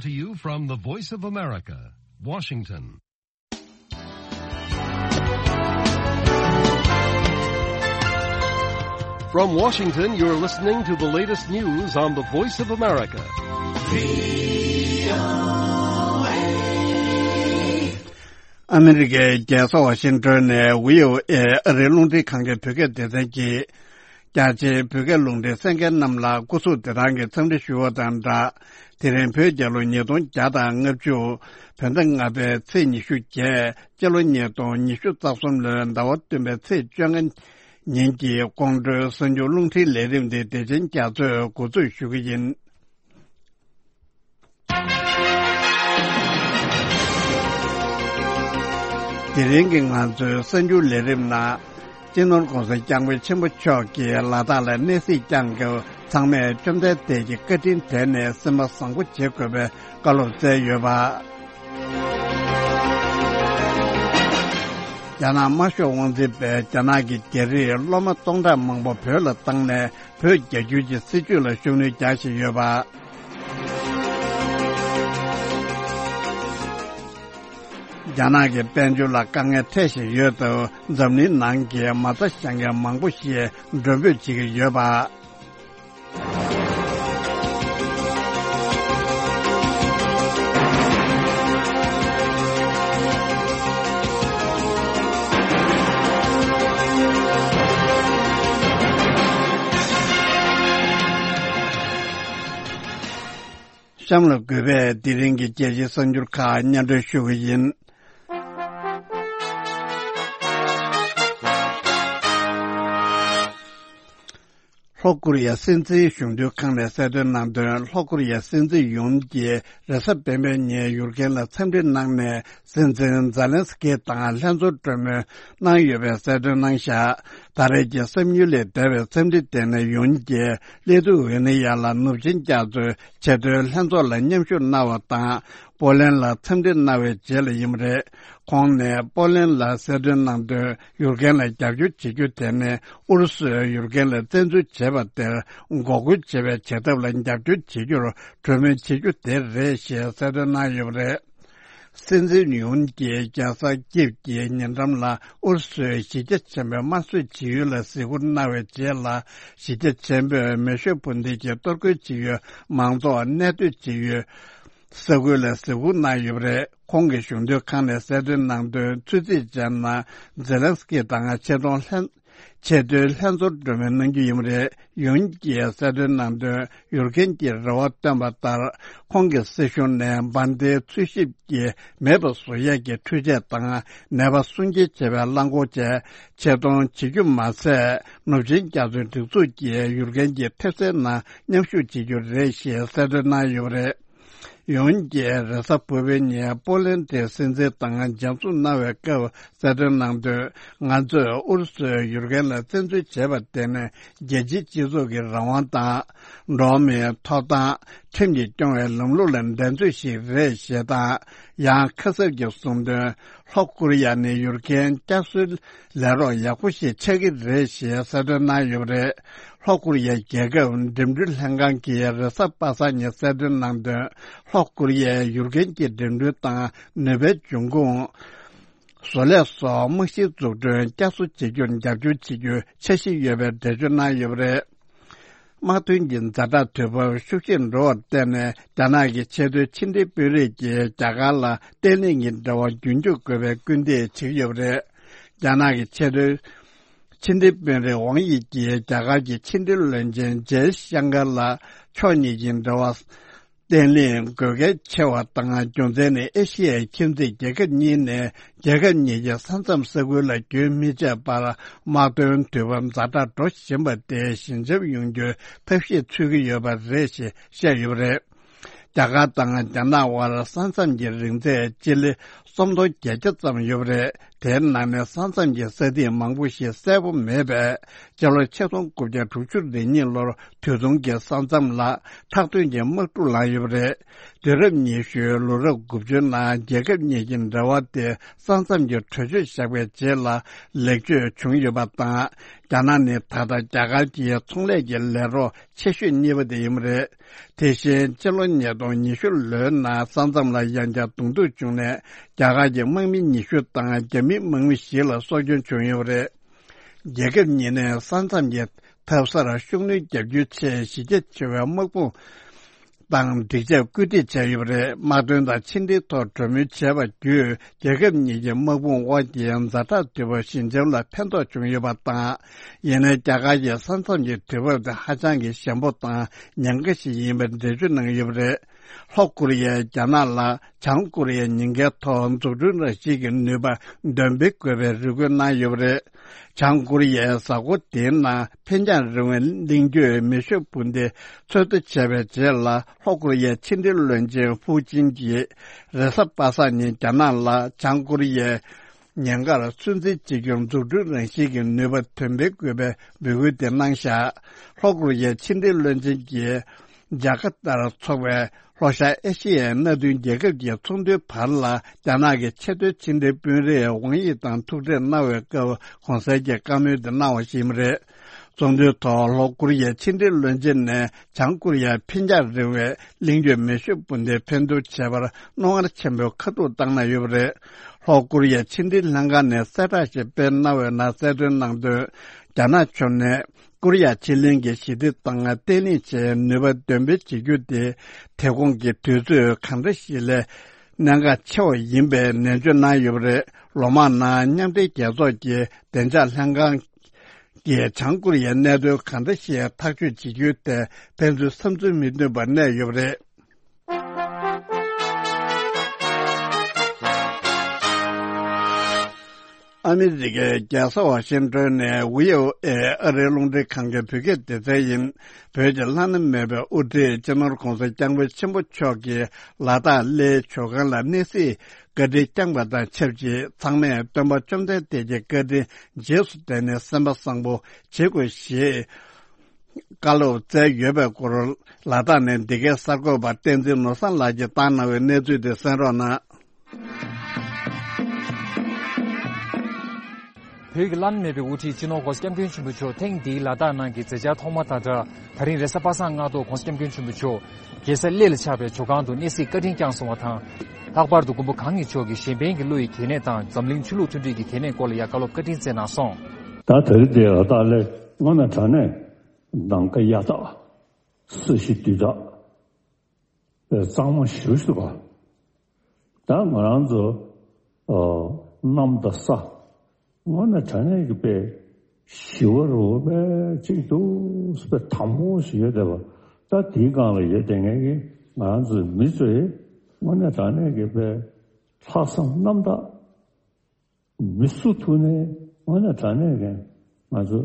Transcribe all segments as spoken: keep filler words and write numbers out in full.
To you from the Voice of America, Washington. From Washington, you're listening to the latest news on the Voice of America. ཨ་མི་རི་ཀའི་རྒྱལ་ས་ཝ་ཤིང་ཏོན་ནས་ཝི་ཨོ་ཨེ་ཨ་རིའི་རླུང་འཕྲིན་ཁང་གི་བོད་སྐད་སྡེ་ཚན་གྱིས། རྒྱ་ཆེའི་བོད་སྐད་རླུང་འཕྲིན་གསན་མཁན་རྣམས་ལ་སྐུ་གཟུགས་བདེ་ཐང་གི་འཚམས་འདྲི་ཞུ་བ་དང་སྦྲགས། དེ་རིང་བོད་རྒྱལ་ལོ་ཉིས་སྟོང་བརྒྱ་དང་ལྔ་བཅུ། བོད་ཟླ་ལྔ་པའི་ཚེས་ཉི་ཤུ་བརྒྱད། སྤྱི་ལོ་ཉིས་སྟོང་ཉི་ཤུ་རྩ་གསུམ་ལོའི་ཟླ་བ་བདུན་པའི་ཚེས་བཅོ་ལྔ་ཉིན་གྱི་ཁོང་ཁྲོའི་གསར་འགྱུར་རླུང་འཕྲིན་ལས་རིམ་འདི་བདེ་ཆེན་རྒྱ་མཚོས་འགོ་འཛུགས་ཞུ་གི་ཡིན། དེ་རིང་གི་ང་ཚོའི་གསར་འགྱུར་ལས་རིམ་ནང་། སྤྱི་ནོར་༸གོང་ས་༸སྐྱབས་མགོན་ཆེན་པོ་མཆོག་གིས་ལ་དྭགས་ལ་གནས་གཟིགས་བསྐྱངས་སྐབས་ཚང་མས་བཅོམ་ལྡན་འདས་ཀྱི་བཀའ་དྲིན་དྲན་ནས་སེམས་པ་བཟང་པོ་བྱེད་དགོས་པའི་བཀའ་སློབ་སྩལ་ཡོད་པ། རྒྱ་ནག་དམར་ཤོག་དབང་འཛིན་པས་རྒྱ་ནག་གི་རྒྱ་རིགས་སློབ་མ་སྟོང་ཕྲག་མང་པོ་བོད་ལ་བཏང་ནས། བོད་རྒྱ་བསྒྱུར་གྱི་སྲིད་བྱུས་ལ་ཤུགས་སྣོན་རྒྱག་བཞིན་ཡོད་པ། རྒྱ་ནག་གི་དཔལ་འབྱོར་ལ་དཀའ་ངལ་འཕྲད་བཞིན་ཡོད་སྟབས། འཛམ་གླིང་ནང་གི་མ་རྩ་བཞག་མཁན་མང་པོ་ཞིག་མགྲོན་འབོད་བྱེད་ཀྱི་ཡོད་པ། གཤམ་ལ་གུས་པས་དེ་རིང་གི་རྒྱལ་སྤྱིའི་གསར་འགྱུར་ཁག་སྙན་སྒྲོན་ཞུ་གི་ཡིན། ལྷོ་ཀོ་རི་ཡ་སྲིད་འཛིན་གཞུང་འཛིན་ཁང་ནས་གསལ་སྟོན་གནང་དོན། ལྷོ་ཀོ་རི་ཡ་སྲིད་འཛིན་ཡུན་གྱིས་རེས་གཟའ་སྤེན་པའི་ཉིན་ཡུར་གན་ལ་འཚམས་འདྲི་གནང་ནས། སྲིད་འཛིན་ཛེ་ལན་སི་ཀི་དང་ལྷན་ཚོགས་གྲོས་མོལ་གནང་ཡོད་པའི་གསལ་སྟོན་གནང་བཞག་ད་རེས་ཀྱི་བསམ་ཡུལ་ལས་འདས་པའི་འཚམས་འདྲི་དེ་ནི་ཡུན་གྱིས་ལི་ཐུ་ཝེ་ནི་ཡ་ལ་ནུབ་ཆིངས་རྒྱ་མཚོའི་ཆེས་མཐོའི་ལྷན་ཚོགས་ལ་མཉམ་ཞུགས་གནང་བ་དང་། པོ་ལན་ལ་འཚམས་འདྲི་གནང་བའི་རྗེས་ལ་ཡིན་པ་རེད། ཁོང་ནས་པོ་ལན་ལ་གསལ་སྟོན་གནང་དོན། ཡུར་གན་ལ་རྒྱབ་སྐྱོར་བྱེད་རྒྱུ་དེ་ནི་ཨུ་རུ་སུས་ཡུར་གན་ལ་བཙན་འཛུལ་བྱས་པ་དེར་འགོག་རྒོལ་བྱེད་པའི་བྱེད་ཐབས་ལ་རྒྱབ་སྐྱོར་བྱེད་རྒྱུར་གྲོས་མོལ་བྱེད་རྒྱུ་དེ་རེད་ཞེས་གསལ་སྟོན་གནང་ཡོད་པ་རེད། སྲིད་འཛིན་ཡུན་གྱིས་རྒྱལ་ས་ཀིབ་ཀྱི་ཉེ་འགྲམ་ལ་ཨུ་རུ་སུའི་གཞི་རྒྱ་ཆེན་པོའི་དམར་གསོད་བྱེད་ཡུལ་ལ་གཟིགས་སྐོར་གནང་བའི་རྗེས་ལ། གཞི་རྒྱ་ཆེན་པོས་མེ་ཤོད་འཕུར་མདེལ་གྱི་གཏོར་རྒོལ་བྱེད་ཡུལ་མང་ཚོགས་གནས་སྡོད་བྱེད་ཡུལ་ས་ཁུལ་ལ་གཟིགས་སྐོར་གནང་ཡོད་པ་རེད། ཁོང་གིས་གཞུང་དོན་ཁང་ནས་གསལ་སྟོན་གནང་དོན། ཚོད་རྩིས་བྱས་ན། ཛེ་ལན་སི་ཀི་དང་ཆེས་མཐོང་ལྷན་ཆེས་མཐོའི་ལྷན་ཚོགས་གྲོས་མོལ་གནང་རྒྱུ་ཡིན་པ་རེད། ཡུན་གྱིས་གསལ་སྟོན་གནང་དོན། ཡུར་གན་གྱིས་རེ་བ་བཏོན་པ་ལྟར། ཁོང་གི་སྲིད་གཞུང་ནས་འབར་མདེལ་འཚོལ་ཞིབ་ཀྱིས་མེད་པ་བཟོ་ཡས་ཀྱི་འཕྲུལ་ཆས་དང་ནད་པ་སྲུང་སྐྱེལ་བྱེད་པའི་རླངས་འཁོར་བཅས་ཆེད་གཏོང་བྱེད་རྒྱུ་མ་ཟད། ནུབ་ཆིངས་རྒྱ་མཚོའི་སྒྲིག་འཛུགས་ཀྱིས་ཡུར་གན་གྱི་ཐེབས་རྩའི་ནང་མཉམ་ཞུགས་བྱེད་རྒྱུ་རེད་ཞེས་གསལ་སྟོན་གནང་ཡོད་པ་རེད། ཡུན་གྱིས་རེས་གཟའ་ཕུར་བུའི་ཉིན་པོ་ལན་གྱི་སྲིད་འཛིན་དང་མཇལ་འཛོམས་གནང་བའི་སྐབས་གསལ་སྟོན་གནང་དོན། ང་ཚོས་ཨུ་རུ་སུས་ཡུར་གན་ལ་བཙན་འཛུལ་བྱས་པ་དེ་ནི་རྒྱལ་སྤྱིའི་སྤྱི་ཚོགས་ཀྱི་རང་དབང་དང་། འགྲོ་བ་མིའི་ཐོབ་ཐང་། ཁྲིམས་ཀྱིས་སྐྱོང་བའི་ལམ་ལུགས་ལ་འགྲན་རྩོད་ཞིག་རེད་ཞེས་དང་། ཡང་ཁ་གསབ་ཀྱིས་གསུངས་དོན། ལྷོ་ཀོ་རི་ཡ་ནི་ཡུར་གན་བསྐྱར་གསོའི་ལས་རོགས་ཡག་པོ་ཞིག་ཆགས་ཀྱི་རེད་ཞེས་གསལ་སྟོན་གནང་ཡོད་པ་རེད། ལྷོ་ཀོ་རི་ཡའི་རྒྱལ་ཁབ་འགྲིམ་འགྲུལ་ལྷན་ཁང་གིས་རེས་གཟའ་པ་སངས་ཉིན་གསལ་སྟོན་གནང་དོན། ལྷོ་ཀོ་རི་ཡས་ཡུར་གན་གྱི་འགྲིམ་འགྲུལ་དང་ནུས་པའི་འབྱུང་ཁུངས། བཟོ་ལས་སོགས་རྨང་གཞིའི་འཛུགས་སྐྲུན་བསྐྱར་གསོ་བྱེད་རྒྱུར་རྒྱབ་སྐྱོར་བྱེད་རྒྱུའི་འཆར་གཞི་ཡོད་པའི་འགྲེལ་བརྗོད་གནང་ཡོད་པ་རེད། དམག་དོན་གྱི་ཛ་དྲག་དུས་བབ་ཤུགས་ཆེར་འགྲོ་བར་བརྟེན་ནས། རྒྱ་ནག་གི་ཆེས་མཐོའི་ཕྱི་འབྲེལ་དཔོན་རིགས་ཀྱིས་རྒྱ་གར་ལ་བརྟན་ལྷིང་གི་འབྲེལ་བ་རྒྱུན་སྐྱོང་དགོས་པའི་སྐུལ་འདེད་བྱེད་ཀྱི་ཡོད་པ་རེད། རྒྱ་ནག་གི་ཆེས་མཐོའི་ཕྱི་འབྲེལ་དཔོན་རིགས་ཝང་དབྱི་ཀྱིས་རྒྱ་གར་གྱི་ཕྱི་འབྲེལ་བློན་ཆེན་ཇེ་ཤང་ཀར་ལ་ཕྱོགས་གཉིས་ཀྱི་འབྲེལ་བ་བརྟན་ལྷིང་དགོས་གལ་ཆེ་བ་དང་། རྒྱུ་མཚན་ནི་ཨེ་ཤི་ཡའི་ཁྱིམ་མཚེས་རྒྱལ་ཁབ་གཉིས་ནས་རྒྱལ་ཁབ་གཉིས་ཀྱི་ས་མཚམས་ས་ཁུལ་ལ་རྒྱུན་མི་ཆད་པར་དམག་དོན་དུས་བབ་ཛ་དྲག་འགྲོ་བཞིན་པ་དེ་ཞི་འཇགས་ཡོང་རྒྱུའི་ཐབས་ཤེས་འཚོལ་གྱི་ཡོད་པ་རེད་ཞེས་བཤད་ཡོད་པ་རེད། རྒྱ་གར་དང་རྒྱ་ནག་དབར་ས་མཚམས་ཀྱི་རིང་ཚད་སྤྱི་ལེ་སུམ་སྟོང་བརྒྱད་བརྒྱ་ཙམ་ཡོད་པ་རེད། དེའི་ནང་ནས་ས་མཚམས་ཀྱི་ས་ཐིག་མང་པོ་ཞིག་གསལ་པོ་མེད་པས། སྤྱི་ལོ་ཆིག་སྟོང་དགུ་བརྒྱ་དྲུག་ཅུ་རེ་གཉིས་ལོར་དུས་ཐུང་གི་ས་མཚམས་ལ་ཐག་གཏོང་གི་དམག་འཁྲུག་ལངས་ཡོད་པ་རེད། དུས་རབས་ཉི་ཤུའི་ལོ་རབས་དགུ་བཅུའི་ནང་རྒྱལ་ཁབ་གཉིས་ཀྱི་འབྲེལ་བ་དེ་ས་མཚམས་ཀྱི་གྲོས་ཆོད་བཞག་པའི་རྗེས་ལ་ལེགས་བཅོས་བྱུང་ཡོད་པ་དང་། རྒྱ་ནག་ནི་ད་ལྟ་རྒྱ་གར་གྱི་ཚོང་ལས་ཀྱི་ལས་རོགས་ཆེ་ཤོས་གཉིས་པ་དེ་ཡིན་པ་རེད། དེ་བཞིན་སྤྱི་ལོ་ཉིས་སྟོང་ཉི་ཤུ་ལོའི་ནང་ས་མཚམས་ལ་ཡང་བསྐྱར་གདོང་ཐུག་བྱུང་ནས། རྒྱ་གར་གྱི་དམག་མི་ཉི་ཤུ་དང་རྒྱ་མིའི་དམག་མི་བཞི་ལ་སྲོག་སྐྱོན་བྱུང་ཡོད་པ་རེད། རྒྱལ་ཁབ་གཉིས་ནས་ས་མཚམས་ཀྱི་ཐབ་གསར་ཤུགས་སྣོན་རྒྱག་རྒྱུའི་ཆེད་གཞི་རྒྱ་ཆེ་བའི་དམག་དཔུང་དང་སྒྲིག་ཆས་བཀོད་སྒྲིག་བྱས་ཡོད་པ་རེད། དམག་དོན་དང་ཕྱི་འབྲེལ་ཐོག་གྲོས་མོལ་བྱས་པ་བརྒྱུད། རྒྱལ་ཁབ་གཉིས་ཀྱི་དམག་དཔུང་དབར་གྱི་ཛ་དྲག་དུས་བབ་ཞི་འཇམ་ལ་ཕན་ཐོགས་བྱུང་ཡོད་པ་དང་། ཡིན་ནའི་རྒྱ་གར་གྱི་ས་མཚམས་ཀྱི་དུས་བབ་དེ་ཧ་ཅང་གི་ཞན་པོ་དང་ཉེན་ཁ་ཞིག་ཡིན་པའི་འགྲེལ་བརྗོད་གནང་ཡོད་པ་རེད། ལྷོ་ཀོ་རི་ཡས་རྒྱ་ནག་ལ་བྱང་ཀོ་རི་ཡའི་ཉེན་ཁའི་ཐོག་འཛུགས་སྐྲུན་རང་བཞིན་གྱི་ནུས་པ་འདོན་སྤེལ་དགོས་པའི་རེ་སྐུལ་གནང་ཡོད་པ་རེད། བྱང་ཀོ་རི་ཡའི་གཟའ་འཁོར་འདིའི་ནང་འཕེན་རྒྱང་རིང་བའི་གླིང་བརྒྱུད་མེ་ཤུགས་འཕུར་མདེལ་འཚོལ་བསྡུ་བྱས་པའི་རྗེས་ལ། ལྷོ་ཀོ་རི་ཡའི་ཕྱི་འབྲེལ་བློན་ཆེན་ཧྥུའུ་ཅིན་གྱིས་རེས་གཟའ་པ་སངས་ཉིན་རྒྱ་ནག་ལ་བྱང་ཀོ་རི་ཡའི་ཉེན་ཁར་ཚོད་འཛིན་བྱེད་རྒྱུར་འཛུགས་སྐྲུན་རང་བཞིན་གྱི་ནུས་པ་འདོན་སྤེལ་དགོས་པའི་འབོད་སྐུལ་དེ་གནང་བཞག་ལྷོ་ཀོ་རི་ཡའི་ཕྱི་འབྲེལ་བློན་ཆེན་གྱིས་ཇ་ཀར་ཏར་འཚོགས་པའི་ལྷོ་ཤར་ཨེ་ཤི་ཡའི་མནའ་མཐུན་རྒྱལ་ཁབ་ཀྱི་ཚོགས་འདུའི་བར་ལ། རྒྱ་ནག་གི་ཆེས་མཐོའི་ཕྱི་འབྲེལ་དཔོན་རིགས་ཝང་ཡི་དང་ཐུག་འཕྲད་གནང་བའི་སྐབས་གོང་གསལ་གྱི་བཀའ་མོལ་དེ་གནང་བ་ཞིག་ཡིན་པ་རེད། ཚོགས་འདུའི་ཐོག་ལྷོ་ཀོ་རི་ཡའི་ཕྱི་འབྲེལ་བློན་ཆེན་ནས་བྱང་ཀོ་རི་ཡར་འཕེན་རྒྱང་རིང་བའི་གླིང་བརྒྱུད་མེ་ཤུགས་འཕུར་མདེལ་འཕེན་གཏོང་བྱས་པར་རྣོ་ངར་ཆེན་པོས་ཁ་ཐུག་བཏང་གནང་ཡོད་པ་རེད། ལྷོ་ཀོ་རི་ཡའི་ཕྱི་འབྲེལ་ལྷན་ཁང་ནས་གསལ་བསྒྲགས་ཤིག་སྤེལ་གནང་བའི་ནང་གསལ་སྟོན་གནང་དོན། རྒྱ་ནག་ཕྱོགས་ནས་ཀོ་རི་ཡ་ཕྱེད་གླིང་གི་ཞི་བདེ་དང་བརྟན་ལྷིང་ཆེད་ནུས་པ་འདོན་སྤེལ་བྱེད་རྒྱུ་དེ་དེ་གོང་གི་དུས་ཚོད་གང་འདྲ་ཞིག་ལས་གནད་འགག་ཆེ་བ་ཡིན་པའི་ནན་བརྗོད་གནང་ཡོད་པ་རེད། ལོ་མང་ནང་མཉམ་འབྲེལ་རྒྱལ་ཚོགས་ཀྱི་བདེ་འཇགས་ལྷན་ཁང་གིས་བྱང་ཀོ་རི་ཡའི་གནད་དོན་གང་འདྲ་ཞིག་ཐག་གཅོད་བྱེད་རྒྱུའི་ཐད་ཕན་ཚུན་བསམ་ཚུལ་མི་མཐུན་པ་གནས་ཡོད་པ་རེད། ཨ་མི་རི་ཀའི་རྒྱལ་ས་ཝ་ཤིང་ཏོན་ནས་ཝི་ཨོ་ཨེ་ཨ་རིའི་རླུང་འཕྲིན་ཁང་གི་བོད་སྐད་སྡེ་ཚན་ཡིན། བོད་ཀྱི་བླ་ན་མེད་པའི་དབུ་ཁྲིད་སྤྱི་ནོར་༧གོང་ས་༧སྐྱབས་མགོན་ཆེན་པོ་མཆོག་གིས་ལ་དྭགས་གླེའི་ཇོ་ཁང་ལ་གནས་གཟིགས་བཀའ་དྲིན་བསྐྱངས་པ་དང་ཆབས་ཅིག་ཚང་མས་སྟོན་པ་བཅོམ་ལྡན་འདས་ཀྱི་བཀའ་དྲིན་རྗེས་སུ་དྲན་ནས་སེམས་པ་བཟང་པོ་བྱེད་དགོས་ཞེས་བཀའ་སློབ་སྩལ་ཡོད་པའི་སྐོར། ལ་དྭགས་ནས་འདི་གའི་གསར་འགོད་པ་བསྟན་འཛིན་ནོར་བཟང་ལགས་ཀྱིས་བཏང་གནང་བའི་གནས་ཚུལ་དེ་གསན་རོགས་གནང་། བོད་ཀྱི་བླ་ན་མེད་པའི་དབུ་ཁྲིད་སྤྱི་ནོར་༧གོང་ས་༧སྐྱབས་མགོན་ཆེན་པོ་མཆོག་ཐེངས་འདིའི་ལ་དྭགས་ནང་གི་མཛད་འཆར་ཐོག་མ་དང་སྦྲགས། ད་རིང་རེས་གཟའ་པ་སངས་སྔ་དྲོ་༧གོང་ས་༧སྐྱབས་མགོན་ཆེན་པོ་མཆོག་རྒྱལ་ས་གླེ་ལ་ཆགས་པའི་ཇོ་ཁང་དུ་གནས་གཟིགས་བཀའ་དྲིན་བསྐྱངས་སོང་བ་དང་། ལྷག་པར་དུ་མགོན་པོ་གང་ཉིད་མཆོག་གིས་གཞན་ཕན་གྱི་བློ་ཡི་གལ་གནད་དང་འཛམ་གླིང་ཆོས་ལུགས་མཐུན་སྒྲིལ་གྱི་གལ་གནད་སྐོར་ལ་ཡང་བཀའ་སློབ་བཀའ་དྲིན་སྩལ་གནང་སོང་། ད་དེ་རིང་འདིར་ལ་དྭགས་གླེ་དངོས་གནས་དྲང་གནས་ནམ་མཁའ་གཡའ་དག་ས་གཞི་རྡུལ་དག་གཙང་མ་ཞེ་པོ་ཞིག་འདུག་ག་ད་ང་རང་ཚོ་ཨ་གནམ་དང་ས་དངོས་གནས་དྲང་གནས་ཀྱི་དཔེ་ཞི་བ་རུ་དཔེ་གཅིག་འདུག་དཔེ་དྭངས་པོ་ཞིག་ཡོད་བསྡད་པ། ད་དེའི་སྒང་ལ་ཡོད་བསྡད་མཁན་གྱི་ང་རང་ཚོའི་མི་ཚོས་དངོས་གནས་དྲང་གནས་ཀྱི་དཔེ་ལྷག་བསམ་རྣམ་དག་མི་སུ་ཐུག་ནས་དངོས་གནས་དྲང་གནས་ཀྱི་ང་ཚོ་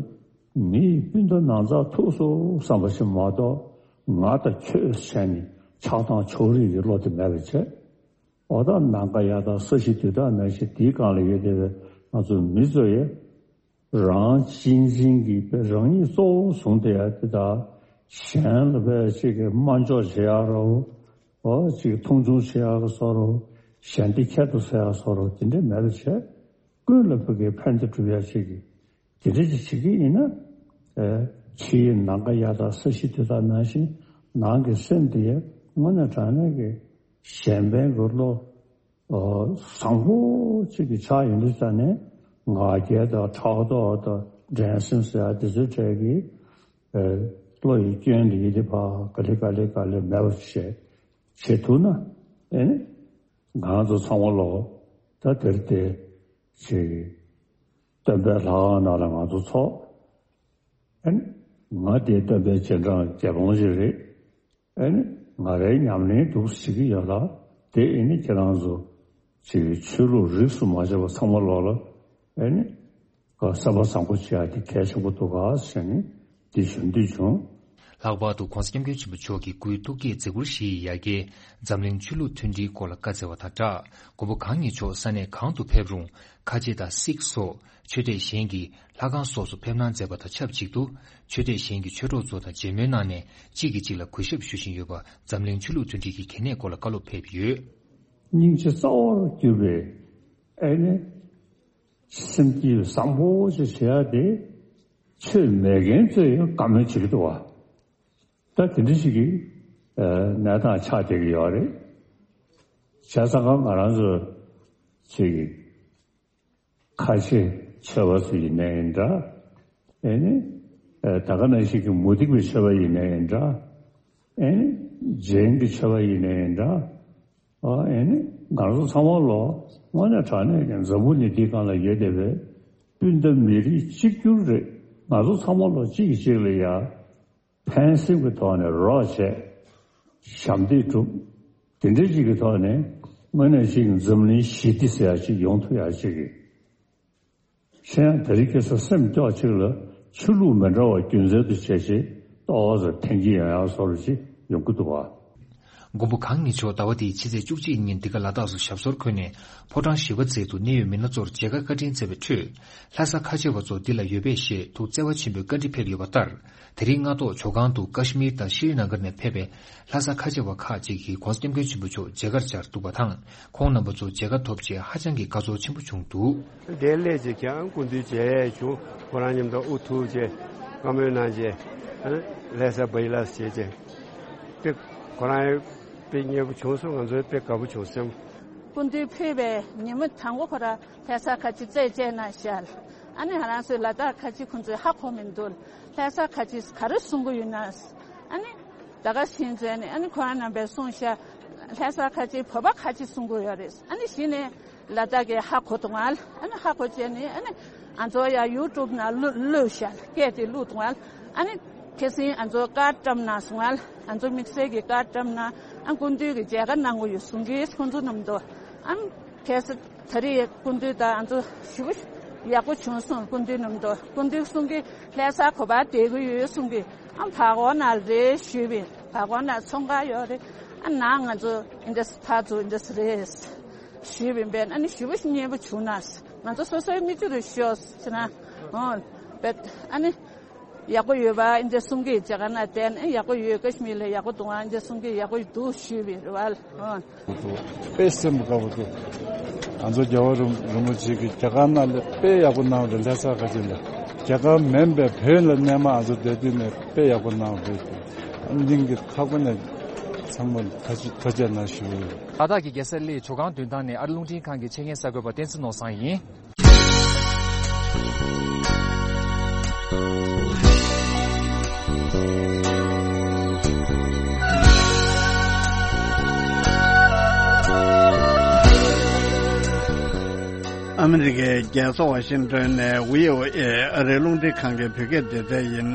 མི་ཡི་སྤུན་ཟླ་ནང་ཚགས་ཐུག་སོང་བསམ་པ་ཞིག་མ་གཏོགས། ང་དང་ཁྱོད་བྱས་ནས་ཆགས་སྡང་ཕྱོགས་རིས་ཀྱི་བློ་དེ་མེད་པ་བྱས། འོ་ད་ནམ་མཁའ་གཡའ་དག་ས་གཞི་རྡུལ་དག་ནང་བཞིན་དེའི་སྒང་ལ་ཡོད་བསྡད་པའི་ང་ཚོ་མི་ཚོ་ཡིས་རང་གཅེས་འཛིན་གྱི་དཔེ་རང་ཉིད་གཙོ་བོ་བཟུང་བསྡད་ཡ་དེ་དག་གཞན་ལ་དཔེ་གཅིག་གི་དམའ་འཇོག་བྱེད་ཡ་རོ། འོ་གཅིག་མཐོང་ཆུང་བྱེད་ཡ་གི་བཟོ་འདྲ། གཞན་སྡིག་ཁྱད་དུ་བསད་ཡ་བཟོ་འདྲ་དེ་འདྲ་མེད་པ་བྱས། ཀུན་ལ་ཕ་གིའི་ཕན་བདེ་སྒྲུབ་ཡ་ཞིག་གི་དེ་འདྲ་ཅིག་བྱེད་ཀྱི་ཡིན་ན། ཨེ་ཕྱི་ཡི་ནམ་མཁའ་གཡའ་དག་ས་གཞི་རྡུལ་དག་ནང་བཞིན་ནང་གི་སེམས་དེ་དངོས་གནས་དྲང་གནས་ཀྱི་གཞན་ཕན་གྱི་བློ་ཨ་བཟང་པོ་གཅིག་གི་ཆ་ཡིན་དུས་ཙ་ནས་ང་རྒྱལ་དང་ཕྲག་དོག་དང་འགྲན་སེམས་ཟེར་ཡ་དེ་ཚོའི་གྲས་ཀྱི་ཨེ་བློ་ཡི་སྐྱོན་དེ་ཡིན་དེ་ཕ་ག་ལེ་ག་ལེ་ག་ལེ་མེད་པ་བྱས་བྱེད་ཐུབ་ན། ཨེ་ནི་ང་ཚོ་ཚང་མ་ལོ་ད་དེར་དེ་ཅིག་སྟོན་པའི་ལྷ་ཁང་ནང་ལ་ང་ཚོ་ཚོགས། ཨེ་ནི་ང་དེ་སྟོན་པའི་རྗེས་འབྲང་རྒྱལ་འབངས་ཅིག་རེད། ཨེ་ནི་ང་རའི་ཉམས་ལེན་འདུག་བྱེད་ཀྱི་ཡོད་ལ། དེ་ཨེ་ནི་ཁྱེད་རང་ཚོ་ཅིག་ཆོས་ལུགས་རིས་སུ་མ་ཆད་པ་ཚང་མ་ལོག་ལ་ཨེ་ནི་ག་བསམ་པ་བཟང་པོ་བྱེད་ཡ་དེ་གལ་ཆེན་པོ་འདུག་ག་ཟེར་ནས་འདི་ཞུ་འདོད་བྱུང་། ལྷག་པར་དུ་༧གོང་ས་༧སྐྱབས་མགོན་ཆེན་པོ་མཆོག་གིས་དགུའི་ཐུགས་བསྐྱེད་མཛད་ཁུར་བཞེས་ཡི་ཡ་གྱལ་འཛམ་གླིང་ཆོས་ལུགས་མཐུན་སྒྲིལ་སྐོར་ལ་བཀའ་སྩལ་བ་དང་སྦྲགས། མགོན་པོ་གང་ཉིད་མཆོག་ས་གནས་གང་དུ་ཕེབས་རུང་ཁ་ཆེ་དང་སིག་སོགས་ཆོས་དད་གཞན་གྱི་ལྷ་ཁང་སོགས་སུ་ཕེབས་གནང་མཛད་པ་དང་ཆབས་ཅིག་ཏུ། ཆོས་དད་གཞན་གྱི་ཆོས་གྲོགས་ཚོ་དང་མཇལ་མོལ་གནང་ནས་གཅིག་གིས་གཅིག་ལ་གུས་ཞབས་ཞུ་བཞིན་ཡོད་པ་འཛམ་གླིང་ཆོས་ལུགས་མཐུན་སྒྲིལ་གྱི་གལ་གནད་སྐོར་ལ་བཀའ་སློབ་ཕེབས་ཡོད། སྙིང་རྗེ་རྩ་བར་གྱུར་པའི་ཨེ་ནི་སེམས་བསྐྱེད་བཟང་པོ་ཞིག་བྱེད་ཡ་དེ་ཆོས་མེད་མཁན་ཚོས་ཡང་བཀའ་མོལ་བྱེད་ཀྱི་འདུག་བ། ད་དེ་འདྲ་ཞིག་གི་ཨ་གནས་སྟངས་ཆགས་བསྡད་ཀྱི་ཡོད་རེད། བྱས་ཙང་ང་རང་ཚོ་ཅིག་ཁ་ཆེ་ཆོས་པ་ཚོ་ཡིན་ནའི་འདྲ། ཨེ་ནི་ཨ་ད་ག་ནང་བཞིན་གྱི་མུ་སྟེགས་པའི་ཆོས་པ་ཡིན་ནའི་འདྲ། ཨེ་ནི་རྗེན་གྱི་ཆོས་པ་ཡིན་ནའི་འདྲ། ཨ་ཨེ་ནི་ང་ཚོ་ཚང་མ་ལོ་དངོས་གནས་དྲང་གནས་ཀྱི་འཛམ་བུ་གླིང་འདིའི་སྒང་ལ་ཡོད་བསྡད་པའི་སྤུན་ཟླ་མི་རིགས་གཅིག་གྱུར་རེད། ང་ཚོ་ཚང་མ་ལོ་གཅིག་གིས་གཅིག་ལ་ཡ་ཕན་སེམས་ཀྱི་ཐོག་ནས་རོགས་བྱས། ཞབས་འདེགས་སྒྲུབ། དེ་འདྲ་ཅིག་གི་ཐོག་ནས་དངོས་གནས་ཅིག་འཛམ་གླིང་ཞི་བདེ་ཟེར་ཡ་ཅིག་ཡོང་ཐུབ་ཡ་ཅིག་གི་ཤེས་ཡང་དེ་རིང་ཁ་སང་སེམས་སྐྱོ་ཅིག་ལ་ཆོས་ལུགས་མི་འདྲ་བ་རྒྱུ་མཚན་དུ་བྱས་བྱས་ཏོག་ཙམ་འཐེན་གྱི་ཡོང་ཡ་བཟོ་འདྲ་ཅིག་ཡོང་གི་འདུག་བ། མགོན་པོ་གང་ཉིད་མཆོག་ཟླ་བ་འདིའི་ཕྱི་ཚེས་བཅུ་གཅིག་ཉིན་འདི་ག་ལ་དྭགས་སུ་ཞབས་སོར་འཁོད་ནས་ཕོ་བྲང་ཞི་བ་མཛད་དུ་གནད་ཡོད་མི་སྣ་ཚོར་མཇལ་ཁ་བཀའ་དྲིན་སྩལ་བའི་ཁྲོད། ལྷ་ས་ཁ་ཆེ་བ་ཚོ་འདི་ལ་ཡོད་པས་ཞེས་ཐུགས་བརྩེ་བ་ཆེན་པོས་བཀའ་འདྲི་ཕེབས་ཡོད་པ་ལྟར། དེ་རིང་སྔ་ཐོག་ཇོ་ཁང་དུ་ཀ་ཤི་མིར་དང་ཤྲི་ནཱ་གར་ནས་ཕེབས་པའི་ལྷ་ས་ཁ་ཆེ་བ་ཁག་ཅིག་གིས་༧གོང་ས་༧སྐྱབས་མགོན་ཆེན་པོ་མཆོག་མཇལ་ཁར་བཅར་འདུག་པ་དང་། ཁོང་རྣམ་པ་ཚོ་མཇལ་ཁ་ཐོབ་རྗེས་ཧ་ཅང་གི་དགའ་ཚོར་ཆེན་པོ་བྱུང་འདུག། དེ་སླེབས་རྗེས་ཀྱང་སྐུ་མདུན་མཇལ་ཡས་བྱུང་། ཁོ་རང་མཉམ་དུ་དབུ་ཐུག་རྗེས་བཀའ་མོལ་གནང་རྗེས་ལྷ་ས་བྷ་ཡི་ལ་སི་བྱས་རྗེས་དེ་ཁོ་རང་དཔེ་མཉེས་པོ་བྱུང་སོང་། ང་ཚོ་དཔེ་དགའ་པོ་བྱུང་སེམས། སྐུ་མདུན་ཕེབས་པའི་ཉིན་མོ་དང་པོ་ཁོ་རང་ལྷ་ས་ཁ་ཆེ་རྩད་བཅད་གནང་ཤག། ཨ་ནི་ང་རང་ཚོའི་ལ་དྭགས་ཁ་ཆེ་ཁོང་ཚོས་ཧ་གོ་མི་འདུག། ལྷ་ས་ཁ་ཆེ་ག་རེ་གསུང་གི་ཡོད་ན། ཨ་ནི་ད་ག་ཕྱིན་ཚེ་ནི་ཨ་ནི་ཁོ་རང་རྣམ་པས་གསུངས་ཤག། ལྷ་ས་ཁ་ཆེ་བོད་པ་ཁ་ཆེ་གསུང་གི་ཡོད་རེད། ཨ་ནི་གཞི་ནས་ལ་དྭགས་ཀྱི་ཧ་གོ་འདུག་ང་། ཨ་ནི་ཧ་གོ་བྱས་ནི་ཨ་ནི་ང་ཚོ་ཡ་ཡུ་ཊུབ་ནང་བླུགས་བླུགས་ཤག། སྐད་དེ་བླུགས་འདུག་ང་། ཨ་ནི་ཁ་སང་ང་ཚོ་ཀར་བཀྲམ་གནང་སོང་ང་། ང་ཚོ་དམིགས་བསལ་གྱི་ཀར་བཀྲམ་གནང་། ཨ་སྐུ་མདུན་གྱི་མཇལ་ཁ་གནང་གི་ཡོད་གསུང་གི་ཁོང་ཚོ་རྣམས་དོ། ཨ་ཁ་སང་ད་རེས་སྐུ་མདུན་དང་ང་ཚོ་ཞེ་པོ་ཡག་པོ་བྱུང་སོང་། སྐུ་མདུན་རྣམས་དོ། སྐུ་མདུན་གསུང་གི་ལྷ་ས་ག་པར་བསྡད་ཀྱི་ཡོད་གསུང་གི། ཨ་བར་སྐོར་ན་རེད་ཞུས་པས། བར་སྐོར་ན་ཚོང་ཁང་ཡོད་རེད། ཨ་ནང་ང་ཚོ་འདི་འདྲ་ཕར་ཚུར་འདི་འདྲ་རེད་ཞུས་པས། ཨ་ནི་ཞེ་པོ་མཉེས་པོ་བྱུང་ན། ང་ཚོ་སོ་སོའི་མིག་ཆུ་རུ་ཤོར་ཟེར་ན། ཨོ་བེད་ཨ་ནི། ཡག་པོ་ཡོད་པ་འདི་གསུང་གི་མཇལ་ཁ་ན་བསྟན་ཡག་པོ་ཡོད། ཀ་ཤི་མིར་ལ་ཡག་པོ་འདུག་ཨ་འདི་གསུང་གི་ཡག་པོ་འདུག་ཞུས་པའི་རེད་བ། དཔེ་སེམས་དགའ་པོ་འདུག། ང་ཚོ་རྒྱལ་བ་རིན་རིན་པོ་ཆེ་གི་མཇལ་ཁ་ན་ལས་དཔེ་ཡག་པོ་གནང་རེད། ལྷ་ས་ཁ་ཆེ་ལ་མཇལ་ཁ་མིན་པའི་བོད་ལ་གནས་མ་ང་ཚོ་བསྡད་དུས་ནས་དཔེ་ཡག་པོ་གནང་རེད། སྙིང་གི་ཁ་ཁོ་ནས་ཚང་མ་ཐ་ཆི་ཐ་ཆད་ན་ཞུ། ལ་དྭགས་ཀྱི་རྒྱལ་ས་གླེ་ཇོ་ཁང་མདུན་ཐང་ནས་ཨ་རི་རླུང་འཕྲིན་ཁང་གི་ཆེད་མཁན་གསར་འགོད་པ་བསྟན་འཛིན་ནོར་བཟང་ཡིན། ཨ་མི་རི་ཀའི་རྒྱལ་ས་ཝ་ཤིང་ཏོན་ནས་བྷི་ཨོ་ཨེ་ཨ་རིའི་རླུང་འཕྲིན་ཁང་གི་བོད་སྐད་སྡེ་ཚན་ཡིན།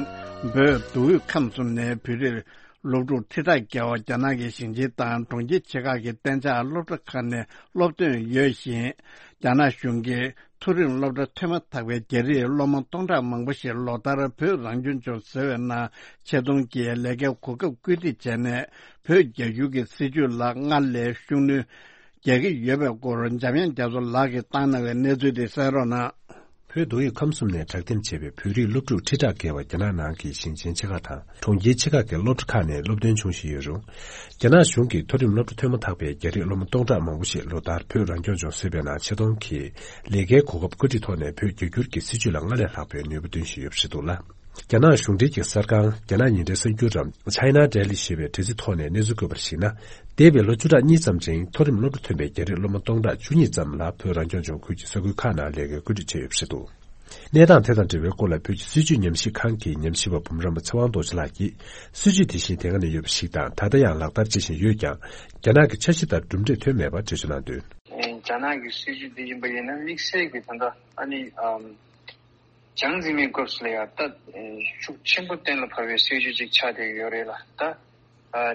བོད་མདོ་དབུས་ཁམས་གསུམ་ནས་བོད་རིགས་སློབ་ཕྲུག་ཁྲི་ཕྲག་བརྒལ་བ་རྒྱ་ནག་གི་ཞིང་ཆེན་དང་གྲོང་ཁྱེར་ཆེ་ཁག་གི་གཏན་འཇགས་སློབ་གྲྭ་ཁག་ནས་སློབ་ཐོན་ཡོད་ཅིང་། རྒྱ་ནག་གཞུང་གིས་མཐོ་རིམ་སློབ་གྲྭ་ཐོན་མ་ཐག་པའི་རྒྱ་རིགས་སློབ་མ་སྟོང་ཕྲག་མང་པོ་ཞིག་ལོ་ལྟར་བོད་རང་སྐྱོང་ལྗོངས་ཟེར་བའི་ནང་ཆེད་གཏོང་གིས་ལས་ཀའི་གོ་སྐབས་བཀོད་སྒྲིག་བྱས་ནས། བོད་རྒྱ་སྒྱུར་གྱི་སྲིད་བྱུས་ལ་སྔར་ལས་ཤུགས་སྣོན་རྒྱག་གི་ཡོད་པའི་སྐོར་འཇམ་དབྱངས་རྒྱ་མཚོ་ལགས་ཀྱིས་བཏང་གནང་བའི་གནས་ཚུལ་དེ་གསན་རོགས་གནང་། བོད་མདོ་དབུས་ཁམས་གསུམ་ནས་དྲག་འདེམས་བྱས་པའི་བོད་རིགས་སློབ་ཕྲུག་ཁྲི་ཕྲག་བརྒལ་བ་རྒྱ་ནག་ནང་གི་ཞིང་ཆེན་ཆེ་ཁག་དང་གྲོང་ཁྱེར་ཆེ་ཁག་གི་སློབ་གྲྭ་ཁག་ནས་སློབ་ཐོན་བྱུང་བཞིན་ཡོད་རུང་། རྒྱ་ནག་གཞུང་གིས་མཐོ་རིམ་སློབ་གྲྭ་ཐོན་མ་ཐག་པའི་རྒྱ་རིགས་སློབ་མ་སྟོང་ཕྲག་མང་པོ་ཞིག་ལོ་ལྟར་བོད་རང་སྐྱོང་ལྗོངས་ཟེར་བའི་ནང་ཆེད་གཏོང་གིས་ལས་ཀའི་གོ་སྐབས་བཀོད་སྒྲིག་ཐོག་ནས་བོད་རྒྱ་སྒྱུར་གྱི་སྲིད་བྱུས་ལ་སྔར་ལས་ལྷག་པའི་ནུས་པ་འདོན་བཞིན་ཡོད་པ་རེད་འདུག་ལ། རྒྱ་ནག་གཞུང་འབྲེལ་གྱི་གསར་ཁང་རྒྱ་ནག་ཉིན་རེའི་གསར་འགྱུར་རམ་China Daily ཞེས་པའི་དྲ་ཚིགས་ཐོག་ནས་གནས་ཚུལ་བཀོད་པར་གཞིགས་ན། འདས་པའི་ལོ་བཅུ་ཕྲག་གཉིས་ཙམ་རིང་མཐོ་རིམ་སློབ་གྲྭ་ཐོན་པའི་རྒྱ་རིགས་སློབ་མ་སྟོང་ཕྲག་བཅུ་གཉིས་ཙམ་ལ་བོད་རང་སྐྱོང་ལྗོངས་ཁུལ་གྱི་ས་ཁུལ་ཁག་ནང་ལས་ཀའི་བཀོད་སྒྲིག་བྱས་ཡོད་པ་རེད་འདུག། གནས་སྟངས་དེ་དང་འབྲེལ་བའི་སྐོར་ལ་བོད་ཀྱི་སྲིད་བྱུས་ཉམས་ཞིབ་ཁང་གི་ཉམས་ཞིབ་པ་འབུམ་རམས་པ་ཚེ་དབང་རྡོ་རྗེ་ལགས་ཀྱིས། སྲིད་བྱུས་དེ་བཞིན་དེ་སྔ་ནས་ཡོད་པ་ཞིག་དང་། ད་ལྟ་ཡང་ལག་བསྟར་བྱེད་བཞིན་ཡོད་ཀྱང་། རྒྱ་ནག་གི་འཆར་གཞི་ལྟར་གྲུབ་འབྲས་ཐོན་མེད་པ་འགྲེལ་བརྗོད་གནང་དོན། རྒྱ་ནག་གི་སྲིད་བྱུས་དེ་ཡིན་པ་ཡིན་ན་དམིགས་བསལ་གྱི་ད་ལྟ་ཨ་ནི་ཨམ། ཅང་ཙེ་མིན་སྐབས་སུ་ལ་ཡང་ད་ཤུགས་ཆེན་པོ་གཏན་ལ་ཕབ་པའི་སྲིད་ཇུས་ཅིག་ཆགས་བསྡད་ཡོད་རེད་ལ། ད་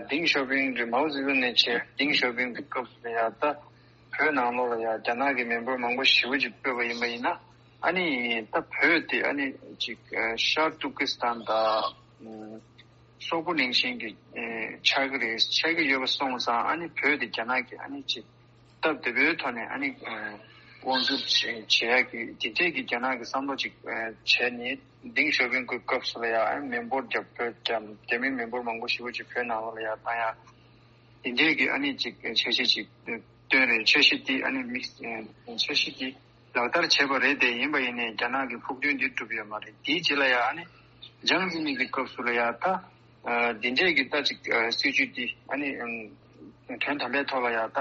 ཏིང་ཞའོ་ཕིང་རེད། མའོ་ཙེ་ཏུང་ནས་བྱས་ཏིང་ཞའོ་ཕིང་གི་སྐབས་སུ་ལ་ཡང་ད་བོད་ནང་ལོགས་ལ་ཡང་རྒྱ་ནག་གི་མི་འབོར་མང་པོ་ཞེ་པོ་ཅིག་སྤོས་པ་ཡིན་པ་ཡིན་ན། ཨ་ནི་ད་བོད་དེ་ཨ་ནི་ཅིག་ཤར་ཏུར་ཀི་སི་ཐན་དང་། སོག་པོ་ནང་བཞིན་གྱི་ཨེ་ཆགས་ཀྱི་རེད། ཆགས་ཀྱི་ཡོད་པ་སོང་ཙང་ཨ་ནི་བོད་དེ་རྒྱ་ནག་གི་ཨ་ནི་ཅིག་སྟབས་བདེ་པོའི་ཐོག་ནས་ཨ་ནི་ཨེ་དབང་སྒྱུར་བྱེད་བྱེད་ཡག་གི་དེ་འདྲས་ཀྱི་རྒྱ་ནག་གི་བསམ་བློ་ཅིག་ཨེ་བྱས་ནས། ཏེང་ཞའོ་ཕིང་གི་སྐབས་སུ་ལ་ཡ་ཨ་ནི་མི་འབོར་རྒྱ་བོད་རྒྱ་རྒྱ་མི་མི་འབོར་མང་པོ་ཞེ་པོ་ཅིག་བོད་ནང་ལོགས་ལ་ཡ་བཏང་ཡ། དེ་འདྲས་ཀྱི་ཨ་ནི་ཅིག་འཆར་གཞི་ཅིག་བཏོན་རེད། འཆར་གཞི་དེ་ཨ་ནི་དམིགས་འཆར་གཞི་དེ་ལག་བསྟར་བྱས་པ་རེད་དེ། ཡིན་པ་ཡིན་ནའི་རྒྱ་ནག་གི་ཕུགས་འདུན་དེ་འགྲུབ་ཡོད་མ་རེད། དེའི་རྗེས་ལ་ཡང་ཨ་ནི་ཅང་ཙེ་མིན་གྱི་སྐབས་སུ་ལ་ཡང་ད་འདི་འདྲས་ཀྱི་ད་ཅིག་སྲིད་ཇུས་འདི་ཨ་ནི་དོན་དམ་པའི་ཐོག་ལ་ཡང་ད་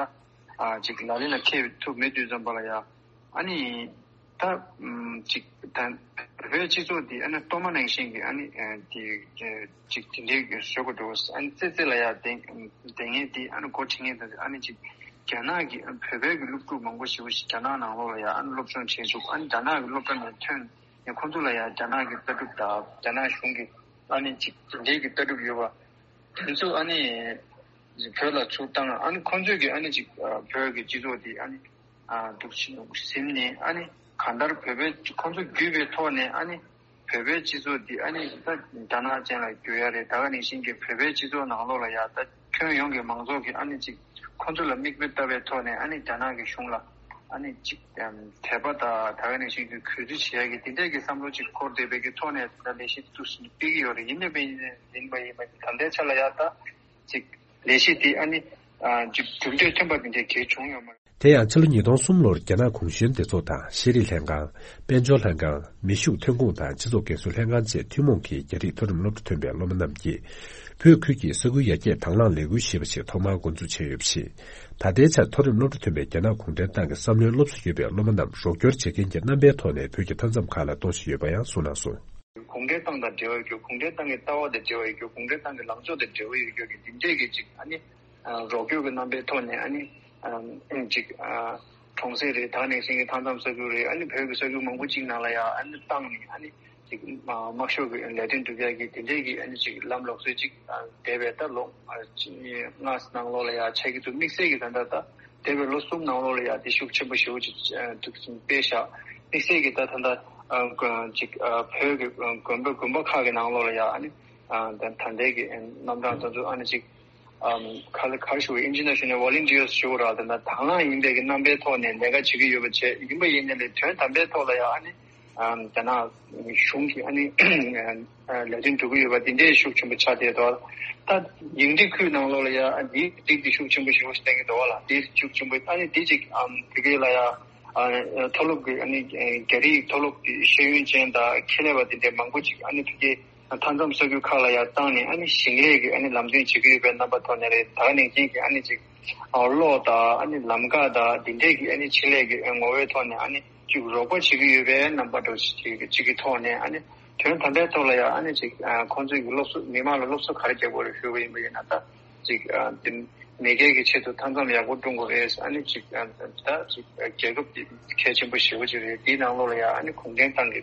ཅིག་ལག་ལེན་ལ་འཁེལ་ཐུབ་མེད་དུས་ཙམ་པ་ལ་ཡང་ཨ་ནི། ད་ཅིག་ད་བོད་སྤྱི་ཚོགས་འདི་ཨ་ནི་གཏོར་མ་ནང་བཞིན་གྱི་ཨ་ནི་དེ་ཅིག་དེ་འདྲའི་བཟོ་དགོས་འདུག་ཨ་ནི་ཙི་ཙི་ལ་ཡ་དེ་དེ་ངས་དེ་ཨ་ནི་འགོ་ཁྲིད་ངེས་དང་ཨ་ནི་ཅིག་རྒྱ་ནག་གི་བོད་པའི་གི་སློབ་ཕྲུག་མང་པོ་ཞེ་པོ་ཞིག་རྒྱ་ནག་ནང་ལོགས་ལ་ཡ་ཨ་ནི་སློབ་སྦྱོང་བྱེད་ཆོག་ཨ་ནི་རྒྱ་ནག་གི་སློབ་གྲྭ་ནས་ཐོན་ནས་ཁོང་ཚོ་ལ་ཡ་རྒྱ་ནག་གི་ལྟ་གྲུབ་དང་རྒྱ་ནག་གཞུང་གི་ཨ་ནི་ཅིག་དེ་འདྲའི་གི་ལྟ་གྲུབ་ཡོད་པ། དེ་ཚོ་ཨ་ནི་བོད་ལ་ཚུར་བཏང་། ཨ་ནི་ཁོང་ཚོས་ཀྱི་ཨ་ནི་ཅིག་བོད་ཀྱི་སྤྱི་ཚོགས་དེ་ཨ་ནི་འདུག་ཟིན་ནས་ཨ་ནི་གང་ལྟར་བོད་པའི་ཁོང་ཚོ་བརྒྱུད་པའི་ཐོག་ནས་ཨ་ནི་བོད་པའི་སྤྱི་ཚོགས་འདི་ཨ་ནི་ད་རྒྱ་ནག་ཅན་ལ་བསྒྱུར་ཡ་རེད། ད་ག་ནང་བཞིན་གྱི་བོད་པའི་སྤྱི་ཚོགས་ནང་ལོགས་ལ་ཡ་ད་ཁྱོན་ཡོངས་ཀྱི་མང་ཚོགས་ཀྱི་ཨ་ནི་ཅིག་ཁོང་ཚོ་ལ་མིག་དཔེ་ལྟ་བའི་ཐོག་ནས་ཨ་ནི་རྒྱ་ནག་གི་གཞུང་ལ་ཨ་ནི་ཅིག་དད་པ་དང་ད་ག་ནང་བཞིན་གྱི་གུས་བརྩི་བྱེད་ཡ་གི་དེ་འདྲས་ཀྱི་བསམ་བློ་ཅིག་འཁོར་བསྡད་པའི་གི་ཐོག་ནས་ད་ལས་གཞི་འདུག་སྤེལ་གྱི་ཡོད་རེད། ཡིན་ནའི་ཡིན་པ་ཡིན་པ་ད་ལྟའི་ཆ་ལ་ཡ་ད་ཅིག་ལས་གཞི་དེ་ཨ་ནི་ཅིག་གྲུབ་འབྲས་ཐོན་པ་དེ་འདྲས་གལ་བྱུང་ཡོད་མ་རེད། དེ་ཡང་ཕྱི་ལོ་ཉིས་སྟོང་གསུམ་ལོར་རྒྱ་ནག་གུང་གཞོན་སྡེ་ཚོགས་དང་ཤེས་རིག་ལྷན་ཁང་། དཔལ་འབྱོར་ལྷན་ཁང་། མི་ཤུགས་ཐོན་ཁུངས་དང་སྤྱི་ཚོགས་འགན་སྲུང་ལྷན་ཁང་བཅས་ཐུན་མོང་གི་རྒྱ་རིགས་མཐོ་རིམ་སློབ་གྲྭ་ཐོན་པའི་སློབ་མ་རྣམས་ཀྱིས་བོད་ཁུལ་གྱི་ས་ཁུལ་ཡར་རྒྱས་དང་བླངས་ལས་འགུལ་ཞེས་པ་ཞིག་ཐོག་མར་འགོ་འཛུགས་བྱས་ཡོད་པ་རེད། ད་ལྟའི་ཆར་མཐོ་རིམ་སློབ་གྲྭ་ཐོན་པའི་རྒྱ་ནག་གུང་ཁྲན་ཏང་གི་བསམ་བློའི་སློབ་གསོ་ཡོད་པའི་སློབ་མ་རྣམས་རོགས་སྐྱོར་བྱེད་མཁན་གྱི་རྣམ་པའི་ཐོག་ནས་བོད་ཀྱི་མཐའ་མཚམས་ཁག་ལ་གཏོང་བཞིན་ཡོད་པ་ཡང་གསུངས་གནང་སོང་། གུང་ཁྲན་ཏང་དང་འབྲེལ་བ་ཡོད་རྒྱུ། གུང་ཁྲན་ཏང་གི་ལྟ་བ་དང་འབྲེལ་བ་ཡོད་རྒྱུ། གུང་ཁྲན་ཏང་གི་ལངས་ཕྱོགས་དང་འབྲེལ་བ་ཡོད་རྒྱུ་གི་འདི་འདྲས་ཀྱི་ཅིག་ཨ་ནི་རོགས་སྐྱོར་གྱི་རྣམ་པའི་ཐོག་ནས་ཨ་ནི་ཅིག་གྲོང་གསེབ་རེད། ད་ག་ནང་བཞིན་གྱི་མཐའ་མཚམས་ས་ཁུལ་རེད། ཨ་ནི་བོད་ཀྱི་ས་ཁུལ་མང་པོ་ཅིག་ནང་ལ་ཡང་ཨ་ནི་བཏང་ནས་ཨ་ནི་ཅིག་དམག་ཤོག་གི་ལས་དོན་སྒྲུབ་ཡག་གི་དེ་འདྲས་ཀྱི་ཨ་ནི་ཅིག་ལམ་ལུགས་སྲོལ་ཅིག་འདས་པའི་ད་ལོ་ལྔ་ནང་ལོགས་ལ་ཡང་ཆགས་ཀྱི་འདུག་དམིགས་བསལ་གྱི་ད་ལྟ་ད། འདས་པའི་ལོ་གསུམ་ནང་ལོགས་ལ་ཡང་དེ་ཤུགས་ཆེན་པོ་ཞེ་པོ་ཅིག་འདུག་སྤེལ་བཞག་དམིགས་བསལ་གྱི་ད་ད་ལྟ་ཅིག་བོད་ཀྱི་དགོན་པ་དགོན་པ་ཁག་གི་ནང་ལོགས་ལ་ཡང་ཨ་ནི་ད་ད་ལྟའི་གི་རྣམ་གྲངས་དེ་ཚོ་ཨ་ནི་ཅིག་ག་ལ་ག་རེ་ཞུ་དགོས། International Volunteers་ཞུ་དགོས་ར། ད་ལྟ་དང་བླངས་ཡིན་པའི་གི་རྣམ་པའི་ཐོག་ནས་ལས་ཀ་བྱེད་ཀྱི་ཡོད་པ་བྱས། ཡིན་པ་ཡིན་ནའི་ལས་དོན་དམ་པའི་ཐོག་ལ་ཡང་ཨ་ནི་རྒྱ་ནག་གཞུང་གིས་ཨ་ནི་ལས་དོན་སྒྲུབ་ཀྱི་ཡོད་པ་འདི་འདྲའི་ཤུགས་ཆེན་པོ་ཆགས་བསྡད་འདུག་ད་ཡིག་འབྲེལ་ཁུལ་ནང་ལོགས་ལ་ཡང་འདིའི་སྒྲིག་འདི་ཤུགས་ཆེན་པོ་ཞེ་པོ་ཞིག་བསྟན་གྱི་འདུག་བ་ལ། འདི་ཤུགས་ཆེན་པོ་ཨ་ནི་འདི་ཅིག་ཨམ་བོད་སྐད་ལ་ཡང་མཐོ་སློབ་ཀྱི་ཨ་ནི་རྒྱ་རིགས་མཐོ་སློབ་ཀྱི་ཤེས་ཡོན་ཅན་དང་ཁེ་ལས་པ་འདི་འདྲའི་མང་པོ་ཅིག་ཨ་ནི་བོད་སྐད་མཐའ་མཚམས་ས་ཁུལ་ཁག་ལ་ཡང་བཏང་ནས་ཨ་ནི་ཞིང་ལས་ཀྱི་ཨ་ནི་ལམ་སྟོན་བྱེད་ཀྱི་ཡོད་པའི་རྣམ་པ་ཐོག་ནས་རེད། ད་ག་ནང་བཞིན་གྱི་ཨ་ནི་ཅིག་གློག་དང་ཨ་ནི་ལམ་ཁ་དང་འདི་འདྲས་ཀྱི་ཨ་ནི་ཆེད་ལས་ཀྱི་ངོ་བོའི་ཐོག་ནས་ཨ་ནི་ཅིག་རོགས་པ་བྱེད་ཀྱི་ཡོད་པའི་རྣམ་པ་འདྲ་ཅིག་གི་ཐོག་ནས་ཨ་ནི་དོན་དམ་པའི་ཐོག་ལ་ཡང་ཨ་ནི་ཅིག་ཁོང་ཚོའི་གི་སློབ་གསོ་མི་མང་ལ་སློབ་གསོ་ག་རེ་རྒྱག་དགོས་རེད་ཞུས་པ་ཡིན་པ་ཡིན་ན། ད་ཅིག་དེ་མེས་རྒྱལ་གྱི་ཆེད་དུ་མཐའ་མཚམས་ཡག་པོ་སྲུང་དགོས་རེད། ཨ་ནི་ཅིག་ད་ཅིག་རྒྱལ་ཁབ་དེ་གལ་ཆེན་པོ་ཞེ་པོ་ཅིག་རེད། དེའི་ནང་ལོགས་ལ་ཡང་ཨ་ནི་གུང་ཁྲན་ཏང་གི་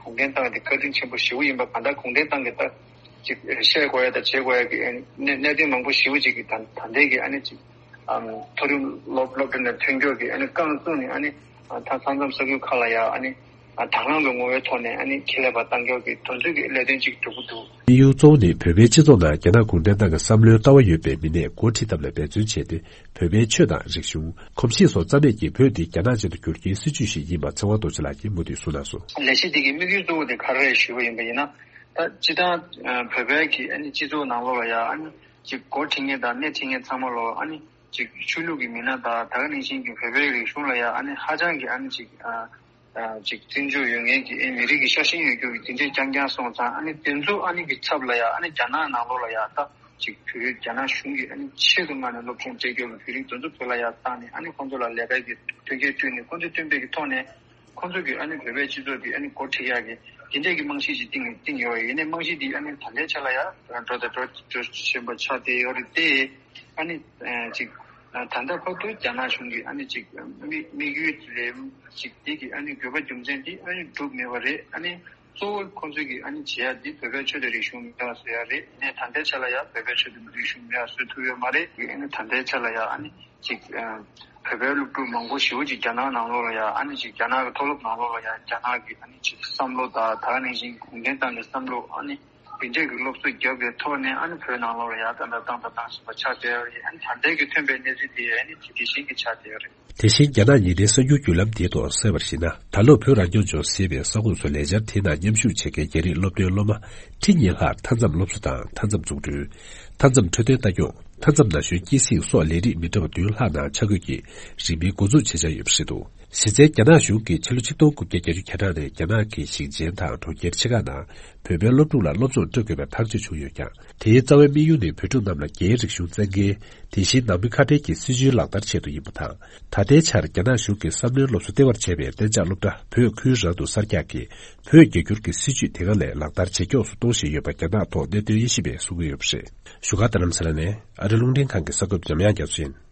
གུང་ཁྲན་ཏང་དེ་བཀའ་དྲིན་ཆེན་པོ་ཞེ་པོ་ཡིན་པ། གང་ལྟར་གུང་ཁྲན་ཏང་གི་ད་ཅིག་བཤད་དགོས་ཡ་དང་བྱེད་དགོས་ཡ་གི་གནད་གནད་དོན་མང་པོ་ཞེ་པོ་ཅིག་གི་ད་ད་ལྟའི་གི་ཨ་ནི་ཅིག་མཐོ་རིམ་སློབ་སློབ་གྲྭ་ནས་ཐོན་མཁན་གྱི་ཨ་ནི་རྐང་བཙུགས་ནས་ཨ་ནི་ད་མཐའ་མཚམས་ས་ཁུལ་ཁག་ལ་ཡ་ཨ་ནི་དང་བླངས་ཀྱི་ངོ་བོའི་ཐོག་ནས་ཨ་ནི་ཁེ་ལས་པ་གཏང་མཁན་གྱི་དོན་ཚན་གྱི་ལས་དོན་ཅིག་སྒྲུབ་ཀྱི་འདུག་དམིགས་ཡུལ་གཙོ་བོ་ནི་བོད་པའི་སྤྱི་ཚོགས་ནང་རྒྱ་ནག་གུང་ཁྲན་ཏང་གི་བསམ་བློའི་ལྟ་བ་ཡོད་པའི་མི་སྣས་འགོ་ཁྲིད་ཐབས་ལ་འབད་བརྩོན་བྱས་ཏེ། བོད་པའི་ཆོས་དང་རིག་གཞུང་། གོམས་གཤིས་སོགས་རྩ་མེད་ཀྱིས་བོད་འདི་རྒྱ་ནག་ཅན་དུ་བསྒྱུར་རྒྱུའི་སྲིད་ཇུས་ཤིག་ཡིན་པ་ཚེ་དབང་རྡོ་རྗེ་ལགས་ཀྱིས་མུ་མཐུད་གསུངས་གནང་སོང་། ལས་གཞི་འདི་གི་དམིགས་ཡུལ་གཙོ་བོ་དེ་ག་རེ་རེད་ཞུས་པ་ཡིན་པ་ཡིན་ན། ད་སྤྱིར་བཏང་བོད་པའི་གི་ཨ་ནི་སྤྱི་ཚོགས་ནང་ལོགས་ལ་ཡ་ཨ་ནི་ཅིག་འགོ་ཁྲིད་མཁན་དང་སྣེ་ཁྲིད་མཁན་ཚང་མ་ལོ་ཨ་ནི་ཅིག་ཆོས་ལུགས་ཀྱི་མི་སྣ་དང་ད་ག་ནང་བཞིན་གྱི་བོད་པའི་རིག་གཞུང་ལ་ཡ་ཨ་ནི་ཧ་ཅང་གི་ཨ་ནི་ཅིག་ཅིག་བརྩི་འཇོག་ཡོད་མཁན་གྱི་ཨེ་མི་རིགས་ཀྱི་ཤ་ཞེན་ཡོད་རྒྱུ་གི་དེ་འདྲས་རྐྱང་རྐྱང་སོང་ཙང་། ཨ་ནི་དེ་ཚོ་ཨ་ནི་གི་ཚབ་ལ་ཡ་ཨ་ནི་རྒྱ་ནག་ནང་ལོགས་ལ་ཡ་ད་ཅིག་བོད་རིགས་རྒྱ་ནག་གཞུང་གིས་ཨ་ནི་ཆེད་དུ་མངགས་ནས་སློབ་སྦྱོང་སྤྲད་རྒྱུ་གི་བོད་རིགས་དེ་ཚོ་བོད་ལ་ཡ་བཏང་ནས་ཨ་ནི་ཁོང་ཚོ་ལ་ལས་ཀ་གི་མཐུན་རྐྱེན་བསྐྲུན་ནས་ཁོང་ཚོ་བསྟུན་པའི་གི་ཐོག་ནས་ཁོང་ཚོ་གི་ཨ་ནི་བོད་པའི་སྤྱི་ཚོགས་ཀྱི་ཨ་ནི་འགོ་ཁྲིད་ཡག་གི་དེ་འདྲས་ཀྱི་རྨང་གཞི་ཅིག་བཏིང་བཏིང་ཡོད་པ་ཡིན་ནའི་རྨང་གཞི་འདི་ཨ་ནི་ད་ལྟའི་ཆ་ལ་ཡ་འགྲོ་དང་འགྲོ་འགྲོ་བཞིན་པ་ཆགས་བསྡད་ཡོད་རེད་དེ། ཨ་ནི་ཅིག་ད་ལྟ་བར་དུ་རྒྱ་ནག་གཞུང་གིས་ཨ་ནི་ཅིག་དམིགས་དམིགས་ཡུལ་དེ་ཅིག་འདི་གི་ཨ་ནི་དགོས་པ་རྒྱུ་མཚན་འདི་ཨ་ནི་འགྲུབ་མེད་པ་རེད། ཨ་ནི་གཙོ་བོ་ཁོང་ཚོས་ཀྱི་ཨ་ནི་བྱེད་ཡ་འདི་བོད་པའི་ཆོས་དང་རིག་གཞུང་མེད་པ་བཟོ་ཡ་རེད། ཨ་ནི་ད་ལྟའི་ཆ་ལ་ཡ་བོད་པའི་ཆོས་དང་རིག་གཞུང་མེད་པ་བཟོ་ཐུབ་ཡོད་མ་རེད། ཨ་ནི་ད་ལྟའི་ཆ་ལ་ཡ་ཨ་ནི་ཅིག་བོད་པའི་སློབ་ཕྲུག་མང་པོ་ཞེ་པོ་ཅིག་རྒྱ་ནག་ནང་ལོགས་ལ་ཡ་ཨ་ནི་ཅིག་རྒྱ་ནག་གི་མཐོ་སློབ་ནང་ལོགས་ལ་ཡ་རྒྱ་ནག་གི་ཨ་ནི་ཅིག་བསམ་བློ་དང་ད་ག་ནང་བཞིན་གུང་ཁྲན་ཏང་གི་བསམ་བློ་ཨ་ནི། རྒྱུན་ཆད་ཀྱི་སློབ་གསོ་བརྒྱབ་པའི་ཐོག་ནས་ཨ་ནི་བོད་ནང་ལོགས་ལ་ཡར་ད་ལྟ་བཏང་དང་བཏང་བཞིན་པ་ཆགས་བསྡད་ཡོད་རེད། ཨ་ནི་ད་ལྟའི་གི་ཐོན་པའི་གནས་ཚུལ་དེ་ཨ་ནི་དེ་དེ་བཞིན་གྱི་ཆགས་བསྡད་ཡོད་རེད། དེ་བཞིན་རྒྱ་ནག་ཉིན་རེའི་གསར་འགྱུར་བརྒྱུད་ལམ་དེའི་ཐོག་གསལ་བར་གཞིགས་ན། ད་ལོ་བོད་རང་སྐྱོང་ལྗོངས་ཟེར་བའི་ས་ཁོངས་སུ་ལས་འཆར་དེའི་ནང་མཉམ་ཞུགས་བྱེད་མཁན་རྒྱ་རིགས་སློབ་ཐོན་སློབ་མ་ཁྲི་གཉིས་ལྷག་མཐའ་མཚམས་སློབ་གསོ་དང་མཐའ་མཚམས་འཛུགས་སྐྲུན། མཐའ་མཚམས་འཕྲོད་བསྟེན་ལྟ་སྐྱོང་། མཐའ་མཚམས་ན་གཞོན་སྐྱེད་སྲིང་སོགས་ལས་རིགས་མི་འདྲ་བ་བདུན་ལྷག་ནང་ཆ་བགོས་ཀྱིས་རིང་མིན་འགོ་འཛུགས་བྱེད་འཆར་ཡོད་པ་རེད་འདུག་གཞི་རྩའི་རྒྱ་ནག་གཞུང་གིས་ཕྱི་ལོ་ཆིག་སྟོང་དགུ་བརྒྱ་བརྒྱད་ཅུ་གྱ་གྲངས་ནས་རྒྱ་ནག་གི་ཞིང་ཆེན་དང་གྲོང་ཁྱེར་ཆེ་ཁག་ནང་བོད་པའི་སློབ་ཕྲུག་ལ་སློབ་སྦྱོང་སྤྲོད་དགོས་པའི་ཐག་གཅོད་བྱུང་ཡོད་ཀྱང་། དེའི་རྩ་བའི་དམིགས་ཡུལ་ནི་བོད་ཕྲུག་རྣམས་ལ་རྒྱའི་རིག་གཞུང་བཙན་འགེལ། དེ་བཞིན་ནང་མི་ཁ་བྲལ་གྱི་སྲིད་བྱུས་ལག་བསྟར་ཆེད་དུ་ཡིན་པ་དང་། ད་ལྟའི་ཆར་རྒྱ་ནག་གཞུང་གིས་བསམ་བློའི་སློབ་གསོ་ལྟེ་བར་བྱས་པའི་གཏན་འཇགས་སློབ་གྲྭ་བོད་ཁུལ་རང་དུ་གསར་རྒྱག་གིས་བོད་རྒྱ་བསྒྱུར་གྱི་སྲིད་བྱུས་དེ་སྔ་ལས་ལག་བསྟར་ཇེ་མགྱོགས་སུ་གཏོང་བཞིན་ཡོད་པ་རྒྱ་ནག་ཐོག་གནད་དོན་དབྱེ་ཞིབ་པས་གསུང་གི་ཡོད་པ་རེད། བཞུགས་སྒར་རྡ་རམ་ས་ལ་ནས་ཨ་རི་རླུང་འཕྲིན་ཁང་གི་གསར་འགོད་པ་འཇམ་དབྱངས་རྒྱ་མཚོ་ཡིན།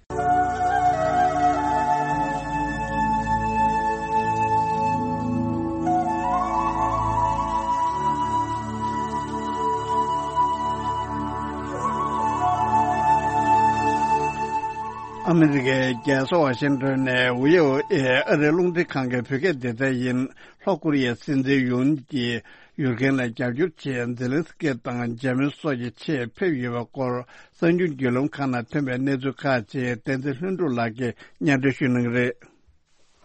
ཨ་མི་རི་ཀའི་རྒྱལ་ས་ཝ་ཤིང་ཏོན་ནས་ཝི་ཨོ་ཨེ་ཨ་རིའི་རླུང་འཕྲིན་ཁང་གི་བོད་སྐད་སྡེ་ཚན་ཡིན། ལྷོ་ཀོ་རི་ཡའི་སྲིད་འཛིན་ཡུན་གྱིས་ཡུཀ་རེན་ལ་རྒྱབ་སྐྱོར་ཆེད་ཛེ་ལན་སི་ཀི་དང་འཇར་མན་སོགས་ཀྱི་ཆེད་ཕེབས་ཡོད་པའི་སྐོར་གསར་འགྱུར་བརྒྱུད་ལམ་ཁག་ནང་ཐོན་པའི་གནས་ཚུལ་ཁག་ཅིག་བསྟན་འཛིན་ལྷུན་གྲུབ་ལགས་ཀྱིས་སྙན་སྒྲོན་ཞུ་གནང་གི་རེད།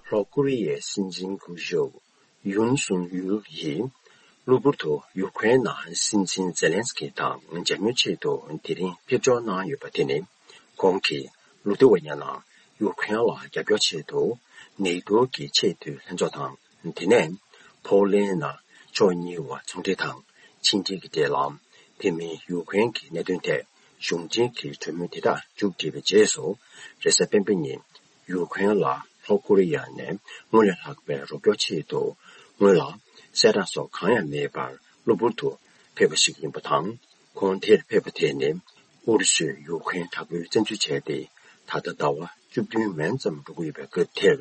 ལྷོ་ཀོ་རི་ཡའི་སྲིད་འཛིན་སྐུ་ཞབས་ཡུན་སུན་ཡུལ་ཡིས་གློ་བུར་དུ་ཡུཀ་རེན་ནང་སྲིད་འཛིན་ཛེ་ལན་སི་ཀི་དང་མཇལ་མོལ་ཆེད་དུ་དེ་རིང་ཕེབས་འབྱོར་གནང་ཡོད་པ་དེ་ནི། ཁོང་གིས་ལི་ཐུ་ཝེ་ནི་ཡ་ནང་ཡུཀ་རེན་ལ་རྒྱབ་སྐྱོར་ཆེད་དུ་ནེ་ཏོ་གི་ཆེས་མཐོའི་ལྷན་ཚོགས་དང་། དེ་ནས་ཕོ་ལན་ནང་ཕྱོགས་གཉིས་བར་ཚོང་འབྲེལ་དང་ཕྱི་འབྲེལ་གྱི་འབྲེལ་ལམ། དེ་མིན་ཡུཀ་རེན་གྱི་གནད་དོན་ཐད་གཞུང་འབྲེལ་གྱི་གྲོས་མོལ་དེ་དག་མཇུག་བསྒྲིལ་བའི་རྗེས་སུ། རེས་གཟའ་སྤེན་པ་ཉིན་ཡུཀ་རེན་ལ་ལྷོ་ཀོ་རི་ཡ་ནས་སྔོན་ལས་ལྷག་པའི་རོགས་སྐྱོར་ཆེད་དུ་སྔོན་ལ་གསལ་བསྒྲགས་སོགས་གང་ཡང་མེད་པར་གློ་བུར་དུ་ཕེབས་པ་ཞིག་ཡིན་པ་དང་། ཁོང་དེར་ཕེབས་པ་དེ་ནི་ཨུ་རུ་སུས་ཡུཀ་རེན་དྲག་པོའི་བཙན་འཛུལ་བྱས་ཏེ་ད་ལྟ་ཟླ་བ་བཅུ་བདུན་མན་ཙམ་འགྲོ་གི་ཡོད་པའི་སྐབས་དེར་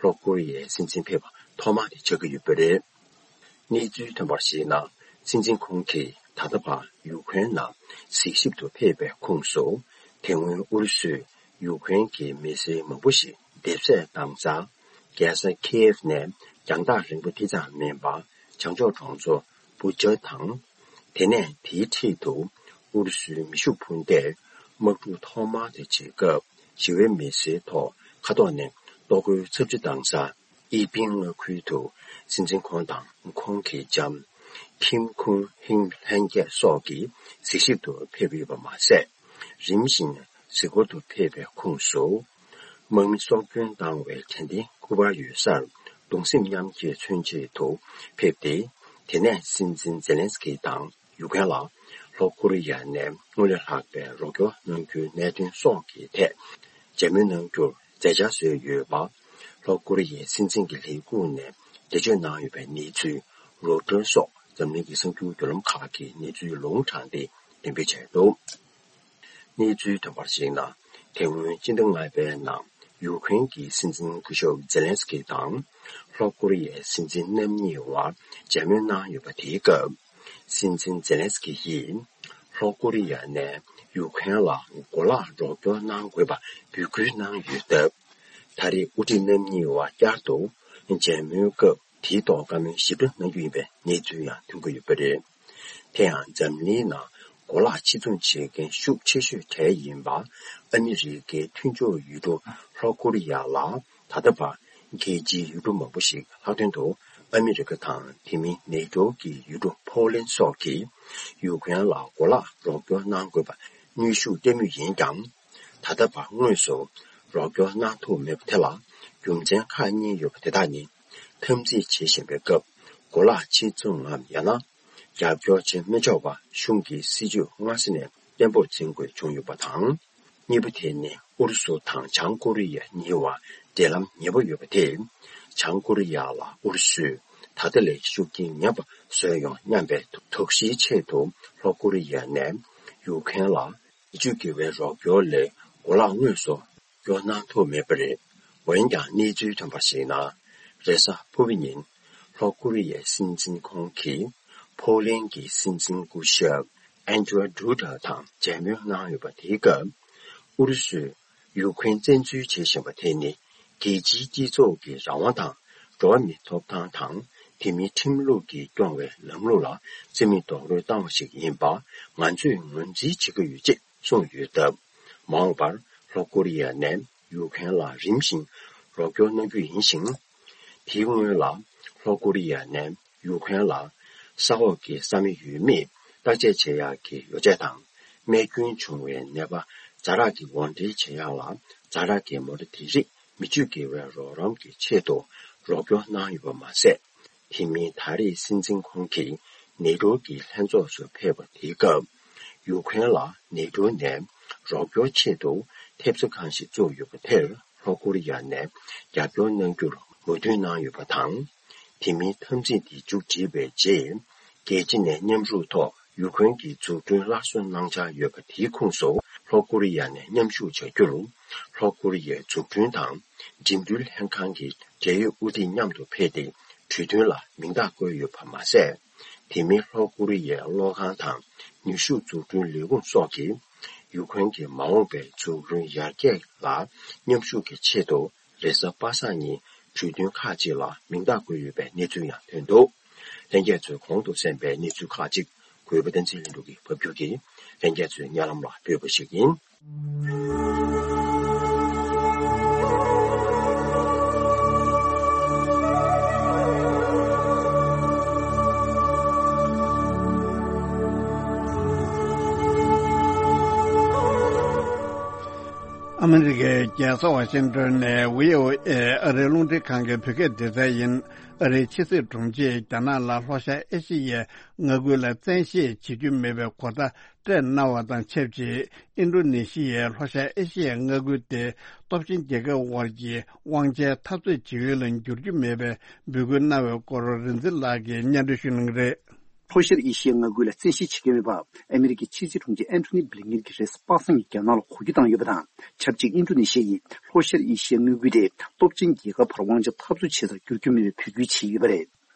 ལྷོ་ཀོ་རི་ཡའི་སྲིད་འཛིན་ཕེབས་པ་ཐོག་མ་དེ་ཆགས་ཀྱི་ཡོད་པ་རེད། གནས་ཚུལ་ཐོན་པར་གཞིགས་ན། སྲིད་འཛིན་ཁོང་གིས་ད་ལྟ་བར་ཡུཀ་རེན་ནང་གཟིགས་ཞིབ་ཏུ་ཕེབས་པའི་ཁོངས་སུ། དེ་སྔོན་ཨུ་རུ་སུས་ཡུཀ་རེན་གྱི་མི་སེར་མང་པོ་ཞིག་འདེབས་གསོད་བཏང་ས། རྒྱལ་ས་ཁེ་ཡེབ་ནས་རྒྱང་ཐག་རིང་པོ་དེ་ཙམ་མིན་པ། བྱང་ཕྱོགས་གྲོང་ཚོ་བུ་ཅར་དང་། དེ་ནས་དེའི་འཁྲིས་དུ་ཨུ་རུ་སུའི་མེ་ཤུགས་འཕུར་མདས་དམག་འཁྲུག་ཐོག་མ་དེ་བྱེད་སྐབས། ཞི་བའི་མི་སེར་ཐོག་མཁའ་ཐོག་ནས་ལྟོ་གོས་ཚབས་ཆེ་བཏང་ས། ཨི་པིན་མངའ་ཁུལ་དུ་སྲིད་འཛིན་ཁོང་དང་ཁོང་གི་ལྕམ་ཁིམ་ཁུང་ཧིང་ལྷན་རྒྱས་སོགས་ཀྱིས་གཟིགས་ཞིབ་ཏུ་ཕེབས་ཡོད་པ་མ་ཟད། རིམ་བཞིན་གཟིགས་སྐོར་དུ་ཕེབས་པའི་ཁོངས་སུ། དམག་མི་སྲོག་སྐྱོན་བཏང་བའི་དྲན་རྟེན་སྐུ་པར་ཡོད་སར་གདུང་སེམས་མཉམ་སྐྱེད་མཚོན་ཆེད་དུ་ཕེབས་ཏེ། དེ་ནས་སྲིད་འཛིན་ཛེ་ལན་སི་ཀི་དང་ཡུཀ་རེན་ལ་ལྷོ་ཀོ་རི་ཡ་ནས་སྔོན་ལས་ལྷག་པའི་རོགས་སྐྱོར་གནང་རྒྱུའི་གནད་དོན་སོགས་ཀྱི་ཐད་མཇལ་མོལ་གནང་རྒྱུར་མཛད་འཆར་བཟོས་ཡོད་པ། ལྷོ་ཀོ་རི་ཡའི་སྲིད་འཛིན་གྱི་ལས་ཁུངས་ནས་འགྲེལ་བརྗོད་གནང་ཡོད་པའི་གནས་ཚུལ་རོའི་ཊར་སོགས་འཛམ་གླིང་གི་གསར་འགྱུར་བརྒྱུད་ལམ་ཁག་གིས་གནས་ཚུལ་ལུང་དྲངས་ཏེ་འགྲེམས་སྤེལ་བྱས་འདུག་གནས་ཚུལ་ཐོན་པར་གཞིགས་ན། དེ་སྔོན་སྤྱི་ཟླ་ལྔ་པའི་ནང་ཡུཀ་རེན་གྱི་སྲིད་འཛིན་སྐུ་ཞབས་ཛེ་ལན་སི་ཀི་དང་ལྷོ་ཀོ་རི་ཡའི་སྲིད་འཛིན་རྣམ་གཉིས་བར་མཇལ་མོལ་གནང་ཡོད་པ། དེའི་སྐབས། སྲིད་འཛིན་ཛེ་ལན་སི་ཀི་ཡིས་ལྷོ་ཀོ་རི་ཡ་ནས་ཡུཀ་རེན་ལ་གོ་ལག་རོགས་སྐྱོར་གནང་དགོས་པ་འབོད་སྐུལ་གནང་ཡོད་སྟབས། ད་རེས་དབུ་ཁྲིད་རྣམ་གཉིས་བར་བསྐྱར་དུ་མཇལ་མོལ་སྐབས། དེའི་ཐོག་བཀའ་མོལ་ཞིབ་ཕྲ་གནང་རྒྱུ་ཡིན་པའི་གནས་ཚུལ་ཡང་ཐོན་གྱི་ཡོད་པ་རེད། དེ་ཡང་འཛམ་གླིང་ནང་གོ་ལག་ཕྱིར་ཚོང་བྱེད་མཁན་ཤུགས་ཆེ་ཤོས་གྲས་ཡིན་པ་ཨ་མི་རི་ཀའི་མཐུན་ཕྱོགས་ཡུལ་གྲུ་ལྷོ་ཀོ་རི་ཡ་ལ་ད་ལྟ་བར་རྒྱལ་སྤྱིའི་ཡུལ་གྲུ་མང་པོ་ཞིག་ལྷག་དོན་དུ་ཨ་མི་རི་ཀ་དང་དེ་མིན་ནེ་ཏོ་གི་ཡུལ་གྲུ་ཕོ་ལན་སོགས་ཀྱིས་ཡུཀ་རེན་ལ་གོ་ལག་རོགས་སྐྱོར་གནང་དགོས་པ་གནོན་ཤུགས་བསྟན་མུས་ཡིན་ཀྱང་། ད་ལྟ་བར་དངོས་སུ་རོགས་སྐྱོར་གནང་ཐུབ་མེད་པ་དེ་ལ་རྒྱུ་མཚན་ཁག་གཉིས་ཡོད་པ་དེ་དག་ནི། འཐབ་འཛིང་བྱེད་བཞིན་པའི་སྐབས་གོ་ལག་ཕྱིར་ཚོང་ངམ་ཡང་ན་རྒྱབ་སྐྱོར་བྱེད་མི་ཆོག་པ་གཞུང་གི་སྲིད་ཇུས་སྔ་ས་ནས་བརྟན་པོར་འཛིན་དགོས་བྱུང་ཡོད་པ་དང་། གཉིས་པ་དེ་ནི་ཨུ་རུ་སུ་དང་བྱང་ཀོ་རི་ཡ་གཉིས་བར་འབྲེལ་ལམ་ཉེ་པོ་ཡོད་པ་དེ། བྱང་ཀོ་རི་ཡ་ལ་ཨུ་རུ་སུས་ད་ལྟ་ལས་ཤུགས་རྐྱེན་ངན་པ་བཟོས་ཡོང་སྙམ་པའི་དོགས་གཞིའི་ཆེད་དུ་ལྷོ་ཀོ་རི་ཡ་ནས་ཡུཀ་རེན་ལ། བེད་སྤྱོད་བགྱི་བའི་རོགས་སྐྱོར་ལས་གོ་ལག་དངོས་སུ་སྐྱོར་གནང་ཐུབ་མེད་པ་རེད། འོན་ཀྱང་གནས་ཚུལ་ཐོན་པར་གཞིགས་ན། རེས་གཟའ་ཕུར་བུ་ཉིན་ལྷོ་ཀོ་རི་ཡའི་སྲིད་འཛིན་ཁོང་གིས་ཕོ་ལན་གྱི་སྲིད་འཛིན་སྐུ་ཞབས་ཨན་ཏྲོ་ཌུ་ཏྲ་དང་མཇལ་མོལ་གནང་ཡོད་པ་དེའི་སྐབས། ཨུ་རུ་སུས་ཡུཀ་རེན་བཙན་འཛུལ་བྱེད་བཞིན་པ་དེ་ནི་རྒྱལ་སྤྱིའི་སྤྱི་ཚོགས་ཀྱི་རང་དབང་དང་འགྲོ་བ་མིའི་ཐོབ་ཐང་དང་ དེ་མིན་ཁྲིམས་ལུགས་ཀྱིས་སྐྱོང་བའི་ལམ་ལུགས་ལ་རྩིས་མེད་རྡོག་རོལ་བཏང་བ་ཞིག་ཡིན་པ་ང་ཚོས་ངོས་འཛིན་བྱེད་ཀྱི་ཡོད་ཅེས་གསུངས་ཡོད་སྟབས། མ་འོངས་པར་ལྷོ་ཀོ་རི་ཡ་ནས་ཡུཀ་རེན་ལ་རིམ་བཞིན་རོགས་སྐྱོར་གནང་རྒྱུ་ཡིན་ཞིང་། དེའི་སྔོན་ལ་ལྷོ་ཀོ་རི་ཡ་ནས་ཡུཀ་རེན་ལ་ས་འོག་གི་ས་མེ་ཡོད་མེད་བརྟག་དཔྱད་བྱེད་ཡག་གི་ཡོ་བྱད་དང་། རྨས་སྐྱོན་བྱུང་བའི་ནད་པ་ཛ་དྲག་གི་འོར་འདྲེན་བྱེད་ཡག་ལ་ཛ་དྲག་གི་མོ་ཊ་དེ་རིགས་མི་སྤྱོད་དགེ་བའི་རོགས་རམ་གྱི་ཆེད་དུ་རོགས་སྐྱོར་གནང་ཡོད་པ་མ་ཟད། དེ་མིན་ད་རེས་སྲིད་འཛིན་ཁོང་གིས་ནེ་ཊོ་གི་ལྷན་ཚོགས་སུ་ཕེབས་པ་དེའི་སྐབས། ཡུཀ་རེན་ལ་ནེ་ཊོ་ནས་རོགས་སྐྱོར་ཆེད་དུ་ཐེབས་རྩ་ཁང་ཞིག་བཙུགས་ཡོད་པ་དེར་ལྷོ་ཀོ་རི་ཡ་ནས་རྒྱབ་སྐྱོར་གནང་རྒྱུར་མོས་མཐུན་གནང་ཡོད་པ་དང་། དེ་མིན་འཐབ་འཛིང་དེ་མཇུག་བསྒྲིལ་བའི་རྗེས། རྒྱལ་སྤྱི་ནས་མཉམ་ཞུགས་ཐོག་ཡུཀ་རེན་གྱི་འཛུགས་སྐྲུན་སླར་གསོ་གནང་འཆར་ཡོད་པ་དེའི་ཁོངས་སུ་ལྷོ་ཀོ་རི་ཡ་ནས་མཉམ་ཞུགས་བྱ་རྒྱུར། ལྷོ་ཀོ་རི་ཡའི་འཛུགས་སྐྲུན་དང་འགྲིམ་འགྲུལ་ལྷན་ཁང་གི་འབྲེལ་ཡོད་དབུ་ཁྲིད་མཉམ་དུ་ཕེབས་ཏེ་གྲོས་མཐུན་ལ་མིང་རྟགས་བཀོད་ཡོད་པ་མ་ཟད། དེ་མིན་ལྷོ་ཀོ་རི་ཡའི་གློག་ཁང་དང་ནུས་ཤུགས་འཛུགས་སྐྲུན་ལས་ཁུངས་སོགས་ཀྱིས་ཡུཀ་རེན་གྱི་མ་འོངས་པའི་འཛུགས་སྐྲུན་ཡར་རྒྱས་ལ་མཉམ་ཞུགས་ཀྱི་ཆེད་དུ། རེས་གཟའ་པ་སངས་ཉིན་གྲོས་མཐུན་ཁག་ཅིག་ལ་མིང་རྟགས་བཀོད་ཡོད་པའི་གནས་ཚུལ་ཡང་ཐོན་འདུག་ལྷན་རྒྱས་ཚོས་གོང་དུ་གསན་པའི་གནས་ཚུལ་ཁག་ཅིག་གུས་པ་བསྟན་འཛིན་ལྷུན་གྲུབ་ཀྱིས་ཕབ་སྒྱུར་གྱིས་ལྷན་རྒྱས་ཚོའི་སྙན་ལམ་ལ་ཕུལ་བ་ཞིག་ཡིན། ཨ་མི་རི་ཀའི་རྒྱལ་ས་ཝ་ཤིང་ཏོན་ནས་བྷི་ཨོ་ཨེ་ཨ་རིའི་རླུང་འཕྲིན་ཁང་གི་བོད་སྐད་སྡེ་ཚན་ཡིན། ཨ་རིའི་ཕྱི་སྲིད་དྲུང་ཆེས་རྒྱ་ནག་ལ་ལྷོ་ཤར་ཨེ་ཤི་ཡའི་མངའ་ཁུལ་ལ་བཙན་ཤེད་བྱེད་རྒྱུ་མེད་པའི་གོ་བརྡ་སྤྲད་གནང་བ་དང་ཆབས་ཅིག་ཨིན་ཌོ་ནེ་ཤི་ཡའི་ལྷོ་ཤར་ཨེ་ཤི་ཡའི་མངའ་ཁུལ་དེ་སྟོབས་ཆེན་རྒྱལ་ཁབ་དབར་གྱི་དབང་ཆའི་འཐབ་རྩོད་བྱེད་ཡུལ་ལ་འགྱུར་རྒྱུ་མེད་པའི་འབོད་སྐུལ་གནང་བའི་སྐོར་རིག་འཛིན་ལགས་ཀྱིས་སྙན་སྒྲོན་ཞུ་གནང་གི་རེད། ལྷོ་ཤར་ཨེ་ཤི་ཡའི་མངའ་ཁུལ་ལ་བཙན་ཤེད་བྱེད་ཀྱི་མེད་པ། ཨ་མི་རི་ཀའི་ཕྱི་སྲིད་དྲུང་ཆེ་ཨན་ཐོ་ནི་བྷི་ལིན་ཀེན་གྱིས་རེས་གཟའ་པ་སངས་ཉིན་རྒྱ་ནག་ལ་གོ་བརྡ་བཏང་ཡོད་པ་དང་། ཆབས་ཅིག་ཨིན་ཌོ་ནེ་ཤི་ཡ་ཡིས་ལྷོ་ཤར་ཨེ་ཤི་ཡའི་མངའ་ཁུལ་དེ་སྟོབས་ཆེན་རྒྱལ་ཁབ་བར་དབང་ཆ་འཐབ་རྩོད་བྱེད་སར་བསྒྱུར་རྒྱུ་མེད་པའི་འབོད་སྐུལ་བྱས་ཡོད་པ་རེད།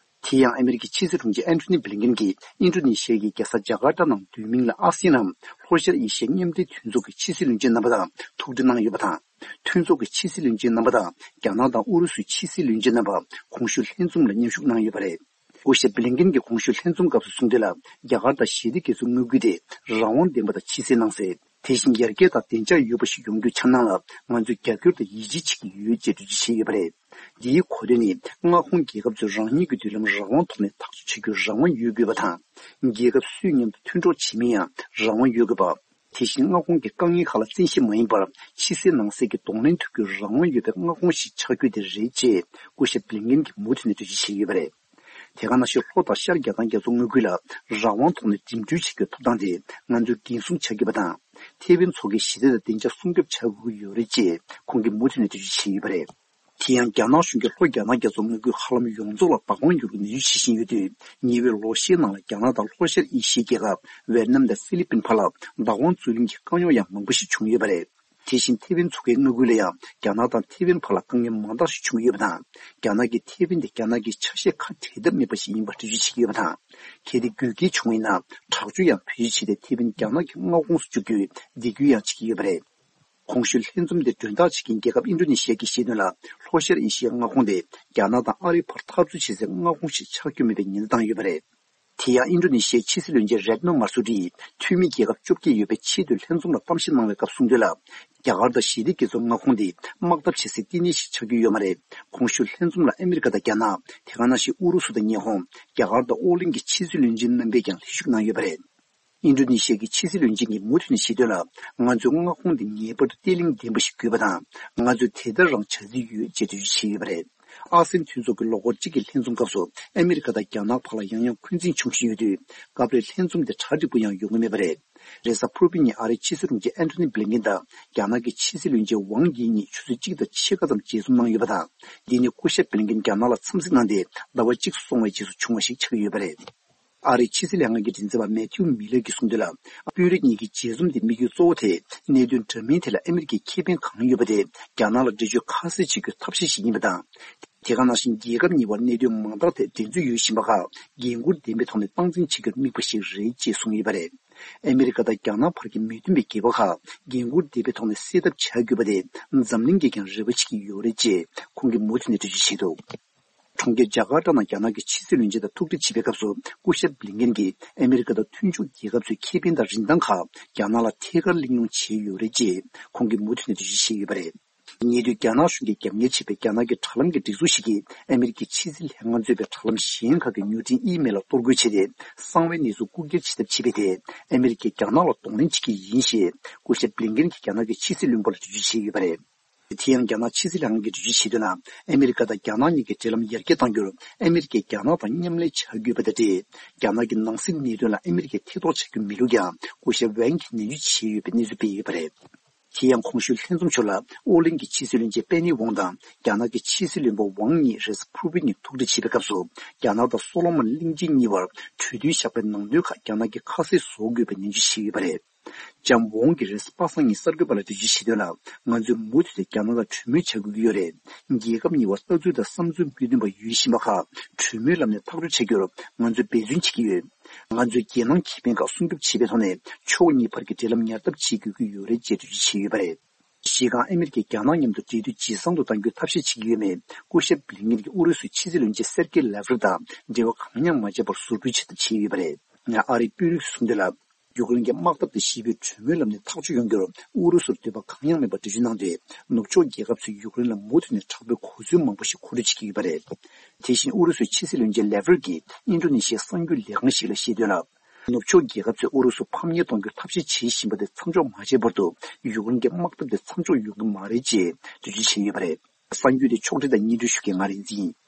དེ་ཡང་ཨ་མི་རི་ཀའི་ཕྱི་སྲིད་དྲུང་ཆེ་ཨན་ཐོ་ནི་བྷི་ལིན་ཀེན་གྱིས་ཨིན་ཌོ་ནེ་ཤི་ཡ་གི་རྒྱལ་ས་ཇ་ཀར་ཏ་ནང་བསྡུས་མིང་ལ་ཨ་སི་ཡན་ནམ་ལྷོ་ཤར་ཨེ་ཤི་ཡའི་མཉམ་འབྲེལ་མཐུན་ཚོགས་ཀྱི་ཕྱི་སྲིད་བློན་ཆེན་རྣམ་པ་དང་ཐུག་འཕྲད་གནང་ཡོད་པ་དང་། མཐུན་ཚོགས་ཀྱི་ཕྱི་སྲིད་བློན་ཆེན་རྣམ་པ་དང་རྒྱ་ནག་དང་ཨུ་རུ་སུའི་ཕྱི་སྲིད་བློན་ཆེན་རྣམ་པ་གོང་ཞུས་ལྷན་འཛོམས་ལ་མཉམ་ཞུགས་གནང་ཡོད་པ་རེད། སྐུ་ཞབས་བྷི་ལིན་ཀེན་གྱིས་གོང་ཞུས་ལྷན་འཛོམས་སྐབས་སུ་གསུངས་དོན་ལ། རྒྱ་གར་དང་ཞི་བདེ་རྒྱ་མཚོའི་མངའ་ཁུལ་དེ་རང་དབང་ལྡན་པ་དང་ཕྱི་གསལ་ནང་གསལ། དེ་བཞིན་ཡར་རྒྱས་དང་བདེ་འཇགས་ཡོད་པ་ཞིག་ཡོང་རྒྱུའི་འཆར་སྣང་ལ་ང་ཚོས་རྒྱབ་སྐྱོར་དང་ཡིད་ཆེས་བྱེད་ཀྱི་ཡོད་ཅེས་འགྲེལ་བརྗོད་བྱས་ཡོད་པ་རེད། འདིའི་གོ་དོན་ནི། མངའ་ཁོངས་རྒྱལ་ཁབ་ཚོས་རང་ཉིད་ཀྱི་མདུན་ལམ་རང་དབང་ཐོག་ནས་ཐག་གཅོད་བྱེད་རྒྱུར་རང་དབང་ཡོད་དགོས་པ་དང་། རྒྱལ་ཁབ་སུས་མཉམ་དུ་མཐུན་གྲོགས་བྱེད་མིན་ཡང་རང་དབང་ཡོད་དགོས་པ། དེ་བཞིན་མངའ་ཁོངས་ཀྱི་དཀའ་ངལ་ཁག་ལ་བཙན་ཤེད་མ་ཡིན་པར་ཕྱི་གསལ་ནང་གསལ་གྱི་གདོང་ལེན་ཐུབ་རྒྱུར་རང་དབང་ཡོད་པའི་མངའ་ཁོངས་ཤིག་ཆགས་རྒྱུ་དེ་རེད་ཅེས་སྐུ་ཞབས་བྷི་ལིན་ཀེན་གྱིས་མུ་མཐུད་ནས་འགྲེལ་བརྗོད་བྱས་ཡོད་པ་རེད། དེ་ག་ནང་བཞིན་ལྷོ་དང་ཤར་རྒྱ་ནག་རྒྱ་མཚོ་མངའ་ཁུལ་ལ་རང་དབང་ཐོག་ནས་འགྲིམ་འགྲུལ་བྱེད་རྒྱུའི་ཐོབ་ཐང་དེ་ང་ཚོས་འགན་སྲུང་བྱ་དགོས་པ་དང་། ཐེ་ཝན་མཚོ་ཁའི་ཞི་བདེ་དང་བདེ་འཇགས་སྲུང་སྐྱོབ་བྱ་དགོས་ཀྱི་ཡོད་རེད་ཅེས་ཁོང་གིས་མུ་མཐུད་ནས་འགྲེལ་བརྗོད་བྱས་ཡོད་པ་རེད། དེ་ཡང་རྒྱ་ནག་གཞུང་གིས་ལྷོ་རྒྱ་ནག་རྒྱ་མཚོ་མངའ་ཁུལ་ཧ་ལམ་ཡོངས་རྫོགས་ལ་བདག་དབང་སྒྱུར་བའི་ནུས་ཤུགས་བྱེད་བཞིན་ཡོད་དུས། ཉེ་བའི་ལོ་ཤས་ནང་ལ་རྒྱ་ནག་དང་ལྷོ་ཤར་ཨེ་ཤི་ཡའི་རྒྱལ་ཁབ་ཝེ་ཏི་ནམ་དང་ཧྥི་ལི་པིན་བར་ལ་བདག་དབང་རྩོད་ལེན་གྱི་དཀའ་རྙོག་ཡང་མང་པོ་ཞིག་བྱུང་ཡོད་པ་རེད། དེ་བཞིན་ཐེ་ཝན་མཚོ་ཁའི་མངའ་ཁུལ་ལ་ཡང་རྒྱ་ནག་དང་ཐེ་ཝན་བར་ལ་དཀའ་ངལ་མང་དག་ཞིག་བྱུང་ཡོད་པ་དང་། རྒྱ་ནག་གིས་ཐེ་ཝན་དེ་རྒྱ་ནག་གི་ཆ་ཤས་ཁ་བྲལ་ཐབས་མེད་པ་ཞིག་ཡིན་པ་འགྲེལ་བརྗོད་བྱེད་ཀྱི་ཡོད་པ་དང་། གལ་ཏེ་དགོས་གལ་བྱུང་བ་ཡིན་ན་དྲག་སྤྱོད་ཡང་བེད་སྤྱོད་བྱས་ཏེ་ཐེ་ཝན་རྒྱ་ནག་གི་མངའ་ཁོངས་སུ་བཅུག་རྒྱུའི་འདེད་སྐུལ་ཡང་བྱེད་ཀྱི་ཡོད་པ་རེད། གོང་ཞུས་ལྷན་འཛོམས་དེ་མགྲོན་བདག་བྱེད་མཁན་རྒྱལ་ཁབ་ཨིན་ཌོ་ནེ་ཤི་ཡ་གིས་བཤད་དོན་ལ། ལྷོ་ཤར་ཨེ་ཤི་ཡའི་མངའ་ཁོངས་དེ་རྒྱ་ནག་དང་ཨ་རིའི་བར་འཐབ་རྩོད་བྱེད་སའི་མངའ་ཁོངས་ཤིག་ཆགས་རྒྱུ་མིན་པའི་ཉེན་བརྡ་བཏང་ཡོད་པ་རེད། དེ་ཡང་ཨིན་ཌོ་ནེ་ཤི་ཡའི་ཕྱི་སྲིད་བློན་ཆེན་རེད་ནོ་མར་སུ་ཏི་ཡིས་འཐུས་མི་རྒྱལ་ཁབ་བཅོ་བརྒྱད་ཡོད་པའི་ཆེས་མཐོའི་ལྷན་འཛོམས་ལ་གཏམ་བཤད་གནང་བའི་སྐབས་གསུངས་དོན་ལ། རྒྱ་གར་དང་ཞི་བདེ་རྒྱ་མཚོའི་མངའ་ཁོངས་དེ་དམག་འཐབ་བྱེད་སའི་བསྟི་གནས་ཤིག་ཆགས་རྒྱུ་ཡོད་མ་རེད། གོང་ཞུས་ལྷན་འཛོམས་ལ་ཨ་མི་རི་ཀ་དང་རྒྱ་ནག་དེ་ག་ནང་བཞིན་ཨུ་རུ་སུ་དང་ཉི་ཧོང་། རྒྱ་གར་དང་ཨོ་གླིང་གི་ཕྱི་སྲིད་བློན་ཆེན་རྣམ་པས་ཀྱང་ལྷན་ཞུགས་གནང་ཡོད་པ་རེད། ཨིན་ཌོ་ནེ་ཤི་ཡ་གི་ཕྱི་སྲིད་བློན་ཆེན་གྱིས་མུ་མཐུད་ནས་བཤད་དོན་ལ། ང་ཚོའི་མངའ་ཁོངས་འདི་ངེས་པར་དུ་བརྟན་ལྷིང་ལྡན་པ་ཞིག་དགོས་པ་དང་། ང་ཚོས་དེ་ལྟར་རང་བྱ་རྩིས་ཡོད་ཅེས་འགྲེལ་བརྗོད་བྱས་ཡོད་པ་རེད། ཨ་སེན་མཐུན་ཚོགས་ཀྱི་ལོ་འཁོར་གཅིག་གི་ལྷན་འཛོམས་སྐབས་སུ་ཨ་མི་རི་ཀ་དང་རྒྱ་ནག་བར་ལ་ཡང་ཡང་འཁོན་འཛིན་བྱུང་བཞིན་ཡོད་དུས། སྐབས་རེ་ལྷན་འཛོམས་དེ་གྲ་འགྲིག་པོ་ཡང་ཡོང་གི་མེད་པ་རེད། རེས་གཟའ་ཕུར་བུ་ཉིན་ཨ་རིའི་ཕྱི་སྲིད་དྲུང་ཆེ་ཨན་ཐོ་ནི་བྷི་ལིན་ཀིན་དང་རྒྱ་ནག་གི་ཕྱི་སྲིད་བློན་ཆེན་ཝང་དགྱི་གཉིས་ཆུ་ཚོད་གཅིག་དང་ཕྱེད་ཀ་ཙམ་མཇལ་འཛོམས་གནང་ཡོད་པ་དང་། འདི་ནི་སྐུ་ཞབས་བྷི་ལིན་ཀིན་རྒྱ་ནག་ལ་འཚམས་གཟིགས་གནང་སྟེ་ཟླ་བ་གཅིག་སོང་བའི་རྗེས་སུ་བྱུང་བ་ཞིག་ཆགས་ཀྱི་ཡོད་པ་རེད། ཨ་རིའི་ཕྱི་སྲིད་ལྷན་ཁང་གི་མགྲིན་ཚབ་པ་མེ་ཐིའུ་མི་ལར་གྱིས་གསུངས་དོན་ལ། དཔོན་རིགས་གཉིས་ཀྱི་མཇལ་འཛོམས་དེ་དམིགས་ཡུལ་གཙོ་བོ་དེ་གནད་དོན་འདྲ་མིན་ཐད་ལ་ཨ་མི་རི་ཀའི་ཁེ་ཕན་གང་ཡོད་པ་དེ་རྒྱ་ནག་ལ་འགྲེལ་བརྗོད་ཁ་གསལ་བྱེད་རྒྱུའི་ཐབས་ཤེས་ཤིག་ཡིན་པ་དང་། དེ་ག་ནང་བཞིན་རྒྱལ་ཁབ་གཉིས་བར་གནད་དོན་མང་དག་ཐད་འགྲན་རྩོད་ཡོད་བཞིན་པ་ཁག་འགན་འཁུར་ལྡན་པའི་ཐོག་ནས་སྟངས་འཛིན་བྱེད་རྒྱུར་དམིགས་པ་ཞིག་རེད་ཅེས་གསུངས་ཡོད་པ་རེད། ཨ་མི་རི་ཀ་དང་རྒྱ་ནག་བར་གྱི་མི་མཐུན་པའི་འགལ་བ་ཁག་འགན་འཁུར་ལྡན་པའི་ཐོག་ནས་སེལ་ཐབས་བྱ་དགོས་པ་དེ་འཛམ་གླིང་གིས་ཀྱང་རེ་བ་བྱེད་ཀྱི་ཡོད་རེད་ཅེས་ཁོང་གིས་མུ་མཐུད་ནས་འགྲེལ་བརྗོད་བྱས་འདུག་ཁོང་གིས་ཇ་ཀར་ཏ་ནང་རྒྱ་ནག་གི་ཕྱི་སྲིད་བློན་ཆེན་དང་ཐུག་འཕྲད་བྱེད་པའི་སྐབས་སུ། སྐུ་ཞབས་བྷི་ལིན་ཀེན་གྱིས་ཨ་མི་རི་ཀ་དང་མཐུན་ཕྱོགས་རྒྱལ་ཁབ་ཚོའི་ཁེ་ཕན་དང་རིན་ཐང་ཁག་རྒྱ་ནག་ལ་ཐད་ཀར་གླེང་སློང་བྱས་ཡོད་རེད་ཅེས་ཁོང་གིས་མུ་མཐུད་ནས་འགྲེལ་བརྗོད་བྱས་ཡོད་པ་རེད། ཉེ་དུས་རྒྱ་ནག་གཞུང་གིས་རྒྱབ་གཉེར་བྱས་པའི་རྒྱ་ནག་གི་དྲ་ལམ་གྱི་སྒྲིག་འཛུགས་ཤིག་གིས་ཨ་མི་རི་ཀའི་ཕྱི་སྲིད་ལྷན་ཁང་གཙོས་པའི་དྲ་ལམ་གཞན་ཁག་གི་མྱུར་འཕྲིན་ཨི་མེལ་ལ་གཏོར་རྒོལ་བྱས་ཏེ། གསང་བའི་གནས་ཚུལ་རྐུ་འཁྱེར་བྱེད་ཐབས་བྱས་པའི་ཐད། ཨ་མི་རི་ཀས་རྒྱ་ནག་ལ་གདོང་ལེན་བྱེད་ཀྱི་ཡིན་ཞེས་སྐུ་ཞབས་བྷི་ལིན་ཀེན་གྱིས་རྒྱ་ནག་གི་ཕྱི་སྲིད་བློན་པོ་ལ་འགྲེལ་བརྗོད་བྱས་ཡོད་པ་རེད། དེ་ཡང་རྒྱ་ནག་ཕྱི་སྲིད་ལྷན་ཁང་གིས་འགྲེལ་བརྗོད་བྱས་དོན་ལ། ཨ་མི་རི་ཀ་དང་རྒྱ་ནག་གཉིས་ཀྱི་འབྲེལ་ལམ་ཡར་རྒྱས་གཏང་རྒྱུར་ཨ་མི་རི་ཀས་རྒྱ་ནག་དང་མཉམ་ལས་བྱ་དགོས་པ་དང་འབྲེལ། རྒྱ་ནག་གི་ནང་སྲིད་གནད་དོན་ལ་ཨ་མི་རི་ཀས་ཐེ་གཏོགས་བྱ་རྒྱུ་མེད་ལུགས་ཀྱང་སྐུ་ཞབས་ཝེང་གིས་ནན་བརྗོད་བྱས་ཡོད་པའི་གནས་ཚུལ་སྤེལ་ཡོད་པ་རེད། དེ་ཡང་གོང་ཞུས་ལྷན་འཛོམས་ཞོར་ལ། ཨོ་གླིང་གི་ཕྱི་སྲིད་བློན་ཆེན་པེ་ནི་ཝང་དང་རྒྱ་ནག་གི་ཕྱི་སྲིད་བློན་པོ་ཝང་གཉིས་རེས་ཕུར་བི་ནས་ཐུག་འཕྲད་བྱེད་པའི་སྐབས་སུ། རྒྱ་ནག་དང་སོ་ལོ་མོན་གླིང་ཆེན་གཉིས་བར་གྲོས་མཐུན་བཞག་པའི་ནང་དོན་ཁག་རྒྱ་ནག་གིས་ཁ་གསལ་བཟོ་དགོས་པའི་ནན་བརྗོད་བྱས་ཡོད་པ་རེད། ལྕམ་ཝོང་གིས་རེས་པ་སངས་ཉིན་གསར་འགོད་པ་ལ་འགྲེལ་བརྗོད་བྱས་དོན་ལ། ང་ཚོས་མུ་མཐུད་དེ་རྒྱ་ནག་དང་གྲོས་མོལ་བྱ་དགོས་ཀྱི་ཡོད་རེད། རྒྱལ་ཁབ་གཉིས་བར་ལྟ་ཚུལ་དང་བསམ་ཚུལ་མི་མཐུན་པ་ཡོད་བཞིན་པ་ཁག་གྲོས་མོལ་ལམ་ནས་ཐག་གཅོད་བྱ་རྒྱུར་ང་ཚོས་འབད་བརྩོན་བྱེད་ཀྱི་ཡོད། ང་ཚོས་རྒྱལ་ནང་ཁེ་ཕན་ཁག་སྲུང་སྐྱོབ་བྱེད་པའི་ཐོག་ནས་ཕྱོགས་གཉིས་བར་གྱི་འབྲེལ་ལམ་ཉར་ཐབས་བྱེད་དགོས་ཀྱི་ཡོད་རེད་ཅེས་འགྲེལ་བརྗོད་བྱས་ཡོད་པ་རེད། སྤྱིར་བཏང་ཨ་མི་རི་ཀས་རྒྱ་ནག་མཉམ་དུ་འབྲེལ་མཐུད་ཇེ་བཟང་དུ་གཏང་རྒྱུའི་ཐབས་ཤེས་བྱེད་ཀྱི་ཡོད་མེད་སྐུ་ཞབས་བྷི་ལིན་ཀེན་གྱིས་ཨུ་རུ་སུའི་ཕྱི་སྲིད་བློན་ཆེན་སེར་ཀེ་ལེ་ཝ་རོབ་དང་འབྲེལ་བ་གང་ཡང་མ་བྱས་པར་ཟུར་ཕུད་བྱེད་ཐབས་བྱས་ཡོད་པ་རེད། ཨ་རིའི་དཔོན་རིགས་ཚོས་གསུངས་དོན་ལ། ཡུཀ་རེན་གྱི་དམག་འཐབ་དང་ཞི་བའི་གྲོས་མོལ་ལམ་ནས་ཐག་གཅོད་ཡོང་རྒྱུར་ཨུ་རུ་སུར་འདོད་པ་གང་ཡང་མེད་པར་འགྲེལ་བརྗོད་གནང་སྟེ། ནུབ་ཕྱོགས་རྒྱལ་ཁབ་ཚོས་ཡུཀ་རེན་ལ་མུ་མཐུད་ནས་དྲག་པོའི་གོ་མཚོན་མང་པོ་ཞིག་མཁོ་སྤྲོད་བྱེད་ཀྱི་ཡོད་པ་རེད། དེ་བཞིན་ཨུ་རུ་སུའི་ཕྱི་སྲིད་བློན་ཆེན་ལེ་ཝ་རོབ་ཀྱིས་ཨིན་ཌོ་ནེ་ཤི་ཡའི་གསར་འགྱུར་ལས་ཁང་ཞིག་ལ་བཤད་དོན་ལ། ནུབ་ཕྱོགས་རྒྱལ་ཁབ་ཚོས་ཨུ་རུ་སུ་ཕམ་ཉེས་གཏོང་རྒྱུར་ཐབས་ཤེས་བྱེད་བཞིན་པ་དེ་མཚམས་འཇོག་མ་བྱས་བར་དུ་ཡུཀ་རེན་གྱི་དམག་འཐབ་དེ་མཚམས་འཇོག་ཡོང་གི་མ་རེད་ཅེས་འགྲེལ་བརྗོད་བྱས་ཡོད་པ་རེད། གསར་འགྱུར་དེ་ཕྱོགས་སྒྲིག་དང་སྙན་སྒྲོན་ཞུ་མཁན་ང་རིག་འཛིན་ཡིན།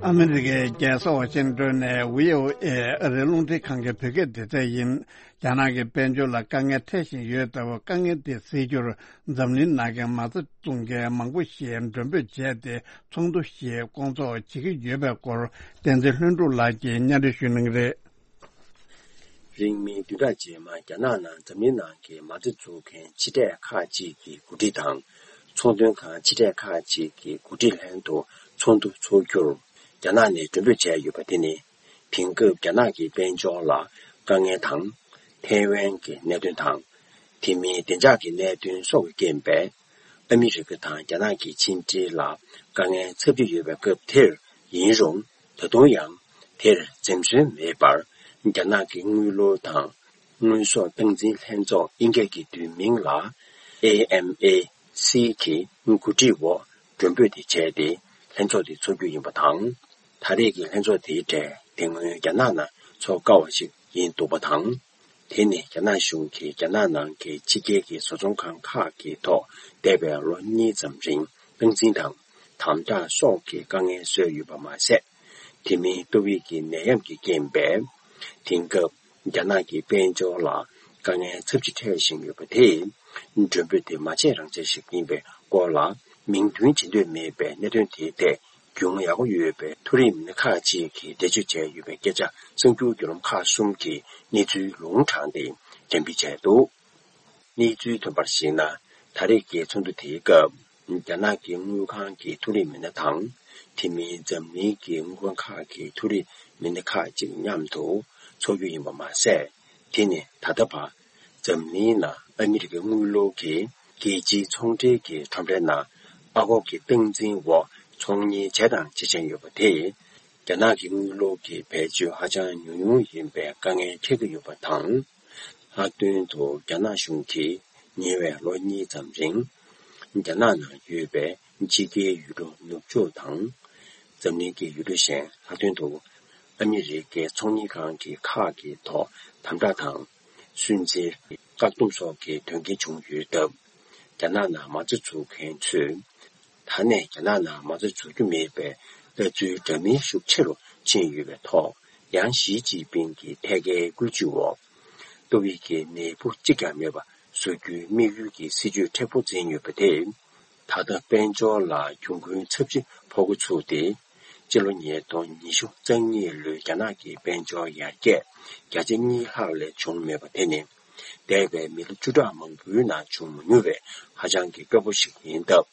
ཨ་མི་རི་ཀའི་རྒྱལ་ས་ཝ་ཤིང་ཏོན་ནས་བྷི་ཨོ་ཨེ་ཨ་རིའི་རླུང་འཕྲིན་ཁང་གི་བོད་སྐད་སྡེ་ཚན་ཡིན། རྒྱ་ནག་གི་དཔལ་འབྱོར་ལ་དཀའ་ངལ་འཕྲད་བཞིན་ཡོད་སྟབས། དཀའ་ངལ་དེ་སེལ་རྒྱུར་འཛམ་གླིང་ནང་གི་མ་རྩ་བཙུགས་མཁན་མང་པོ་ཞིག་མགྲོན་འབོད་བྱས་ཏེ་ཚོགས་འདུ་ཞིག་སྐོང་ཚོགས་བྱེད་ཀྱི་ཡོད་པའི་སྐོར། བསྟན་འཛིན་ལྷུན་གྲུབ་ལགས་ཀྱིས་སྙན་སྒྲོན་ཞུ་གནང་གི་རེད། རིང་མིན་བདུན་ཕྲག་རྗེས་མ་རྒྱ་ནག་ནང་འཛམ་གླིང་ནང་གི་མ་རྩ་འཛུགས་མཁན་ཕྱི་བསྡད་ཁག་ཅིག་གི་འགོ་ཁྲིད་དང་། ཚོང་དོན་ཁང་ཕྱི་བསྡད་ཁག་ཅིག་གི་འགོ་ཁྲིད་ལྷན་དུ་ཚོགས་འདུ་འཚོགས་རྒྱུར་རྒྱ་ནག་ནས་མགྲོན་འབོད་བྱས་ཡོད་པ་དེ་ནི། དེང་སྐབས་རྒྱ་ནག་གི་དཔལ་འབྱོར་ལ་དཀའ་ངལ་དང་། ཐའེ་ཝན་གྱི་གནད་དོན་དང་། དེ་མིན་བདེ་འཇགས་ཀྱི་གནད་དོན་སོགས་ཀྱི་རྐྱེན་པས། ཨ་མི་རི་ཀ་དང་རྒྱ་ནག་གི་ཕྱི་འབྲེལ་ལ་དཀའ་ངལ་འཚབ་ཀྱི་ཡོད་པའི་སྐབས་དེར་ཡིན་རུང་། ད་དུང་ཡང་དེར་འཛེམ་ཟོན་མེད་པར་རྒྱ་ནག་གི་དངུལ་ལོར་དང་དངུལ་ཟོག་སྟངས་འཛིན་ལྷན་ཚོགས་དབྱིན་སྐད་ཀྱི་བསྡུས་མིང་ལ་ཨེ་ཨེམ་ཨེ་སི་གི་འགོ་ཁྲིད་འོག་མགྲོན་འབོད་དེ་བྱས་ཏེ་ལྷན་ཚོགས་དེ་འཚོགས་རྒྱུ་ཡིན་པ་དང་། ད་རེས་ཀྱི་ལྷན་ཚོགས་དེའི་གྲས་དེ་སྔོན་རྒྱ་ནག་ནང་འཚོགས་དཀའ་བ་ཞིག་ཡིན་འདུག་པ་དང་། དེ་ནི་རྒྱ་ནག་གཞུང་གིས་རྒྱ་ནག་ནང་གི་ཕྱི་རྒྱལ་གྱི་བཟོ་ཚོང་ཁང་ཁག་གི་ཐོག་འདས་པའི་ལོ་གཉིས་ཙམ་རིང་སྟངས་འཛིན་དང་དམ་དྲག་སོགས་ཀྱི་དཀའ་ངལ་བཟོས་ཡོད་པ་མ་ཟད། དེ་མིན་ཏོག་དབྱིབས་ཀྱི་ནད་ཡམས་ཀྱི་རྐྱེན་པས། དེང་སྐབས་རྒྱ་ནག་གི་དཔལ་འབྱོར་ལ་དཀའ་ངལ་ཚབས་ཆེ་འཕྲད་བཞིན་ཡོད་པ་དེས། མགྲོན་འབོད་དེ་མ་བྱས་རང་བྱས་ཤིག་ཡིན་པའི་སྐོར་ལ་མིང་འདོན་བྱེད་འདོད་མེད་པའི་གནད་དོན་དེའི་ཐད། རྒྱུས་མངའ་ཡག་པོ་ཡོད་པའི་མཐོ་རིམ་མི་སྣ་ཁག་ཅིག་གིས་འགྲེལ་བརྗོད་བྱས་ཡོད་པའི་སྐད་ཆ་གསར་འགྱུར་བརྒྱུད་ལམ་ཁག་གསུམ་གྱིས་གནས་ཚུལ་ལུང་དྲངས་ཏེ་འགྲེམས་སྤེལ་བྱས་འདུག། གནས་ཚུལ་ཐོན་པར་གཞིགས་ན། ད་རེས་ཀྱི་ཚོགས་འདུ་དེའི་སྐབས། རྒྱ་ནག་གི་དངུལ་ཁང་གི་མཐོ་རིམ་མི་སྣ་དང་། དེ་མིན་འཛམ་གླིང་གི་དངུལ་ཁང་ཁག་གི་མཐོ་རིམ་མི་སྣ་ཁག་ཅིག་མཉམ་དུ་འཚོགས་རྒྱུ་ཡིན་པ་མ་ཟད། དེ་ནི་ད་ལྟ་བར་འཛམ་གླིང་ནང་ཨ་མི་རི་ཀའི་དངུལ་ལོར་གྱི་རྒྱལ་སྤྱིའི་ཚོང་འབྲེལ་གྱི་ཁྲོམ་རའི་ནང་ཨ་སྒོར་གྱི་སྟངས་འཛིན་འོག་ཚོང་གཉེར་བྱས་དང་བྱེད་བཞིན་ཡོད་པ་དེས། རྒྱ་ནག་གི་དངུལ་ལོར་གྱི་བེད་སྤྱོད་ཧ་ཅང་ཉུང་ཉུང་ཡིན་པའི་དཀའ་ངལ་འཕྲད་ཀྱི་ཡོད་པ་དང་། ལྷག་དོན་དུ་རྒྱ་ནག་གཞུང་གིས་ཉེ་བའི་ལོ་གཉིས་ཙམ་རིང་། རྒྱ་ནག་ནང་ཡོད་པའི་ཕྱི་རྒྱལ་ཡུལ་གྲུ་ནུབ་ཕྱོགས་དང་། འཛམ་གླིང་གི་ཡུལ་གྲུ་གཞན། ལྷག་དོན་དུ་ཨ་མི་རི་ཀའི་ཚོང་གཉེར་ཁང་གི་ཁག་གི་ཐོག་དམ་དྲག་དང་སུན་གཙེར། བཀག་སྡོམ་སོགས་ཀྱི་དོན་རྐྱེན་བྱུང་ཡོད་སྟབས། རྒྱ་ནག་ནང་མ་རྩ་འཛུགས་མཁན་ཚོས། ད་ནས་རྒྱ་ནག་ནང་མ་རྩ་འཛུགས་རྒྱུ་མེད་པའི་ལྟ་ཚུལ་འདྲ་མིན་ཤུགས་ཆེ་རུ་ཕྱིན་ཡོད་པའི་ཐོག། ཡང་ཞི་ཅིན་ཕིང་གི་ཐད་ཀའི་བཀོད་ཇུས་འོག་ཏོག་དབྱིབས་ཀྱི་ནད་འབུ་གཅིག་ཀྱང་མེད་པ་བཟོ་རྒྱུའི་དམིགས་ཡུལ་གྱི་སྲིད་ཇུས་མཁྲེགས་པོ་འཛིན་ཡོད་པ་དེས། ད་ལྟ་དཔལ་འབྱོར་ལ་གྱོང་གུན་ཚབས་ཆེ་ཕོག་འགོ་ཚུགས་ཏེ། སྤྱི་ལོ་ཉིས་སྟོང་ཉི་ཤུ་རྩ་གཉིས་ལོའི་རྒྱ་ནག་གི་དཔལ་འབྱོར་ཡར་རྒྱས་བརྒྱ་ཆ་གཉིས་ལྷག་ལས་བྱུང་མེད་པ་དེ་ནི། འདས་པའི་མི་ལོ་བཅུ་ཕྲག་མང་པོའི་ནང་བྱུང་མ་མྱོང་བའི་ཧ་ཅང་གི་དཀོན་པོ་ཞིག་ཡིན་སྟབས།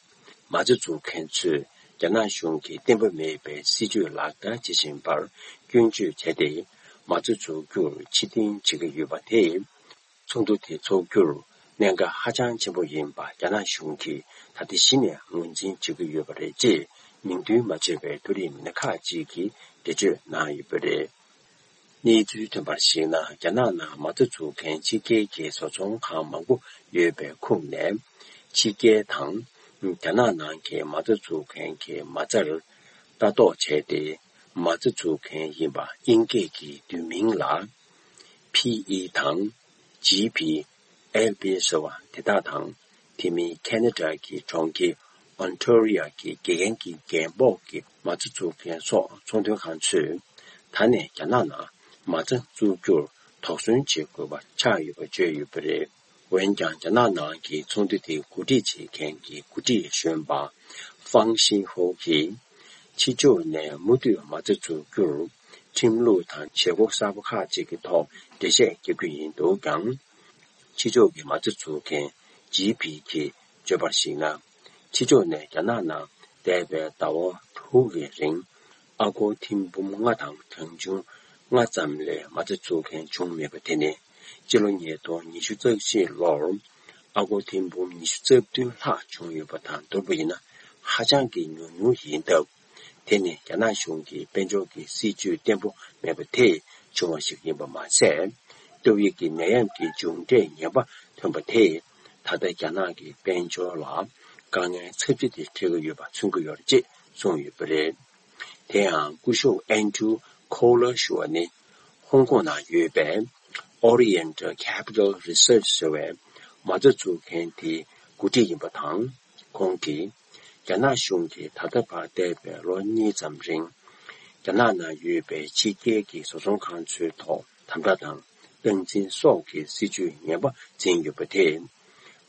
མ་རྩ་འཛུགས་མཁན་ཚོས་ རྒྱ་ནག་གཞུང་གིས་བརྟན་པོ་མེད་པའི་སྲིད་ཇུས་ལག་བསྟར་བྱེད་བཞིན་པར་སྐྱོན་བརྗོད་བྱས་ཏེ། མ་རྩ་འཛུགས་རྒྱུར་ཕྱིར་འཐེན་བྱེད་ཀྱི་ཡོད་པ་དེས། ཚོགས་འདུ་དེ་འཚོགས་རྒྱུར་གནད་འགག་ཧ་ཅང་ཆེན་པོ་ཡིན་པ་རྒྱ་ནག་གཞུང་གིས་ད་ལྟ་གཞི་ནས་ངོས་འཛིན་བྱེད་ཀྱི་ཡོད་པ་རེད་ཅེས་མིང་འདོན་མ་བྱས་པའི་མཐོ་རིམ་མི་སྣ་ཁག་ཅིག་གིས་འགྲེལ་བརྗོད་གནང་ཡོད་པ་རེད། གནས་ཚུལ་ཐོན་པར་གཞིགས་ན། རྒྱ་ནག་ནང་མ་རྩ་འཛུགས་མཁན་ཕྱི་རྒྱལ་གྱི་བཟོ་ཚོང་ཁང་མང་པོ་ཡོད་པའི་ཁོངས་ནས། ཕྱི་རྒྱལ་དང་རྒྱ་ནག་ནང་གི་མ་རྩ་འཛུགས་མཁན་གྱི་མ་རྩར་ལྟ་རྟོག་བྱས་ཏེ། མ་རྩ་འཛུགས་མཁན་ཡིན་པ་དབྱིན་སྐད་ཀྱི་བསྡུས་མིང་ལ། ཕི་ཨི་དང་། ཇི་ཕི། ཨེལ་ཕི་ཟེར་བ་དེ་དག་དང་། དེ་མིན་ཁེ་ན་ཌ་གི་གྲོང་ཁྱེར་ཨོན་ཊོ་རི་ཡ་གི་དགེ་རྒན་གྱི་རྒན་འབོག་གི་མ་རྩ་འཛུགས་མཁན་སོགས་ཚོང་དོན་ཁང་ཚོས། ད་ནས་རྒྱ་ནག་ནང་མ་རྩ་འཛུགས་རྒྱུར་དོགས་ཟོན་བྱེད་དགོས་པ་ཆགས་ཡོད་པ་བརྗོད་ཡོད་པ་རེད། འོན་ཀྱང་། རྒྱ་ནག་ནང་གི་ཚོགས་འདུ་དེ་གོ་སྒྲིག་བྱེད་མཁན་གྱི་འགོ་ཁྲིད་གཞོན་པ་ཧྥང་ཤིན་ཧོ་གིས། ཕྱི་ཕྱོགས་ནས་མུ་མཐུད་མ་རྩ་འཛུགས་རྒྱུར་ཁྲིམས་ལུགས་དང་བྱེད་སྒོ་གསར་པ་ཁག་ཅིག་གི་ཐོག་འགྲེལ་བཤད་རྒྱག་རྒྱུ་ཡིན་འདུག་ཀྱང་། ཕྱི་ཕྱོགས་ཀྱི་མ་རྩ་འཛུགས་མཁན་ཇི་ཕི་གིས་བརྗོད་པར་གཞིགས་ན། ཕྱི་ཕྱོགས་ནས་རྒྱ་ནག་ནང་འདས་པའི་ཟླ་བ་དྲུག་གི་རིང་ཨ་སྒོར་ཐེར་འབུམ་ལྔ་དང་གྲངས་ཆུང་ལྔ་ཙམ་ལས་མ་རྩ་འཛུགས་མཁན་བྱུང་མེད་པ་དེ་ནི། སྤྱི་ལོ་ཉིས་སྟོང་ཉི་ཤུ་རྩ་གཅིག་ལོར་ཨ་སྒོར་ཐེར་འབུམ་ཉི་ཤུ་རྩ་བདུན་ལྷག་བྱུང་ཡོད་པ་དང་བསྡུར་བ་ཡིན་ན། ཧ་ཅང་གི་ཉུང་ཉུང་ཡིན་སྟབས། དེ་ནི་རྒྱ་ནག་གཞུང་གི་དཔལ་འབྱོར་གྱི་སྲིད་ཇུས་བརྟན་པོ་མེད་པ་དེས་བྱུང་བ་ཞིག་ཡིན་པ་མ་ཟད། ཏོག་དབྱིབས་ཀྱི་ནད་ཡམས་ཀྱི་མཇུག་འབྲས་ངན་པ་ཐོན་པ་དེས། ད་ལྟ་རྒྱ་ནག་གི་དཔལ་འབྱོར་ལ་དཀའ་ངལ་ཚབས་ཆེ་དེ་འཕྲད་ཀྱི་ཡོད་པ་མཚོན་གྱི་ཡོད་རེད་ཅེས་གསུངས་ཡོད་པ་རེད། དེ་ཡང་སྐུ་ཞབས་ཨན་ཌྲུ་ཁོ་ལར་ཞུ་བ་ནི། ཧོང་ཀོང་ནང་ཡོད་པའི་Oriental Capital Research ཟེར་བའི་མ་རྩ་འཛུགས་མཁན་དེའི་འགོ་ཁྲིད་ཡིན་པ་དང་། ཁོང་གིས། རྒྱ་ནག་གཞུང་གིས་ད་ལྟ་བར་འདས་པའི་ལོ་གཉིས་ཙམ་རིང་། རྒྱ་ནག་ནང་ཡོད་པའི་ཕྱི་རྒྱལ་གྱི་བཟོ་ཚོང་ཁང་ཚོའི་ཐོག་དམ་དྲག་དང་སྟངས་འཛིན་སོགས་ཀྱི་སྲིད་ཇུས་ངན་པ་འཛིན་ཡོད་པ་དེས།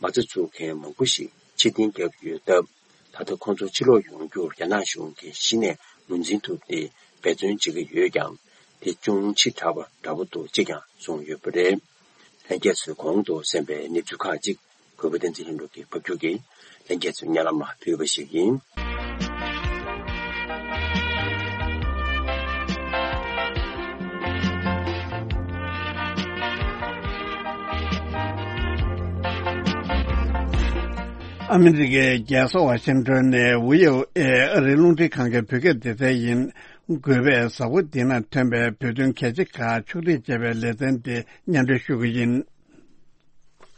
མ་རྩ་འཛུགས་མཁན་མང་པོ་ཞིག་ཕྱིར་འཐེན་བརྒྱབ་ཡོད་སྟབས། ད་ལྟ་ཁོང་ཚོ་ཕྱིར་ལོག་ཡོང་རྒྱུར་རྒྱ་ནག་གཞུང་གིས་གཞི་ནས་ངོས་འཛིན་ཐུབ་སྟེ་འབད་བརྩོན་བྱེད་ཀྱི་ཡོད་ཀྱང་། དེ་ཅུང་ཕྱི་དྲགས་པ་འདྲ་པོ་འདུག་ཅེས་ཀྱང་གསུངས་ཡོད་པ་རེད། ལྷན་རྒྱས་ཚོས་གོང་དུ་གསན་པའི་གནས་ཚུལ་ཁག་ཅིག་གུས་པ་བསྟན་འཛིན་ལྷུན་གྲུབ་ཀྱིས་ཕབ་སྒྱུར་གྱིས་ལྷན་རྒྱས་ཚོའི་སྙན་ལམ་ལ་ཕུལ་བ་ཞིག་ཡིན། ཨ་མི་རི་ཀའི་རྒྱལ་ས་ཝ་ཤིང་ཏོན་ནས་ཝི་ཨོ་ཨེ་ཨ་རིའི་རླུང་འཕྲིན་ཁང་གི་བོད་སྐད་སྡེ་ཚན་ཡིན། འགོ་པས་གཟའ་འཁོར་འདི་ན་ཐོན་པའི་བོད་དོན་གལ་ཆེ་ཁག་ཕྱོགས་སྒྲིག་བྱས་པའི་ལེ་ཚན་དེ་སྙན་སྒྲོན་ཞུ་གི་ཡིན།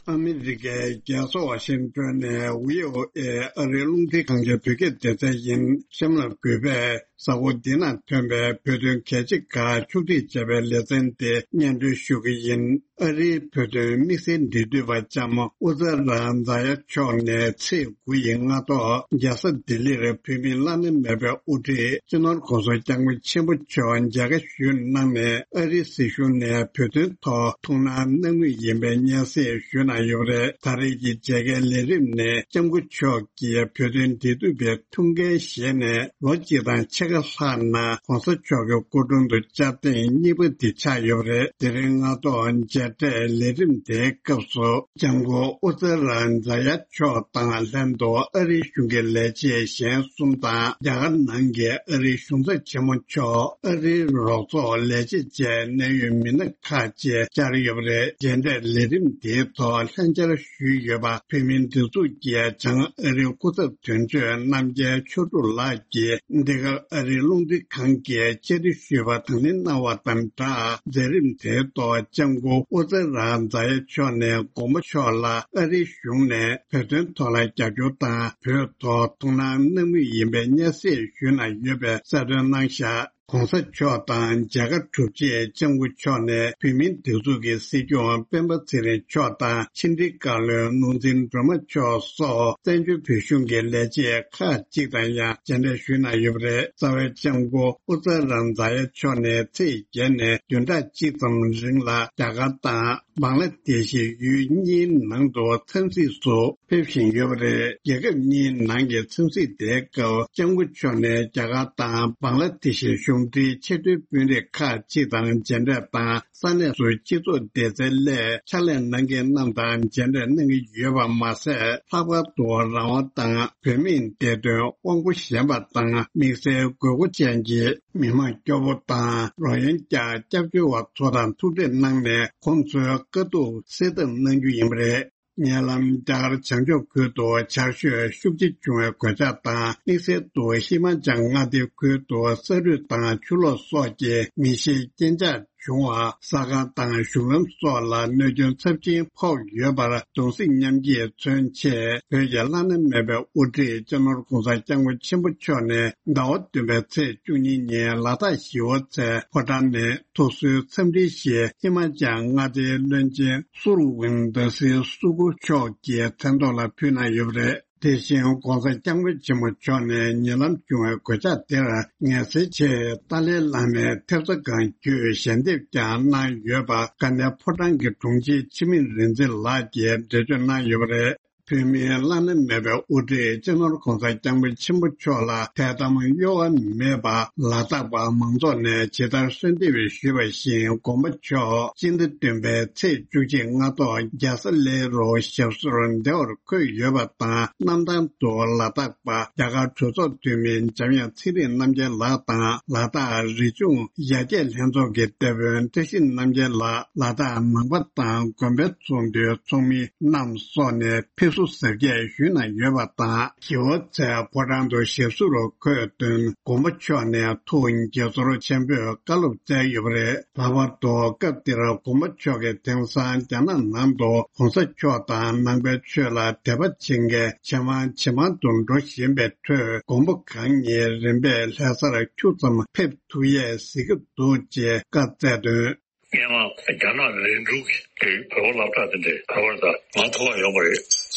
ཨ་མི་རི་ཀའི་རྒྱལ་ས་ཝ་ཤིང་ཏོན་ནས་ཝི་ཨོ་ཨེ་ཨ་རིའི་རླུང་འཕྲིན་ཁང་གི་བོད་སྐད་སྡེ་ཚན་ཡིན། གཤམ་ལ་འགོ་པས་གཟའ་འཁོར་འདི་ན་ཐོན་པའི་བོད་དོན་གལ་ཆེ་ཁག་ཕྱོགས་སྒྲིག་བྱས་པའི་ལེ་ཚན་དེ་སྙན་སྒྲོན་ཞུ་གི་ཡིན། ཨ་རིའི་བོད་དོན་དམིགས་བསལ་འབྲེལ་མཐུད་པ་ལྕམ་ཨུ་ཛ་ར་ཛ་ཡ་མཆོག་ནས་ཚེས་དགུ་ཡི་སྔ་ཐོག་རྒྱལ་ས་ལྡི་ལིར་བོད་མིའི་བླ་ན་མེད་པའི་དབུ་ཁྲིད་སྤྱི་ནོར་༸གོང་ས་༸སྐྱབས་མགོན་ཆེན་པོ་མཆོག་མཇལ་ཁ་ཞུས་གནང་ནས། ཨ་རིའི་སྲིད་གཞུང་ནས་བོད་དོན་ཐོག་ཐུགས་སྣང་གནང་མུས་ཡིན་པའི་སྙན་སེང་ཞུས་གནང་ཡོད་པ་རེད། ད་རེས་ཀྱི་མཇལ་ཁའི་ལས་རིམ་ནི་༸སྐྱབས་མགོན་མཆོག་གིས་བོད་དོན་འབྲེལ་མཐུད་པའི་ཐུགས་འགན་བཞེས་ནས་ལོ་གཅིག་དང་ཕྱེད་ཀ་ལྷག་ནང་༸གོང་ས་མཆོག་གི་སྐུ་དྲུང་དུ་བཅར་ཐེངས་གཉིས་པ་འདི་ཆགས་ཡོད་པ་རེད། དེ་རིང་སྔ་ཐོག་མཇལ་འཕྲད་ལས་རིམ་དེའི་སྐབས་སུ་༸སྐྱབས་མགོན་ཨུ་ཛ་ར་ཛ་ཡ་མཆོག་དང་ལྷན་དུ་ཨ་རིའི་གཞུང་གི་ལས་བྱེད་གཞན་གསུམ་དང་། རྒྱ་གར་ནང་གི་ཨ་རིའི་གཞུང་ཚབ་ཆེན་མོ་མཆོག་ཨ་རིའི་རོགས་ཚོགས་ལས་བྱེད་བཅས་གནད་ཡོད་མི་སྣ་ཁག་ཅིག་བཅར་ཡོད་པ་རེད། མཇལ་འཕྲད་ལས་རིམ་དེའི་ཐོག་ལྷན་བཅར་ཞུས་ཡོད་པ། བོད་མིའི་སྒྲིག་འཛུགས་ཀྱི་བྱང་ཨ་རིའི་སྐུ་ཚབ་དོན་གཅོད་རྣམ་རྒྱལ་ཆོས་དྲུག་ལགས་ཀྱིས་འདི་གར་ཨ་རིའི་རླུང་འཕྲིན་ཁང་གིས་བཅར་འདྲི་ཞུས་པ་དང་ལེན་གནང་བ་དང་སྦྲགས། མཛད་རིམ་དེའི་ཐོག་༸སྐྱབས་མགོན་ཨུ་ཛ་ར་ཛ་ཡ་མཆོག་ནས་མགོན་པོ་མཆོག་ལ་ཨ་རིའི་གཞུང་ནས་བོད་དོན་ཐོག་ལ་རྒྱབ་སྐྱོར་དང་། བོད་ཐོག་ཐུགས་སྣང་གནང་མུས་ཡིན་པའི་སྙན་སེང་ཞུས་གནང་ཡོད་པའི་གསལ་སྟོན་གནང་བཞག ༸གོང་ས་མཆོག་དང་མཇལ་ཁ་གྲུབ་རྗེས་༸སྐྱབས་མགོན་མཆོག་ནས་བོད་མིའི་སྒྲིག་འཛུགས་ཀྱི་སྲིད་སྐྱོང་སྤེན་པ་ཚེ་རིང་མཆོག་དང་ཕྱི་འབྲེལ་བཀའ་བློན་ནོར་འཛིན་སྒྲོལ་མ་མཆོག་སོགས་བཙན་བྱོལ་བོད་གཞུང་གི་ལས་བྱེད་ཁག་ཅིག་དང་ཡང་མཇལ་འཕྲད་ཞུས་གནང་ཡོད་པ་རེད། རྩ་བའི་༸སྐྱབས་མགོན་ཨུ་ཛ་ར་ཛ་ཡ་མཆོག་ནས་ཚེས་བརྒྱད་ནས་བདུན་ཕྲག་གཅིག་ཙམ་རིང་ལ་རྒྱ་གར་དང་། བང་ལ་དེ་ཤི་ཡུལ་གཉིས་ནང་དུ་འཚམས་གཟིགས་སུ་ཕེབས་བཞིན་ཡོད་པ་རེད། རྒྱལ་ཁབ་གཉིས་ནང་གི་འཚམས་གཟིགས་དེའི་སྐབས་༸སྐྱབས་མགོན་མཆོག་ནས་རྒྱ་གར་དང་བང་ལ་དེ་ཤི་གཞུང་ ཟུང་འབྲེལ་ཆེས་མཐོའི་དཔོན་རིགས་ཁག་ཅིག་དང་མཇལ་འཕྲད་དང་། ས་གནས་སུ་སྤྱི་ཚོགས་བདེ་རྩའི་སླད་ཕྱག་ལས་གནང་མཁན་རྣམས་དང་མཇལ་འཕྲད་གནང་གི་ཡོད་པ་མ་ཟད། ལྷག་པར་དུ་རང་དབང་དང་བོད་མིའི་བདེ་དོན་དབང་པོ་ཞན་པ་དང་དམིགས་བསལ་དགོས་མཁོ་ཅན་གྱི་མི་མང་སྐྱོ་པོ་དང་རོགས་ཡོན་རྒྱག་སྐྱབས་བཅོལ་བ་ཚོ་དང་ཐུག་འཕྲད་གནང་ནས། ཁོང་ཚོའི་དཀའ་སྡུག་སེལ་ཐབས་གནང་རྒྱུ་ཡིན་པ་རེད། ཉེ་ལམ་རྒྱ་གར་བྱང་ཕྱོགས་ཁུལ་དུ་ཆར་ཞོད་ཤུགས་ཆེ་བྱུང་བའི་གོད་ཆག་དང་། དམིགས་བསལ་དུ་ཧི་མ་ཅལ་མངའ་སྡེའི་ཁུལ་དུ་ས་རུད་དང་ཆུ་ལོག་སོགས་ཀྱི་མི་ཤེས་རྐྱེན་ཆག་བྱུང་བ། ཟ་ཁང་དང་གཞུང་ལམ་སོགས་ལ་གནོད་སྐྱོན་ཚབས་ཆེན་ཕོག་ཡོད་པར་གདུང་སེམས་མཉམ་སྐྱེད་མཚོན་ཆེད། བོད་ཀྱི་བླ་ན་མེད་པའི་དབུ་ཁྲིད་སྤྱི་ནོར་༧གོང་ས་༧སྐྱབས་མགོན་ཆེན་པོ་མཆོག་ནས་ཟླ་བ་བདུན་པའི་ཚེས་བཅུ་གཉིས་ཉིན་ལ་དྭགས་ཞི་བ་འཚོའི་ཕོ་བྲང་ནས། ཐུགས་གསོའི་འཚམས་འདྲིའི་གཞིར་ཧི་མ་ཅལ་མངའ་སྡེའི་བློན་ཆེན་སུར་ཝིན་དྷ་སི་སུ་ཀུ་མཆོག་གི་མཚན་ཐོག་ལ་ཕུལ་གནང་ཡོད་པ་རེད། དེ་བཞིན་༧གོང་ས་༧སྐྱབས་མགོན་ཆེན་པོ་མཆོག་ནས་ཉེ་ལམ་བྱུང་བའི་གོད་ཆག་དེར་ངལ་སེལ་ཆེད་ཏཱ་ལའི་བླ་མའི་ཐེབས་རྩ་སྒང་བརྒྱུད་ཞལ་འདེབས་ཀྱང་གནང་ཡོད་པ། དཀའ་གནད་ཕོ་བྲང་གི་དྲུང་ཆེ་འཆི་མེད་རིག་འཛིན་ལགས་ཀྱིས་འགྲེལ་བརྗོད་གནང་ཡོད་པ་རེད། བོད་མིའི་བླ་ན་མེད་པའི་དབུ་ཁྲིད་སྤྱི་ནོར་༧གོང་ས་༧སྐྱབས་མགོན་ཆེན་པོ་མཆོག་ལ་ཐད་གཏམ་གཡོ་བ་མེད་པར་ལ་དྭགས་པ་མང་ཚོགས་ནས་ཇི་ལྟར་གསོལ་འདེབས་ཞུས་པ་བཞིན། དགོངས་པ་མཆོག་སྤྱི་ཟླ་བདུན་པའི་ཚེས་བཅུ་གཅིག་སྔ་ཐོག་རྒྱལ་ས་ལེ་རུ་ཞབས་སོར་བདེ་བར་འཁོད་ཡོད་པ་དང་། གནམ་ཐང་དུ་ལ་དྭགས་པ་རྒྱ་གར་གྲོས་ཚོགས་འཐུས་མི་འཇམ་དབྱངས་ཚེ་རིང་རྣམ་རྒྱལ་ལགས་དང་། ལ་དྭགས་རིག་གཞུང་ཡར་རྒྱས་ལྷན་ཚོགས་ཀྱི་སྡེ་དཔོན་བཀྲ་ཤིས་རྣམ་རྒྱལ་ལགས། ལ་དྭགས་ནང་པ་དང་དགོན་པའི་ཚོགས་འདུའི་ཚོགས་མི་རྣམས་སོགས་ནས་ཕེབས་བསུ་གཟབ་རྒྱས་ཞུས་གནང་ཡོད་པ་དང་། ཞི་བ་འཚོའི་ཕོ་བྲང་དུ་ཞབས་སོར་འཁོད་དོན། དགོངས་པ་མཆོག་ནས་ཐུགས་དགྱེས་ཚོར་ཆེན་པོས་བཀའ་སློབ་སྩལ་ཡོད་པ་རེད། ལྷག་པར་དུ་སྐབས་དེར་དགོངས་པ་མཆོག་གིས་དེང་སང་རྒྱ་ནག་ནང་དུ་༧གོང་ས་མཆོག་དང་ནང་པའི་ཆོས་ལ་དད་པ་བྱེད་མཁན་ཇེ་མང་ཇེ་མང་དུ་འགྲོ་བཞིན་པའི་ཁྲོད། མགོན་པོ་གང་ཉིད་རིམ་པས་ལྷ་སར་ཁྱུག་ཙམ་ཕེབས་ཐུབ་ཡས་གཟིགས་ཀྱི་འདུག་ཅེས་བཀའ་སྩལ་དོན། སྔོན་མ་རྒྱ་ནག་ལས་འགུལ་གྱི་བོད་པ་སློབ་གྲྭ་དེ་འདྲའི་བོད་པར་ད་ང་ཐུག་པ་ཡོང་བ་རེད།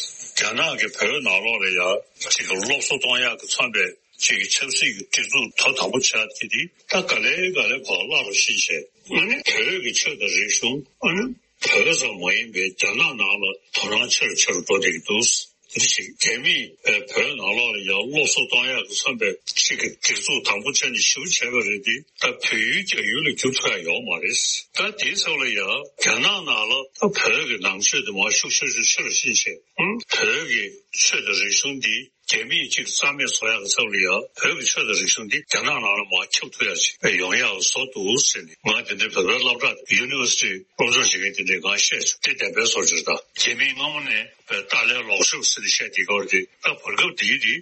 རྒྱ་ནག་གིས་བོད་ནང་ལོགས་ལ་ཡ་གཅིག་གི་སློབ་གསོ་གཏོང་ཡག་གི་མཚོན་པའི་གཅིག་གི་ཆབ་སྲིད་ཀྱི་སྒྲིག་འཛུགས་ཐོག་དང་པོ་ཆགས་ཀྱི་དེ་ད་ག་ལེ་ག་ལེ་ཕར་བརླག་རུ་ཕྱིན་བྱས། ཨ་ནི་བོད་ཀྱི་ཆོས་དང་རིག་གཞུང་། ཨ་ནི་བོད་ཙམ་མ་ཡིན་པའི་རྒྱ་ནག་ནང་ལ་དོ་སྣང་ཆེ་རུ་ཆེ་རུ་འགྲོ་བསྡད་ཀྱི་འདུག་དེ་འདྲ་ཞིག་རྒྱ་མིས་བོད་ནང་ལོགས་ལ་ཡང་སློབ་གསོ་གཏོང་ཡག་གི་བསམ་པའི་ཞིག་གི་སྒྲིག་འཛུགས་དང་པོ་བྱས་ནས་ཞེ་པོ་བྱས་པ་རེད་དེ། ད་བོད་ཡུལ་རྒྱ་ཡུལ་ལ་འགྱུར་ཐུབ་ཡག་ཡོད་མ་རེད། ད་དེའི་ཚབ་ལ་ཡང་རྒྱ་ནག་ནང་ལ་ད་བོད་ཀྱི་ནང་ཆོས་དེ་མར་ཤུགས་ཆེ་ཤུགས་ཆེ་རུ་ཕྱིན་བྱས། ཨང་། བོད་ཀྱི་ཆོས་དང་རིག་གཞུང་འདི་རྒྱ་མིས་ཅིག་རྩ་མེད་བཟོ་ཡག་གི་ཚབ་ལ་ཡང་བོད་ཀྱི་ཆོས་དང་རིག་གཞུང་འདི་རྒྱ་ནག་ནང་ལ་མར་ཁྱབ་ཐུབ་ཡག་ཅིག་ཡོང་ཡག་བཟོ་འདུག་ཟེར་ནས། ང་དེ་འདྲའི་བོད་པའི་སློབ་གྲྭ་ཡུ་ནི་ཝར་སི་ཊི་སློབ་སྦྱོང་བྱེད་མཁན་དེ་འདྲས་ང་བཤད་བྱུང་། དེ་བདེན་པའི་བཟོ་འདྲ་ད་རྒྱ་མིས་སྔ་མོ་ནས་བོད་ཏཱ་ལའི་ལོག་ཕྱོགས་ཟེར་ནས་བཤད་དེ་སྐོར་དེ་ད་བར་སྐབས་འདིའི་དེ་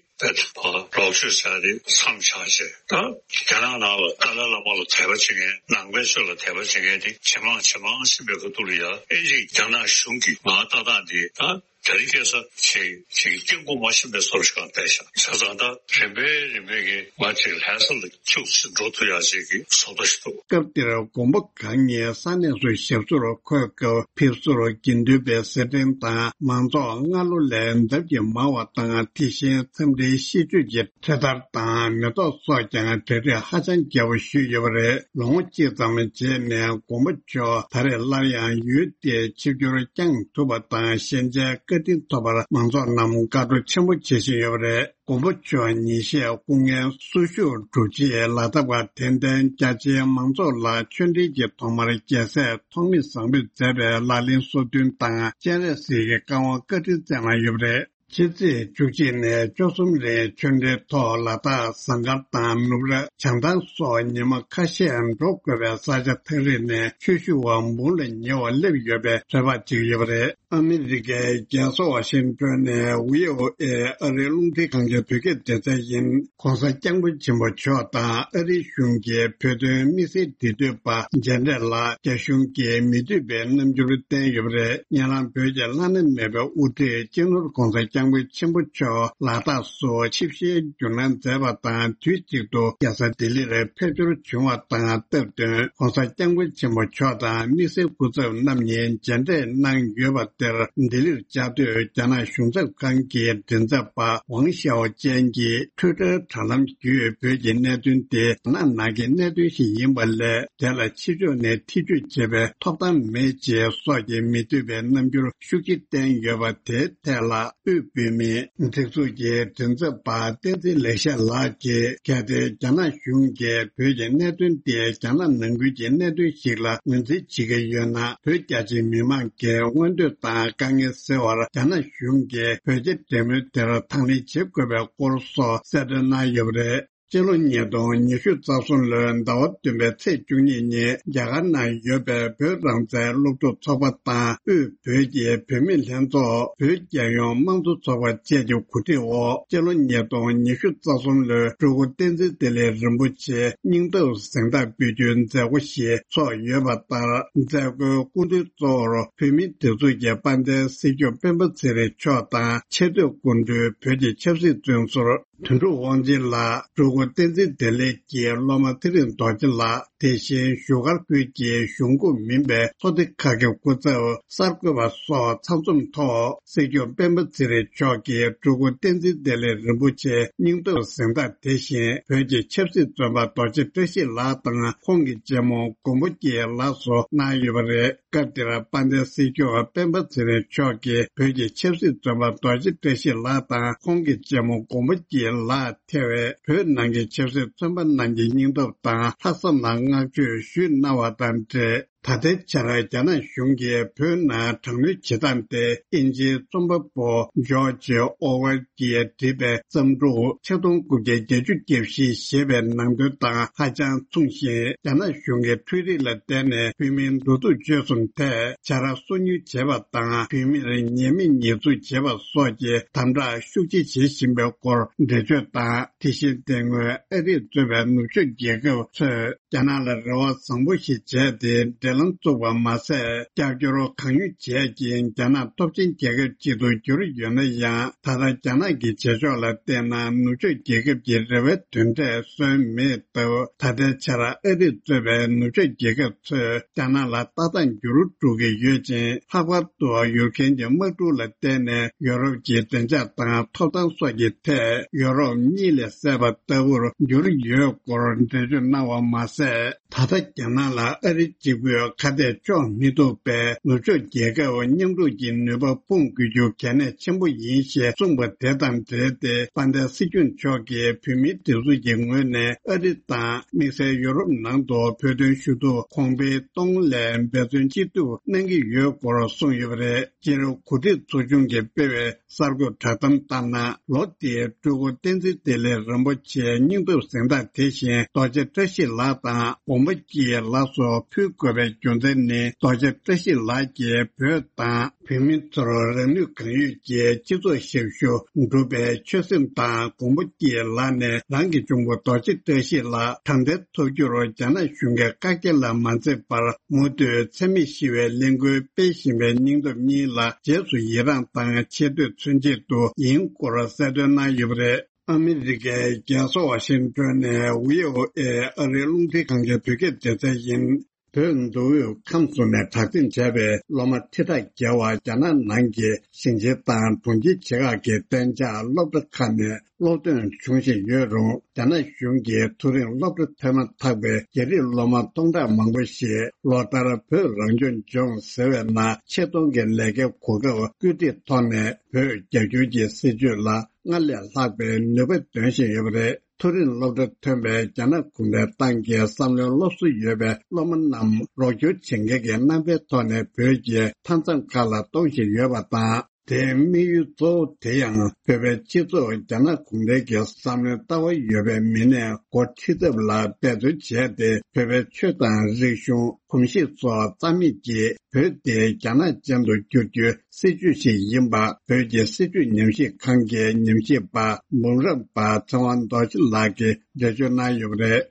བོད་ལོག་ཕྱོགས་ཟེར་དེ་མཚམས་བཞག་བྱས། ད་རྒྱ་ནག་ནང་ལ་ཏཱ་ལའི་བླ་མ་ལ་དད་པ་བྱེད་མཁན། ནང་པའི་ཆོས་ལ་དད་པ་བྱེད་མཁན་དེ་ཇེ་མང་ཇེ་མང་ཕྱིན་པའི་ཁ་ཐུག་ལ་ཡ། ཨེ་ཅིག་རྒྱ་ནག་གཞུང་གིས་ང་ལྟ་སྟངས་འདི་ད་རྒྱ་རི་སྐྱེ་ས་ཞིག་ཞིག་སྐྱེ་དགུ་མ་ཤེས་པའི་བཟོ་འདྲ་ཞིག་ལ་བལྟས་ཤག་བྱས་ཙང་ད་རིམ་པས་རིམ་པས་ཀྱིས་ང་ཅིག་ལྷ་ས་ལ་ཁྱུག་ཙམ་འགྲོ་ཐུབ་ཡག་ཅིག་གི་བཟོ་ལྟ་ཞིག་འདུག་སྐབས་དེར་མགོན་པོ་གང་ཉིད་ས་གནས་སུ་ཞབས་སོར་འཁོད་སྐབས་ཕེབས་བསུར་དགེ་འདུན་པའི་སེར་ཕྲེང་དང་མང་ཚོགས་སྔ་ལོ་ལས་ལྡབ་ཀྱིས་མང་བ་དང་། དེ་བཞིན་འཚམས་འདྲིའི་གཤིས་སྤྱོད་ཀྱི་འཕྲེད་དར་དང་མེ་ཏོག་སོགས་ཀྱང་གྲ་སྒྲིག་ཧ་ཅང་རྒྱས་པོ་ཞུས་ཡོད་པ་རེད། ལོ་ངོ་གཅིག་ཙམ་རྗེས་ནས་མགོན་པོ་མཆོག་ད་རེས་སླར་ཡང་ཡུལ་དེར་ཆིབས་བསྒྱུར་བསྐྱངས་ཐུབ་པ་དང་། ཞལ་མཇལ་བཀའ་དྲིན་ཐོབ་པར་མང་ཚོགས་རྣམས་དགའ་སྤྲོ་ཆེན་པོ་བྱེད་བཞིན་ཡོད་པ་རེད། མགོན་པོ་མཆོག་ཉིན་ཤས་སྐུ་ངལ་གསོ་བཞུགས་གྲུབ་རྗེས་ལ་དྭགས་པ་དད་ལྡན་རྒྱ་ཆེའི་མང་ཚོགས་ལ་ཆོས་འབྲེལ་གྱི་ཐོག་མར་རྒྱལ་སྲས་ཐོགས་མེད་བཟང་པོས་མཛད་པའི་ལག་ལེན་སོ་བདུན་དང་སྤྱན་རས་གཟིགས་ཀྱི་བཀའ་དབང་བཀའ་དྲིན་སྩལ་གནང་ཡོད་པ་རེད། ཕྱི་ཚེས་བཅུ་གཅིག་ནས་བཅུ་གསུམ་རིང་ཆོས་འབྲེལ་ཐོག་ལ་དྭགས་ཟངས་དཀར་དང་ནུབ་ར་བྱང་ཐང་སོགས་ཉི་མ་ཁ་ཤས་འགྲོ་དགོས་པའི་ས་ཆ་ཐག་རིང་ནས་ཆོས་ཞུ་བ་འབུམ་ལ་ཉེ་བ་སླེབས་ཡོད་པའི་ཚོད་དཔག་བྱེད་ཀྱི་ཡོད་པ་རེད། ཨ་མི་རི་ཀའི་རྒྱལ་ས་ཝ་ཤིང་ཏོན་ནས་བྷི་ཨོ་ཨེ་ཨ་རིའི་རླུང་འཕྲིན་ཁང་གི་བོད་སྐད་སྡེ་ཚན་ཡིན། ༸གོང་ས་༸སྐྱབས་མགོན་ཆེན་པོ་མཆོག་དང་ཨ་རིའི་གཞུང་གི་བོད་དོན་དམིགས་བསལ་འབྲེལ་མཐུད་པ་མཇལ་འཕྲད་ལ་རྒྱ་གཞུང་གིས་མི་འདོད་པའི་རྣམ་འགྱུར་བསྟན་ཡོད་པ་རེད། ཉེ་ལམ་བོད་ཀྱི་བླ་ན་མེད་པའི་དབུ་ཁྲིད་སྤྱི་ནོར་༸གོང་ས་༸སྐྱབས་མགོན་ཆེན་པོ་མཆོག་ལ་དྭགས་སུ་ཆིབས་ཞལ་བསྒྱུར་གནང་མཛད་པ་དང་། དུས་གཅིག་ཏུ་རྒྱལ་ས་ལྡི་ལི་ལ་ཕེབས་འབྱོར་བྱུང་བ་དང་སྟབས་བསྟུན་༸གོང་ས་༸སྐྱབས་མགོན་ཆེན་པོ་མཆོག་དང་དམིགས་བསལ་སྐུ་ཚབ་རྣམ་གཉིས་མཇལ་འཕྲད་གནང་ཡོད་པ་ དེར་ལྡི་ལིར་བཅའ་སྡོད་རྒྱ་ནག་གཞུང་ཚབ་ཁང་གི་མགྲིན་ཚབ་པ་ཝང་ཞའོ་ཅན་གྱིས་ཊུའི་ཊར་དྲ་ལམ་བརྒྱུད་བོད་ཀྱི་གནད་དོན་དེ་རྒྱ་ནག་ནང་གི་གནད་དོན་ཞིག་ཡིན་པ་ལས། དེ་ལ་ཕྱི་ཕྱོགས་ནས་ཐེ་བྱུས་བྱེད་པའི་ཐོབ་ཐང་མེད་ཅེས་སོགས་ཀྱི་མི་འདོད་པའི་རྣམ་འགྱུར་ཤུགས་ཆེ་བསྟན་ཡོད་པ་དེའི་ཐད་ལ། དབུས་བོད་མིའི་སྒྲིག་འཛུགས་ཀྱི་མགྲིན་ཚབ་པ་བསྟན་འཛིན་ལེགས་བཤད་ལགས་ཀྱིས། གལ་ཏེ་རྒྱ་ནག་གཞུང་གིས་བོད་ཀྱི་གནད་དོན་དེ་རྒྱ་ནག་ནང་ཁུལ་གྱི་གནད་དོན་ཞིག་ལ་ངོས་འཛིན་བྱེད་ཀྱི་ཡོད་ན། བོད་རྒྱ་ཆེའི་མི་མང་གི་མངོན་འདོད་དང་དཀའ་ངལ་སེལ་བར་རྒྱ་ནག་གཞུང་གིས་བོད་རྒྱ་འབྲེལ་མོལ་དེར་དང་ལེན་བྱེད་དགོས་པའི་སྐོར་སོགས་གསལ་སྟོན་གནང་ཡོད་པ་རེད། སྤྱི་ལོ་ཉིས་སྟོང་ཉི་ཤུ་རྩ་གསུམ་ལོའི་ཟླ་བ་བདུན་པའི་ཚེས་བཅུ་གཉིས་ཉིན་རྒྱ་གར་ནང་ཡོད་པའི་བོད་རང་བཙན་སློབ་ཕྲུག་ཚོགས་པ་དང་དབུས་བོད་ཀྱི་བུད་མེད་ལྷན་ཚོགས། བོད་རྒྱལ་ཡོངས་དམངས་གཙོ་ཚོགས་པ་བཅས་ཀྱི་གོ་སྒྲིག་འོག་སྤྱི་ལོ་ཉིས་སྟོང་ཉི་ཤུ་རྩ་གསུམ་ལོའི་སྤྲུལ་སྐུ་བསྟན་འཛིན་བདེ་ལེགས་རིན་པོ་ཆེའི་སྙིང་སྟོབས་གཟེངས་རྟགས་འབུལ་རྒྱུའི་མཛད་སྒོ་ཞིག་ཚོགས་ཡོད་པ་ལྟར། མཛད་སྒོའི་སྐུ་མདུན་གཙོ་བོར་བོད་མིའི་སྒྲིག་འཛུགས་ཀྱི་དཔལ་ལྡན་སྲིད་སྐྱོང་སྤེན་པ་ཚེ་རིང་མཆོག་དང་ཆེས་མཐོའི་སྐུ་མགྲོན་བོད་ཀྱི་ཆབ་སྲིད་བཙོན་ཟུར་དོན་གྲུབ་དབང་ཆེན་ལགས། སྤྲུལ་སྐུ་བསྟན་འཛིན་བདེ་ལེགས་ཀྱི་སློབ་མ་ཚེ་རིང་རྡོ་རྗེ་ལགས། དེ་བཞིན་བཞུགས་སྒར་ཁུལ་གྱི་གཞུང་འགོ་མིན་པའི་ཚོགས་སྡེ་ཁག་གི་སྐུ་ཚབ་གསར་འགོད་པ་སོགས་ཚང་འཛོམས་ཐོག་སྲིད་སྐྱོང་སྤེན་པ་ཚེ་རིང་མཆོག་གིས་སྤྲུལ་སྐུ་བསྟན་འཛིན་བདེ་ལེགས་རིན་པོ་ཆེའི་སྙིང་སྟོབས་གཟེངས་རྟགས། དེ་བཞིན་བོད་ཀྱི་ཆབ་སྲིད་བཙོན་པ་རྡོ་རྗེ་བཀྲ་ཤིས་ལགས་དང་ཁོང་གི་གཅེན་མོ་མགོན་པོ་སྐྱིད་ལགས་སུ་གནང་ཡོད་པ་རེད། སྐབས་དེར་དཔལ་ལྡན་སྲིད་སྐྱོང་སྤེན་པ་ཚེ་རིང་མཆོག་གིས་བོད་ཀྱི་ཆབ་སྲིད་བཙོན་པ་རྡོ་རྗེ་བཀྲ་ཤིས་ལགས་དང་ཁོང་གི་གཅེན་མོ་མགོན་པོ་སྐྱིད་ལགས་ཐེ་བའི་བོད་ནང་གི་ཆབ་སྲིད་བཙོན་པ་རྣམས་ཀྱི་སྙིང་སྟོབས་དང་ལྷག་བསམ་ལ་བསྔགས་བརྗོད་ཞུས་གནང་བ་དང་འབྲེལ། ད་ལྟའི་ཆར་རྒྱ་ནག་གཞུང་གིས་བོད་ནང་དྲག་གནོན་བྱེད་སྟངས་དེ་ཨིན་ཇིའི་རྩོམ་པ་པོ་ཇོརྗ་ཨོ་ཝེལ་གྱིས་བྲིས་པའི་བརྩམས་སྒྲུང་ཆིག་སྟོང་དགུ་བརྒྱ་བརྒྱད་ཅུ་གྱ་བཞི་ཞེས་པའི་ནང་དོན་དང་ཧ་ཅང་མཚུངས་ཤིང་། རྒྱ་ནག་གཞུང་གིས་འཕྲུལ་རིག་ལ་བརྟེན་ནས་བོད་མིའི་འགྲོ་འདུག་སྤྱོད་གསུམ་ཐད་བྱ་ར་སོ་ཉུལ་བྱས་པ་དང་། བོད་མིར་ཉེས་མེད་ཉེས་འཛུགས་བྱས་པ་སོགས་ཀྱི་དམ་དྲག་ཤུགས་ཆེ་བྱེད་བཞིན་པའི་སྐོར་འགྲེལ་བརྗོད་དང་། དེ་བཞིན་དེ་སྔོན་ཨ་རིས་གཙོས་པའི་ནུབ་ཕྱོགས་རྒྱལ་ཁབ་ཚོས་རྒྱ་ནག་ལ་རེ་བ་བཟང་པོ་ཞིག་བྱས་ཏེ་འབྲེལ་ལམ་བཙུགས་པ་མ་ཟད། རྒྱབ་སྐྱོར་གང་ཡོང་བྱས་ཀྱིན་རྒྱ་ནག་སྟོབས་ཆེན་རྒྱལ་ཁབ་ཅིག་ཏུ་གྱུར་ཡོད་ན་ཡང་། ད་ལྟ་རྒྱ་ནག་གི་བྱེད་ཕྱོགས་ལ་བལྟས་ན་ནུབ་ཕྱོགས་རྒྱལ་ཁབ་ཀྱི་རེ་བའི་དོན་འབྲས་སོན་མེད་སྟབས། ད་ལྟའི་ཆར་ཨ་རིས་གཙོས་པའི་ནུབ་ཕྱོགས་རྒྱལ་ཁབ་ཚོས་རྒྱ་ནག་ལ་ལྟ་སྟངས་འགྱུར་འགྲོ་གི་ཡོད་ཅིང་། ལྷག་པར་དུ་ཡུཀ་རེན་གྱི་དམག་འཁྲུག་ལ་བརྟེན་ནས་ཡོ་རོབ་ཀྱི་བདེ་འཇགས་དང་ཐོབ་ཐང་སོགས་ཀྱི་ཐད་ཡོ་རོབ་གཉིད་ལས་སད་པ་ལྟ་བུར་གྱུར་ཡོད་སྐོར་འགྲེལ་བརྗོད་གནང་བ་མ་ཟད། ད་ལྟ་རྒྱ་ནག་ལ་ཨ་རི་གཅིག་པུས་ཁ་གཏད་གཅོག་མི་ཐུབ་པས། ནུབ་ཕྱོགས་རྒྱལ་ཁབ་མཉམ་རུབ་ཀྱི་ནུས་པ་སྤུངས་དགོས་རྒྱུ་གལ་གནད་ཆེན་པོ་ཡིན་ཞེས་གསུངས་པ་དེ་དང་འབྲེལ་ཏེ། དཔལ་ལྡན་སྲིད་སྐྱོང་མཆོག་གིས་བོད་མིའི་སྒྲིག་འཛུགས་ཀྱི་ངོས་ནས་ཨ་རི་དང་དམིགས་བསལ་ཡོ་རོབ་ནང་དུ་བོད་དོན་ཞུ་གཏུག་གོང་འཕེལ་གཏོང་སླད་འབད་བརྩོན་ཅི་ཐུབ་གནང་གི་ཡོད་སྐོར་གསུངས་ཡོད་པ་རེད། སྤྱིར་གོ་སྒྲིག་ཚོགས་ཆུང་གིས་སྤེལ་བའི་གསར་འགོད་བསྒྲགས་གཏམ་ལྟར་ན། ལོ་འདིའི་སྤྲུལ་སྐུ་བསྟན་འཛིན་བདེ་ལེགས་རིན་པོ་ཆེའི་སྙིང་སྟོབས་གཟེངས་རྟགས་དེ་བཞིན་རྡོ་རྗེ་བཀྲ་ཤིས་ལགས་དང་མགོན་པོ་སྐྱིད་ལགས་སུ་ཕུལ་དགོས་པའི་རྒྱུ་མཚན་ནི། རྡོ་རྗེ་བཀྲ་ཤིས་ལགས་ཀྱིས་བོད་དང་བོད་མི་ཚོར་རང་ནུས་གང་ཡོད་ཀྱིས་སྤྱི་ཚོགས་ཞབས་ཞུ་སྒྲུབ་པའི་ཆོད་སེམས་དང་། མགོན་པོ་སྐྱིད་ལགས་ནས་རང་གི་གཅུང་པོ་རྡོ་རྗེ་བཀྲ་ཤིས་ལགས་དྲང་བདེན་ཐོབ་རྒྱུར་རྒྱ་ནག་གཞུང་གི་བཀག་རྒྱ་ལ་མ་འཛེམས་པར། མུ་མཐུད་འཚེ་མེད་ཞི་བའི་ལས་འགུལ་སྤེལ་བཞིན་པའི་སྙིང་སྟོབས་གཉིས་ལ་རྗེས་སུ་ཡི་རངས་དང་ཆེ་བསྟོད་མཚོན་ཆེད་དུ་ཡིན་སྐོར་གསལ་སྟོན་གནང་ཡོད་པ་རེད། ཨ་མི་རི་ཀའི་རྒྱལ་ས་ཝ་ཤིང་ཏོན་ནས་བྷི་ཨོ་ཨེ་ཨ་རིའི་རླུང་འཕྲིན་ཁང་གི་བོད་སྐད་སྡེ་ཚན་ཡིན། བོད་མདོ་དབུས་ཁམས་གསུམ་ནས་གྲགས་འཛིན་བྱས་པའི་སློབ་མ་ཁྲི་ཕྲག་བརྒལ་བ་རྒྱ་ནག་ནང་གི་ཞིང་ཆེན་དང་གྲོང་ཁྱེར་ཆེ་ཁག་གི་གཏན་འཇགས་སློབ་གྲྭ་ཁག་ནས་སློབ་ཐོན་འབྱུང་བཞིན་ཡོད་རུང་། རྒྱ་ནག་གཞུང་གིས་མཐོ་རིམ་སློབ་གྲྭ་ཐོན་མ་ཐག་པའི་རྒྱ་རིགས་སློབ་མ་སྟོང་ཕྲག་མང་པོ་ཞིག་ལོ་ལྟར་བོད་རང་སྐྱོང་ལྗོངས་ཟེར་བའི་ནང་ཆེད་གཏོང་གི་ལས་ཀའི་གོ་སྐབས་བཀོད་སྒྲིག་ཐོག་ནས་བོད་རྒྱ་སྒྱུར་གྱི་སྲིད་བྱུས་ལ་སྔར་ལས་ལྷག་པའི་ནུས་པ་འདོན་བཞིན་ཡོད་པ་རེད། མཐོ་རིམ་སློབ་གྲྭ་ཐོན་པའི་རྒྱ་ནག་གུང་ཁྲན་ཏང་གི་བསམ་བློའི་སློབ་གསོ་ཡོད་པའི་སློབ་མ་རྣམས་རོགས་སྐྱོར་བྱེད་མཁན་གྱི་རྣམ་པའི་ཐོག་ནས་བོད་ཀྱི་མཐའ་མཚམས་ཁག་ལ་གཏོང་བཞིན་ཡོད་པ་དང་། དེའི་དམིགས་ཡུལ་གཙོ་བོ་དེ་ཡང་བོད་པའི་སྤྱི་ཚོགས་རྒྱ་ནག་གུང་ཁྲན་གྱི་བསམ་བློའི་ལྟ་བ་ཡོད་པའི་མི་སྣས་འགོ་ཁྲིད་ཐབས་ལ་འབད་བརྩོན་བྱས་ཏེ། བོད་པའི་ཆོས་དང་རིག་གཞུང་། གོམས་གཤིས་སོགས་རྩ་མེད་ཀྱིས་བོད་དེ་རྒྱ་ནག་ཅན་དུ་བསྒྱུར་རྒྱུའི་སྲིད་བྱུས་ཤིག་ཡིན་པ། བོད་ཀྱི་སྲིད་བྱུས་ཉམས་ཞིབ་ཁང་གི་ཉམས་ཞིབ་པ་འབུམ་རམས་པ་ཚེ་དབང་རྡོ་རྗེ་ལགས་ཀྱིས་འགྲེལ་བརྗོད་གནང་ཡོད་པ་རེད།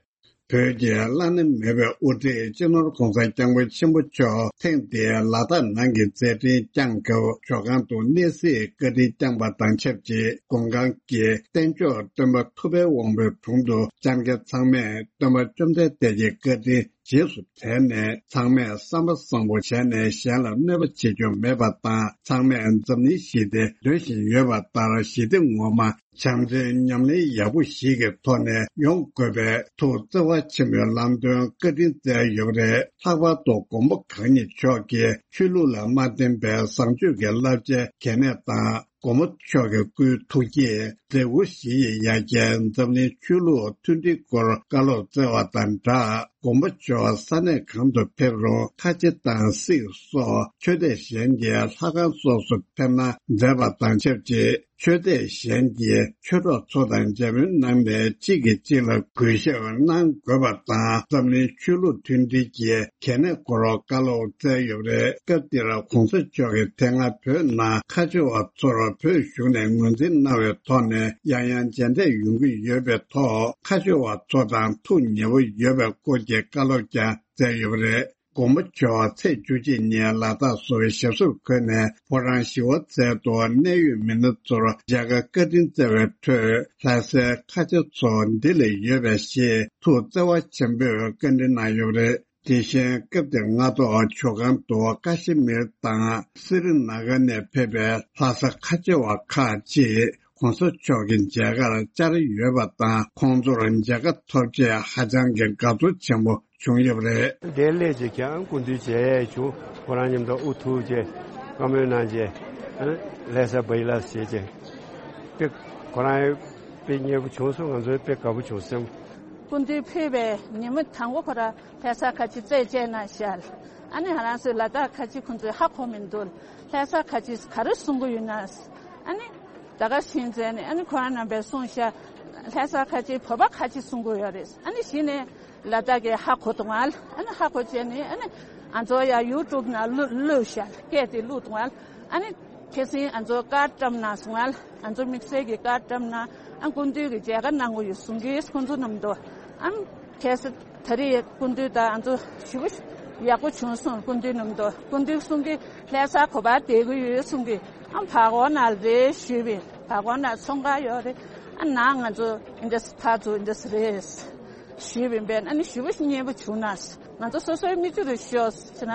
བོད་ཀྱི་བླ་ན་མེད་པའི་དབུ་ཁྲིད་སྤྱི་ནོར་༧གོང་ས་༧སྐྱབས་མགོན་ཆེན་པོ་མཆོག་ཐེངས་འདིའི་ལ་དྭགས་ནང་གི་མཛད་འཕྲིན་བསྐྱངས་སྐབས། ཇོ་ཁང་དུ་གནས་གཟིགས་བཀའ་དྲིན་བསྐྱངས་པ་དང་ཆབས་ཅིག་མགོན་ཁང་གི་རྟེན་མཆོག་སྟོན་པ་ཐུབ་པའི་དབང་པོའི་དྲུང་དུ་བཅར་མཁན་ཚང་མས་སྟོན་པ་བཅོམ་ལྡན་འདས་ཀྱི་བཀའ་དྲིན་ རྗེས་སུ་དྲན་ནས། ཚང་མས་བསམ་པ་བཟང་པོ་བྱས་ནས་གཞན་ལ་གནོད་པ་བྱེད་རྒྱུ་མེད་པ་དང་། ཚང་མས་འཛམ་གླིང་ཞི་བདེ་འདོད་བཞིན་ཡོད་པ་ལྟར་ཞི་བདེ་ངོ་མ། བྱམས་བརྩེའི་ཉམས་ལེན་ཡག་པོ་ཞིག་གི་ཐོག་ནས་ཡོང་དགོས་པའི་ཐུགས་བརྩེ་བ་ཆེན་པོས་ལམ་སྟོན་བཀའ་དྲིན་སྩལ་ཡོད་པ་རེད། ལྷག་པར་དུ་མགོན་པོ་གང་ཉིད་མཆོག་གིས་ཆོས་ལུགས་ལ་མ་བརྟེན་པའི་བཟང་སྤྱོད་ཀྱི་བསླབ་བྱའི་གལ་གནད་དང་། མགོན་པོ་མཆོག་གི་སྐུའི་ཐུགས་བསྐྱེད་མཛད་ཁུར་བཞེས་ཡི་ཡ་གྱལ་འཛམ་གླིང་ཆོས་ལུགས་མཐུན་སྒྲིལ་སྐོར་བཀའ་སློབ་སྩལ་བ་དང་སྦྲགས། མགོན་པོ་མཆོག་ས་གནས་གང་དུ་ཕེབས་རུང་ཁ་ཆེ་དང་སིག་སོགས་ཆོས་དད་གཞན་གྱི་ལྷ་ཁང་སོགས་སུ་ཕེབས་གནང་མཛད་པ་དང་ཆབས་ཅིག་ཆོས་དད་གཞན་གྱི་ཆོས་གྲོགས་ཚོ་དང་མཇལ་མོལ་གནང་ནས་གཅིག་གིས་གཅིག་ལ་གུས་ཞབས་གནང་དགོས་པ་དང་། འཛམ་གླིང་ཆོས་ལུགས་མཐུན་སྒྲིལ་གྱི་གལ་གནད་སྐོར་བཀའ་སློབ་སྩལ་ཡོད་པ་རེད། སྐབས་དེར་གོང་ས་མཆོག་གིས་དེ་སྔ་བོད་ནང་ཁ་ཆེ་བ་ཚོར་བོད་གཞུང་ནས་ངོས་འཛིན་གནང་བའི་ཐོག་ནས་ཡང་ཡང་མཇལ་འཕྲད་ཡོང་གི་ཡོད་པའི་ཐོག་ཁ་ཆེ་བ་ཚོ་དང་ཐུགས་ཉེ་བོ་ཡོད་པའི་སྐོར་གྱི་བཀའ་སློབ་ཀྱང་སྩལ་ཡོད་པ་རེད། མགོན་པོ་མཆོག་ཚེས་བཅུ་གཅིག་ཉིན་ལ་དྭགས་སུ་ཞབས་སོར་འཁོད་ནས་ཕོ་བྲང་ཞི་བ་འཚལ་དུ་གནད་ཡོད་མི་སྣ་ཚོར་མཇལ་ཁ་བཀའ་དྲིན་སྩལ་བའི་ཁྲོད། ལྷ་སའི་ཁ་ཆེ་ཚོ་འདི་ལ་ཡོད་པས་ཞེས་ཐུགས་བརྩེ་བ་ཆེན་པོས་བཀའ་འདྲི་གནང་ཡོད་པ་རེད། དེ་བཞིན་སྐབས་དེར་སྔ་ཐོག་ཇོ་ཁང་དུ་ཀ་ཤི་མིར་དང་སི་རི་ན་གྷར་ནས་ཕེབས་པའི་ལྷ་ས་ཁ་ཆེ་བ་ཁག་ཅིག་གོང་ས་མཆོག་གི་མཇལ་ཁར་བཅར་ཡོད་པ་དང་། ཁོང་ཚོར་མཇལ་ཁ་ཐོབ་ཆེད་ཧ་ཅང་གི་དགའ་ཚོར་ཆེན་པོ་བྱུང་ཡོད་པ་རེད། འདིར་སླེབས་རྗེས་ཀྱང་སྐུ་མདུན་མཇལ་ཡས་བྱུང་། ཁོ་རང་མཉམ་དུ་དབུ་ཐུག་རྗེས་བཀའ་མོལ་གནང་རྗེས་ལྷ་ས་བྷ་ཡི་ལ་ཟེར་རྗེས་དཔེ་ཁོ་རང་དཔེ་མཉེས་པོ་བྱུང་སོང་། ང་ཚོ་དཔེ་དགའ་པོ་བྱུང་སོང་། སྐུ་མདུན་ཕེབས་པའི་ཉིན་མོ་དང་པོ་ཁོ་རང་ལྷ་ས་ཁ་ཆེ་རྩད་བཅད་གནང་ཤག་ཨ་ནི་ང་རང་ཚོའི་ལ་དྭགས་ཁ་ཆེ་ཁོང་ཚོས་ཧ་གོ་མི་འདུག་ལྷ་ས་ཁ་ཆེ་ག་རེ་གསུང་གི་ཡོད་ན། ཨ་ནི་ད་ག་ཤིང་ཙེ་ནས་ཨ་ནི་ཁོ་རང་རྣམ་པས་གསུངས་ཤག་ལྷ་ས་ཁ་ཆེ་བོད་པ་ཁ་ཆེ་གསུང་གི་ཡོད་རེད། ཨ་ནི་གཞི་ནས་ལ་དྭགས་ཀྱི་ཧ་གོ་དང་ཨ་ནི་ཧ་གོ་བྱས་ནས་ཨ་ནི་ང་ཚོ་ཡ་ཡུ་ཊུབ་ནང་བླུགས་བླུགས་ཤག་སྐད་དེ་བླུགས་དང་ཨ་ནི་ཁ་སང་ང་ཚོ་ཀར་བཀྲམ་གནང་སོང་ཨ། ང་ཚོ་དམིགས་བསལ་གྱི་ཀར་བཀྲམ་གནང་ཨ། སྐུ་མདུན་གྱི་མཇལ་ཁ་གནང་གི་ཡོད་གསུང་གི་ཁོང་ཚོ་རྣམས་དོ་ཨ། ཁ་སང་ད་རེས་སྐུ་མདུན་དང་ང་ཚོ་ཞེ་པོ་ཡག་པོ་བྱུང་སོང་། སྐུ་མདུན་རྣམས་དོ་སྐུ་མདུན་གསུང་གི་ལྷ་ས་ག་པར་བསྡད་ཀྱི་ཡོད་གསུང་གི་ཨ། བར་སྐོར་ནང་རེད་ཞུས་པས། བར་སྐོར་ནང་ཚོང་ཁང་ཡོད་རེད་ཨ། ནང་ང་ཚོ་འདི་འདྲ་ཕར་ཚུར་འདི་འདྲ་རེད། ཞུས་པའི་འབད་ཨ་ནི་ཞེ་པོ་མཉེས་པོ་བྱུང་ན། ང་ཚོ་སོ་སོའི་མིག་ཆུ་རུ་ཤོར་ཟེར་ན།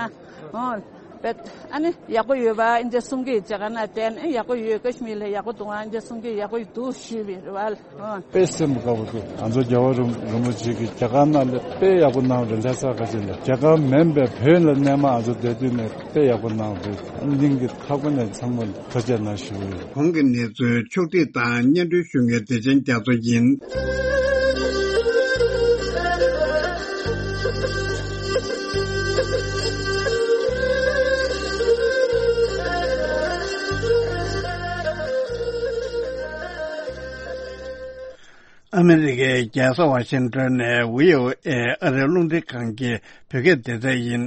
ཨོ། བེད་ཨ་ནི་ཡག་པོ་ཡོད་པ་ཨིན་ཇི་གསུང་གི་མཇལ་ཁ་ན་བསྡད་ཨ་ནི་ཡག་པོ་ཡོད། ཀ་ཤི་མིར་ལ་ཡག་པོ་འདུག་ཨིན་ཇི་གསུང་གི་ཡག་པོ་འདུག་ཞུས་པའི་རེ་བ་ལ། ཨོ། དཔེ་སེམས་དགའ་པོ་འདུག་ང་ཚོ་རྒྱལ་བ་རིན་རིན་པོ་ཆེ་གི་མཇལ་ཁ་ན་ལ་དཔེ་ཡག་པོ་གནང་རེད། ལྷ་ས་ཁ་ཆེ་ལ་རྒྱ་གར་མིན་པའི་བོད་ལ་གནས་མ་ང་ཚོ་བསྡད་དུས་ནས་དཔེ་ཡག་པོ་གནང་རེད། སྙིང་གི་མཐའ་སྒོ་ནས་ཚང་མ་ལ་ཐུགས་རྗེ་གནང་ཞུ་གི་ཡོད། གོང་གི་གནས་ཚུལ་ཕྱོགས་བསྒྲིགས་དང་སྙན་སྒྲོན་ཞུ་མཁན་བདེ་ཆེན་རྒྱ་མཚོ་ཡིན། ཨ་མི་རི་ཀའི་རྒྱལ་ས་ཝ་ཤིང་ཏོན་ནས་བྷི་ཨོ་ཨེ་ཨ་རིའི་རླུང་འཕྲིན་ཁང་གི་བོད་སྐད་སྡེ་ཚན་ཡིན།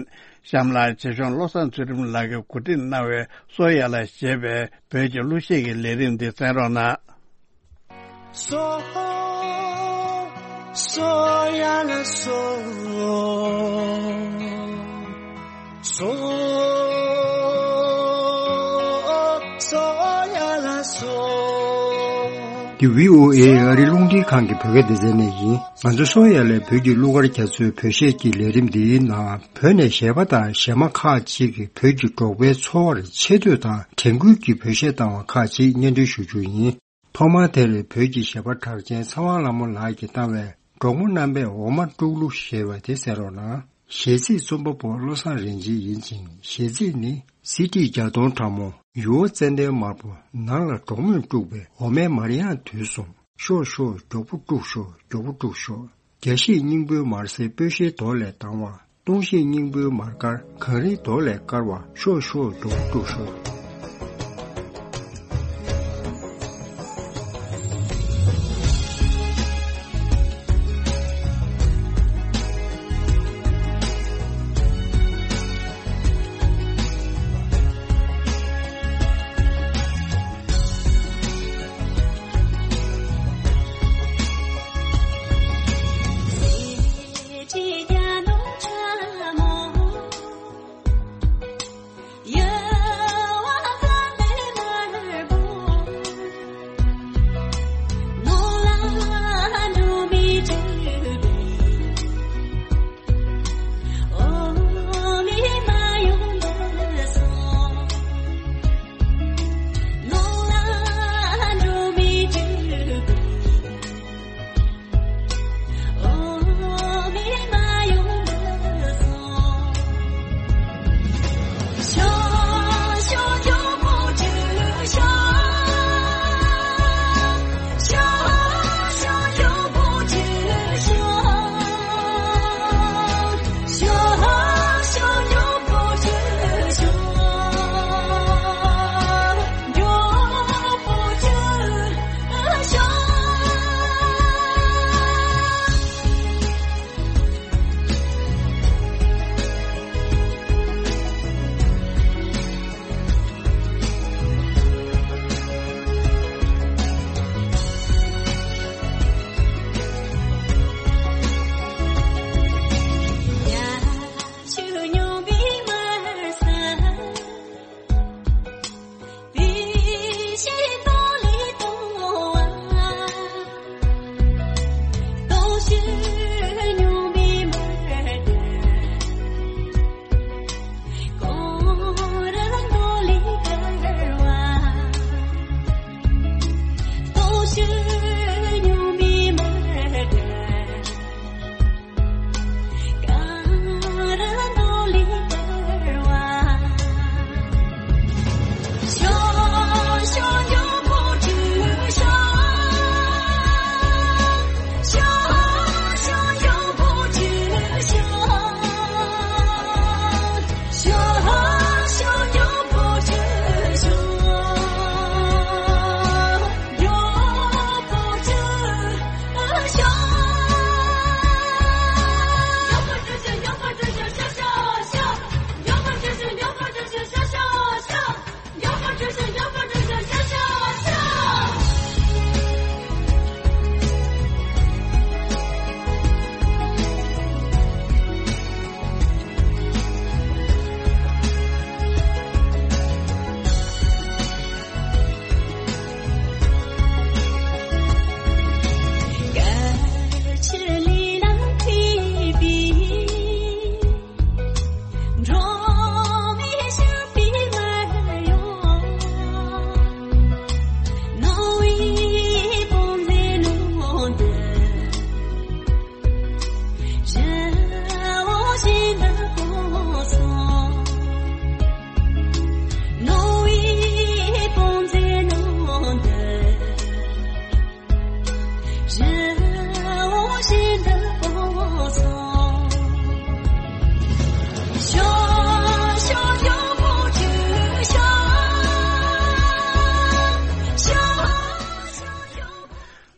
གཤམ་ལ་ཆེད་གཞུང་བློ་བཟང་ཚུལ་ཁྲིམས་ལགས་ཀྱིས་གོ་སྒྲིག་གནང་བའི་སོ་ཡ་ལ་ཞེས་པའི་བོད་ཀྱི་གླུ་གཞས་ཀྱི་ལས་རིམ་འདི་གསན་རོགས་གནང་། སོ། སོ་ཡ་ལ་སོ། སོ། སོ་ཡ་ལ་སོ། འདི་བྷི་ཨོ་ཨེ་ཨ་རིའི་རླུང་འཕྲིན་ཁང་གི་བོད་སྐད་སྡེ་ཚན་ནས་ཡིན། ང་ཚོ་སོ་ཡ་ལའི་བོད་ཀྱི་གླུ་གར་རྒྱ་མཚོའི་བོད་གཞས་ཀྱི་ལས་རིམ་འདིའི་ནང་བོད་ནས་གཞས་པ་དང་གཞས་མ་ཁག་ཅིག་གིས་བོད་ཀྱི་འབྲོག་པའི་འཚོ་བར་ཆེ་བསྟོད་དང་དྲན་སྐུལ་གྱི་བོད་གཞས་བཏང་བ་ཁག་ཅིག་སྙན་སྒྲོན་ཞུ་རྒྱུ་ཡིན། ཐོག་མར་དེར་བོད་ཀྱི་གཞས་པ་གྲགས་ཅན་ཚེ་དབང་ལྷ་མོ་ལགས་ཀྱིས་བཏང་བའི་འབྲོག་མོ་རྣམ་པས་འོ་མ་དཀྲུག་གླུ་ཞེས་པ་དེ་གསན་རོགས་གནང་། གཞས་ཚིག་རྩོམ་པ་པོ་བློ་བཟང་རིན་ཆེན་ཡིན་ཅིང་། གཞས་ཚིག་ནི། སི་ཏི་བརྒྱ་སྟོང་ཕྲ་མོ། ཡུར་བ་ཙན་དན་དམར་པོ། ནང་ལ་འབྲོག་མོས་དཀྲུགས་པའི་འོ་མའི་མར་དབྱངས་དུས་གསུམ། ཤོག་ཤོག་མགྱོགས་པོ་དཀྲུགས་ཤོག་མགྱོགས་པོ་དཀྲུགས་ཤོག་རྒྱ་བཤད་སྙིང་པོའི་མར་སེར་སྤོས་ཤེལ་རྡོ་ལས་དྭངས་བ། གཏོང་ཤེས་སྙིང་པོའི་མར་དཀར་གངས་རིའི་རྡོ་ལས་དཀར་བ། ཤོག་ཤོག་མགྱོགས་པོ་དཀྲུགས་ཤོག་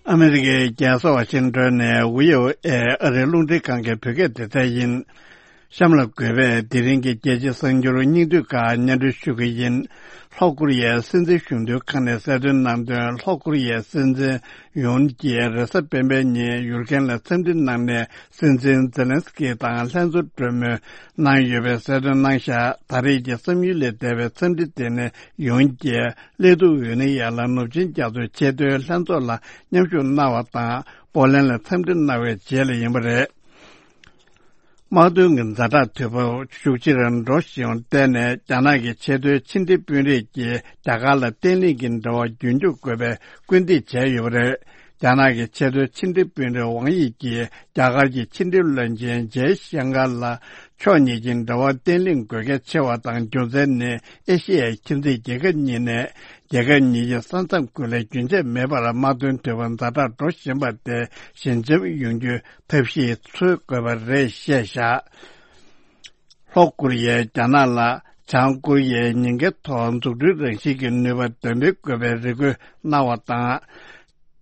ཨ་མི་རི་ཀའི་རྒྱལ་ས་ཝ་ཤིང་ཏོན་ནས་ཝི་ཨོ་ཨེ་ཨ་རིའི་རླུང་འཕྲིན་ཁང་གི་བོད་སྐད་སྡེ་ཚན་ཡིན། གཤམ་ལ་འགོད་པས་དེ་རིང་གི་རྒྱལ་སྤྱིའི་གསར་འགྱུར་སྙིང་བསྡུས་ཁག་སྙན་སྒྲོན་ཞུ་གི་ཡིན། ལྷོ་ཀོ་རི་ཡའི་སྲིད་འཛིན་གཞོན་དུས་ཁང་ནས་གསལ་སྟོན་གནང་དོན། ལྷོ་ཀོ་རི་ཡའི་སྲིད་འཛིན་ཡོན་གྱིས་རེས་གཟའ་སྤེན་པའི་ཉིན་ཡུར་ཁན་ལ་འཚམས་འདྲི་གནང་ནས། སྲིད་འཛིན་ཛེ་ལན་སི་ཀི་དང་ལྷན་ཚོགས་གྲོས་མོལ་གནང་ཡོད་པའི་གསལ་སྟོན་གནང་བཞག་ད་རེས་ཀྱི་བསམ་ཡུལ་ལས་འདས་པའི་འཚམས་འདྲི་དེ་ནི་ཡོན་གྱིས་སླེ་ཐུ་ཝེ་ནི་ཡ་ལ་ནུབ་ཆིངས་རྒྱ་མཚོའི་ཆེས་མཐོའི་ལྷན་ཚོགས་ལ་མཉམ་ཞུགས་གནང་བ་དང་། པོ་ལན་ལ་འཚམས་འདྲི་གནང་བའི་རྗེས་ལ་ཡིན་པ་རེད། དམག་དོན་གྱི་ཛ་དྲག་དུས་བབ་ཤུགས་ཆེ་རུ་འགྲོ་བཞིན་པར་བརྟེན་ནས། རྒྱ་ནག་གི་ཆེས་མཐོའི་ཕྱི་འབྲེལ་དཔོན་རིགས་ཀྱིས་རྒྱ་གར་ལ་བརྟན་ལྷིང་གི་འབྲེལ་བ་རྒྱུན་སྐྱོང་དགོས་པའི་སྐུལ་འདེད་བྱས་ཡོད་པ་རེད། རྒྱ་ནག་གི་ཆེས་མཐོའི་ཕྱི་འབྲེལ་དཔོན་རིགས་ཝང་དབྱི་ཀྱིས་རྒྱ་གར་གྱི་ཕྱི་འབྲེལ་བློན་ཆེན་ཇེ་ཤང་ཀར་ལ། ཕྱོགས་གཉིས་ཀྱི་འབྲེལ་བ་བརྟན་ལྷིང་དགོས་གལ་ཆེ་བ་དང་། རྒྱུ་མཚན་ནི་ཨེ་ཤེ་ཡའི་ཁྱིམ་མཚེས་རྒྱལ་ཁབ་གཉིས་ནས། རྒྱལ་ཁབ་གཉིས་ཀྱི་ས་མཚམས་ཁུལ་ལ་རྒྱུན་ཆད་མེད་པར་དམག་དོན་དུས་བབ་ཛ་དྲག་འགྲོ་བཞིན་པ་དེ་ཞི་འཇམ་ཡོང་རྒྱུའི་ཐབས་ཤེས་འཚོལ་དགོས་པ་རེད་ཞེས་བཤད། ལྷོ་ཀོ་རི་ཡས་རྒྱ་ནག་ལ་བྱང་ཀོ་རི་ཡའི་ཉེན་ཁའི་ཐོག་འཛུགས་སྐྲུན་རང་བཞིན་གྱི་ནུས་པ་འདོན་སྤེལ་དགོས་པའི་རེ་སྐུལ་གནང་བ་དང་།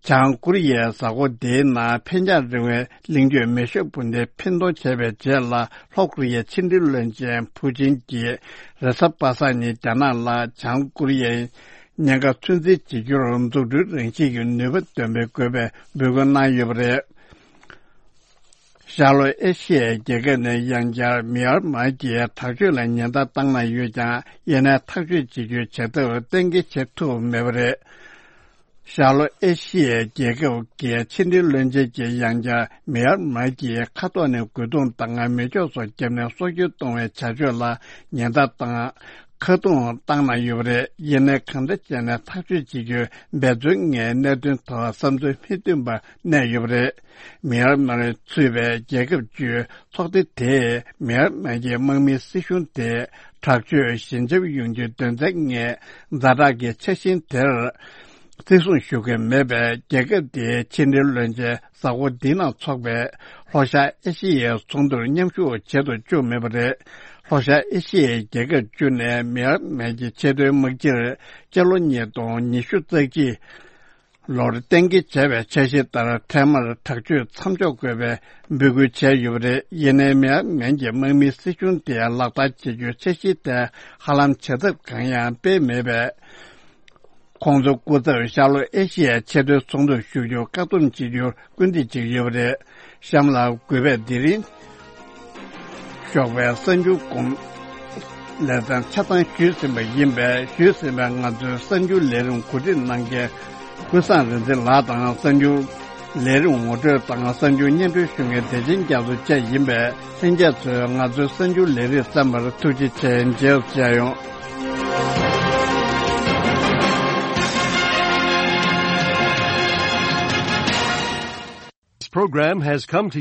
བྱང་ཀོ་རི་ཡའི་གཟའ་འཁོར་འདིའི་ནང་འཕེན་རྒྱང་རིང་བའི་གླིང་ཆེན་མེ་ཤོད་སྤུན་ཟླས་འཕེན་གཏོང་བྱས་པའི་རྗེས་ལ། ལྷོ་ཀོ་རི་ཡའི་ཕྱི་འབྲེལ་བློན་ཆེན་ཕུའུ་ཅིན་གྱིས་རེས་གཟའ་པ་སངས་ཉིན་རྒྱ་ནག་ལ་བྱང་ཀོ་རི་ཡའི་ཉེན་ཁ་ཚོད་འཛིན་བྱེད་རྒྱུར་འཛུགས་སྐྲུན་རང་བཞིན་གྱི་ནུས་པ་འདོན་སྤེལ་དགོས་པའི་འབོད་སྐུལ་གནང་ཡོད་པ་རེད། ཤར་ལྷོ་ཨེ་ཤི་ཡའི་རྒྱལ་ཁབ་ནས་ཡང་བསྐྱར་མེ་ཡར་མར་གྱི་དྲག་སྤྱོད་ལ་ཉེན་བརྡ་བཏང་གནང་ཡོད་ཀྱང་། ཡིན་ནའི་ཐག་གཅོད་བྱེད་རྒྱུའི་བྱ་ཐབས་གཏན་འཁེལ་བྱེད་ཐུབ་མེད་པ་རེད། ཤར་ལྷོ་ཨེ་ཤི་ཡའི་རྒྱལ་ཁབ་ཀྱི་ཕྱི་འབྲེལ་བློན་ཆེན་གྱིས་ཡང་བསྐྱར་མེ་ཡར་མར་གྱི་མཁའ་ཐོག་ནས་རྒོལ་རྡུང་དང་མེ་སྒྱོགས་སོགས་བརྒྱབ་ནས་སྲོག་སྐྱོན་གཏོང་བའི་བྱ་སྤྱོད་ལ་ཉེན་བརྡ་དང་ཁ་རྡུང་བཏང་གནང་ཡོད་པ་རེད། ཡིན་ནའི་གང་འདྲ་བྱས་ནས་ཐག་གཅོད་བྱེད་རྒྱུའི་འབད་བརྩོན་ངང་གནད་དོན་ཐོག་བསམ་ཚུལ་མི་མཐུན་པ་གནས་ཡོད་པ་རེད། མེ་ཡར་མར་ཚུད་པའི་རྒྱལ་ཁབ་བཅུའི་ཚོགས་སྡེ་དེས་མེ་ཡར་མར་གྱི་དམག་མིའི་སྲིད་གཞུང་དེ་དྲག་སྤྱོད་ཞི་འཇམ་ཡོང་རྒྱུའི་དོན་ཚན་ལྔའི་ཛ་དྲག་གི་འཆར་གཞི་དེར་བརྩི་སྲུང་ཞུ་གི་མེད་པས། རྒྱལ་ཁབ་དེའི་ཕྱི་འབྲེལ་བློན་ཆེན་གཟའ་འཁོར་འདིའི་ནང་འཚོགས་པའི་ལྷོ་ཤར་ཨེ་ཤི་ཡའི་ཚོགས་འདུར་མཉམ་ཞུགས་བྱེད་དུ་བཅུག་མེད་པ་རེད། ལྷོ་ཤར་ཨེ་ཤི་ཡའི་རྒྱལ་ཁབ་བཅུ་ནས་མེ་ཡར་མར་གྱི་ཆེས་མཐོའི་དམག་སྤྱིར་སྤྱི་ལོ་ཉིས་སྟོང་ཉི་ཤུ་རྩ་གཅིག་ལོར་གཏན་འཁེལ་བྱས་པའི་འཆར་གཞི་ལྟར། འཕྲལ་མར་དྲག་སྤྱོད་མཚམས་འཇོག་དགོས་པའི་འབོད་སྐུལ་བྱས་ཡོད་པ་རེད། ཡིན་ནའི་མེ་ཡར་མར་གྱི་དམག་མིའི་སྲིད་གཞུང་དེ་ལག་བསྟར་བྱེད་རྒྱུའི་འཆར་གཞི་དེ་ཧ་ལམ་བྱ་ཐབས་གང་ཡང་སྤེལ་མེད་པས། ཁོང་ཚོ་སྐུ་ཚབ་ཤར་ལྷོ་ཨེ་ཤི་ཡའི་ཆེས་མཐོའི་ཚོགས་འདུར་ཞུགས་རྒྱུར་བཀག་སྡོམ་བྱེད་རྒྱུར་སྐུལ་འདེད་བྱེད་ཀྱི་ཡོད་པ་རེད། གཤམ་ལ་འགོད་པའི་དེ་རིང་ཞོགས་པའི་གསར་འགྱུར་གོམ་ལེ་ཚན་ཆ་ཚང་ཞུས་ཟིན་པ་ཡིན་པས། ཞུས་ཟིན་པའི་ང་ཚོའི་གསར་འགྱུར་ལས་རིམ་གོ་སྒྲིག་གནང་མཁན་ཀུན་བཟང་རིག་འཛིན་ལགས་དང་། གསར་འགྱུར་ལས་རིམ་ངོ་སྤྲོད་དང་གསར་འགྱུར་སྙན་སྒྲོན་ཞུ་མཁན་བདེ་ཆེན་རྒྱ་མཚོ་བཅས་ཡིན་པས། ལྷན་རྒྱས་ཚོས་ང་ཚོའི་གསར་འགྱུར་ལས་རིམ་གསན་པར་ཐུགས་རྗེ་ཆེ། མཇལ་མཇལ་ཡོང་། This program has come to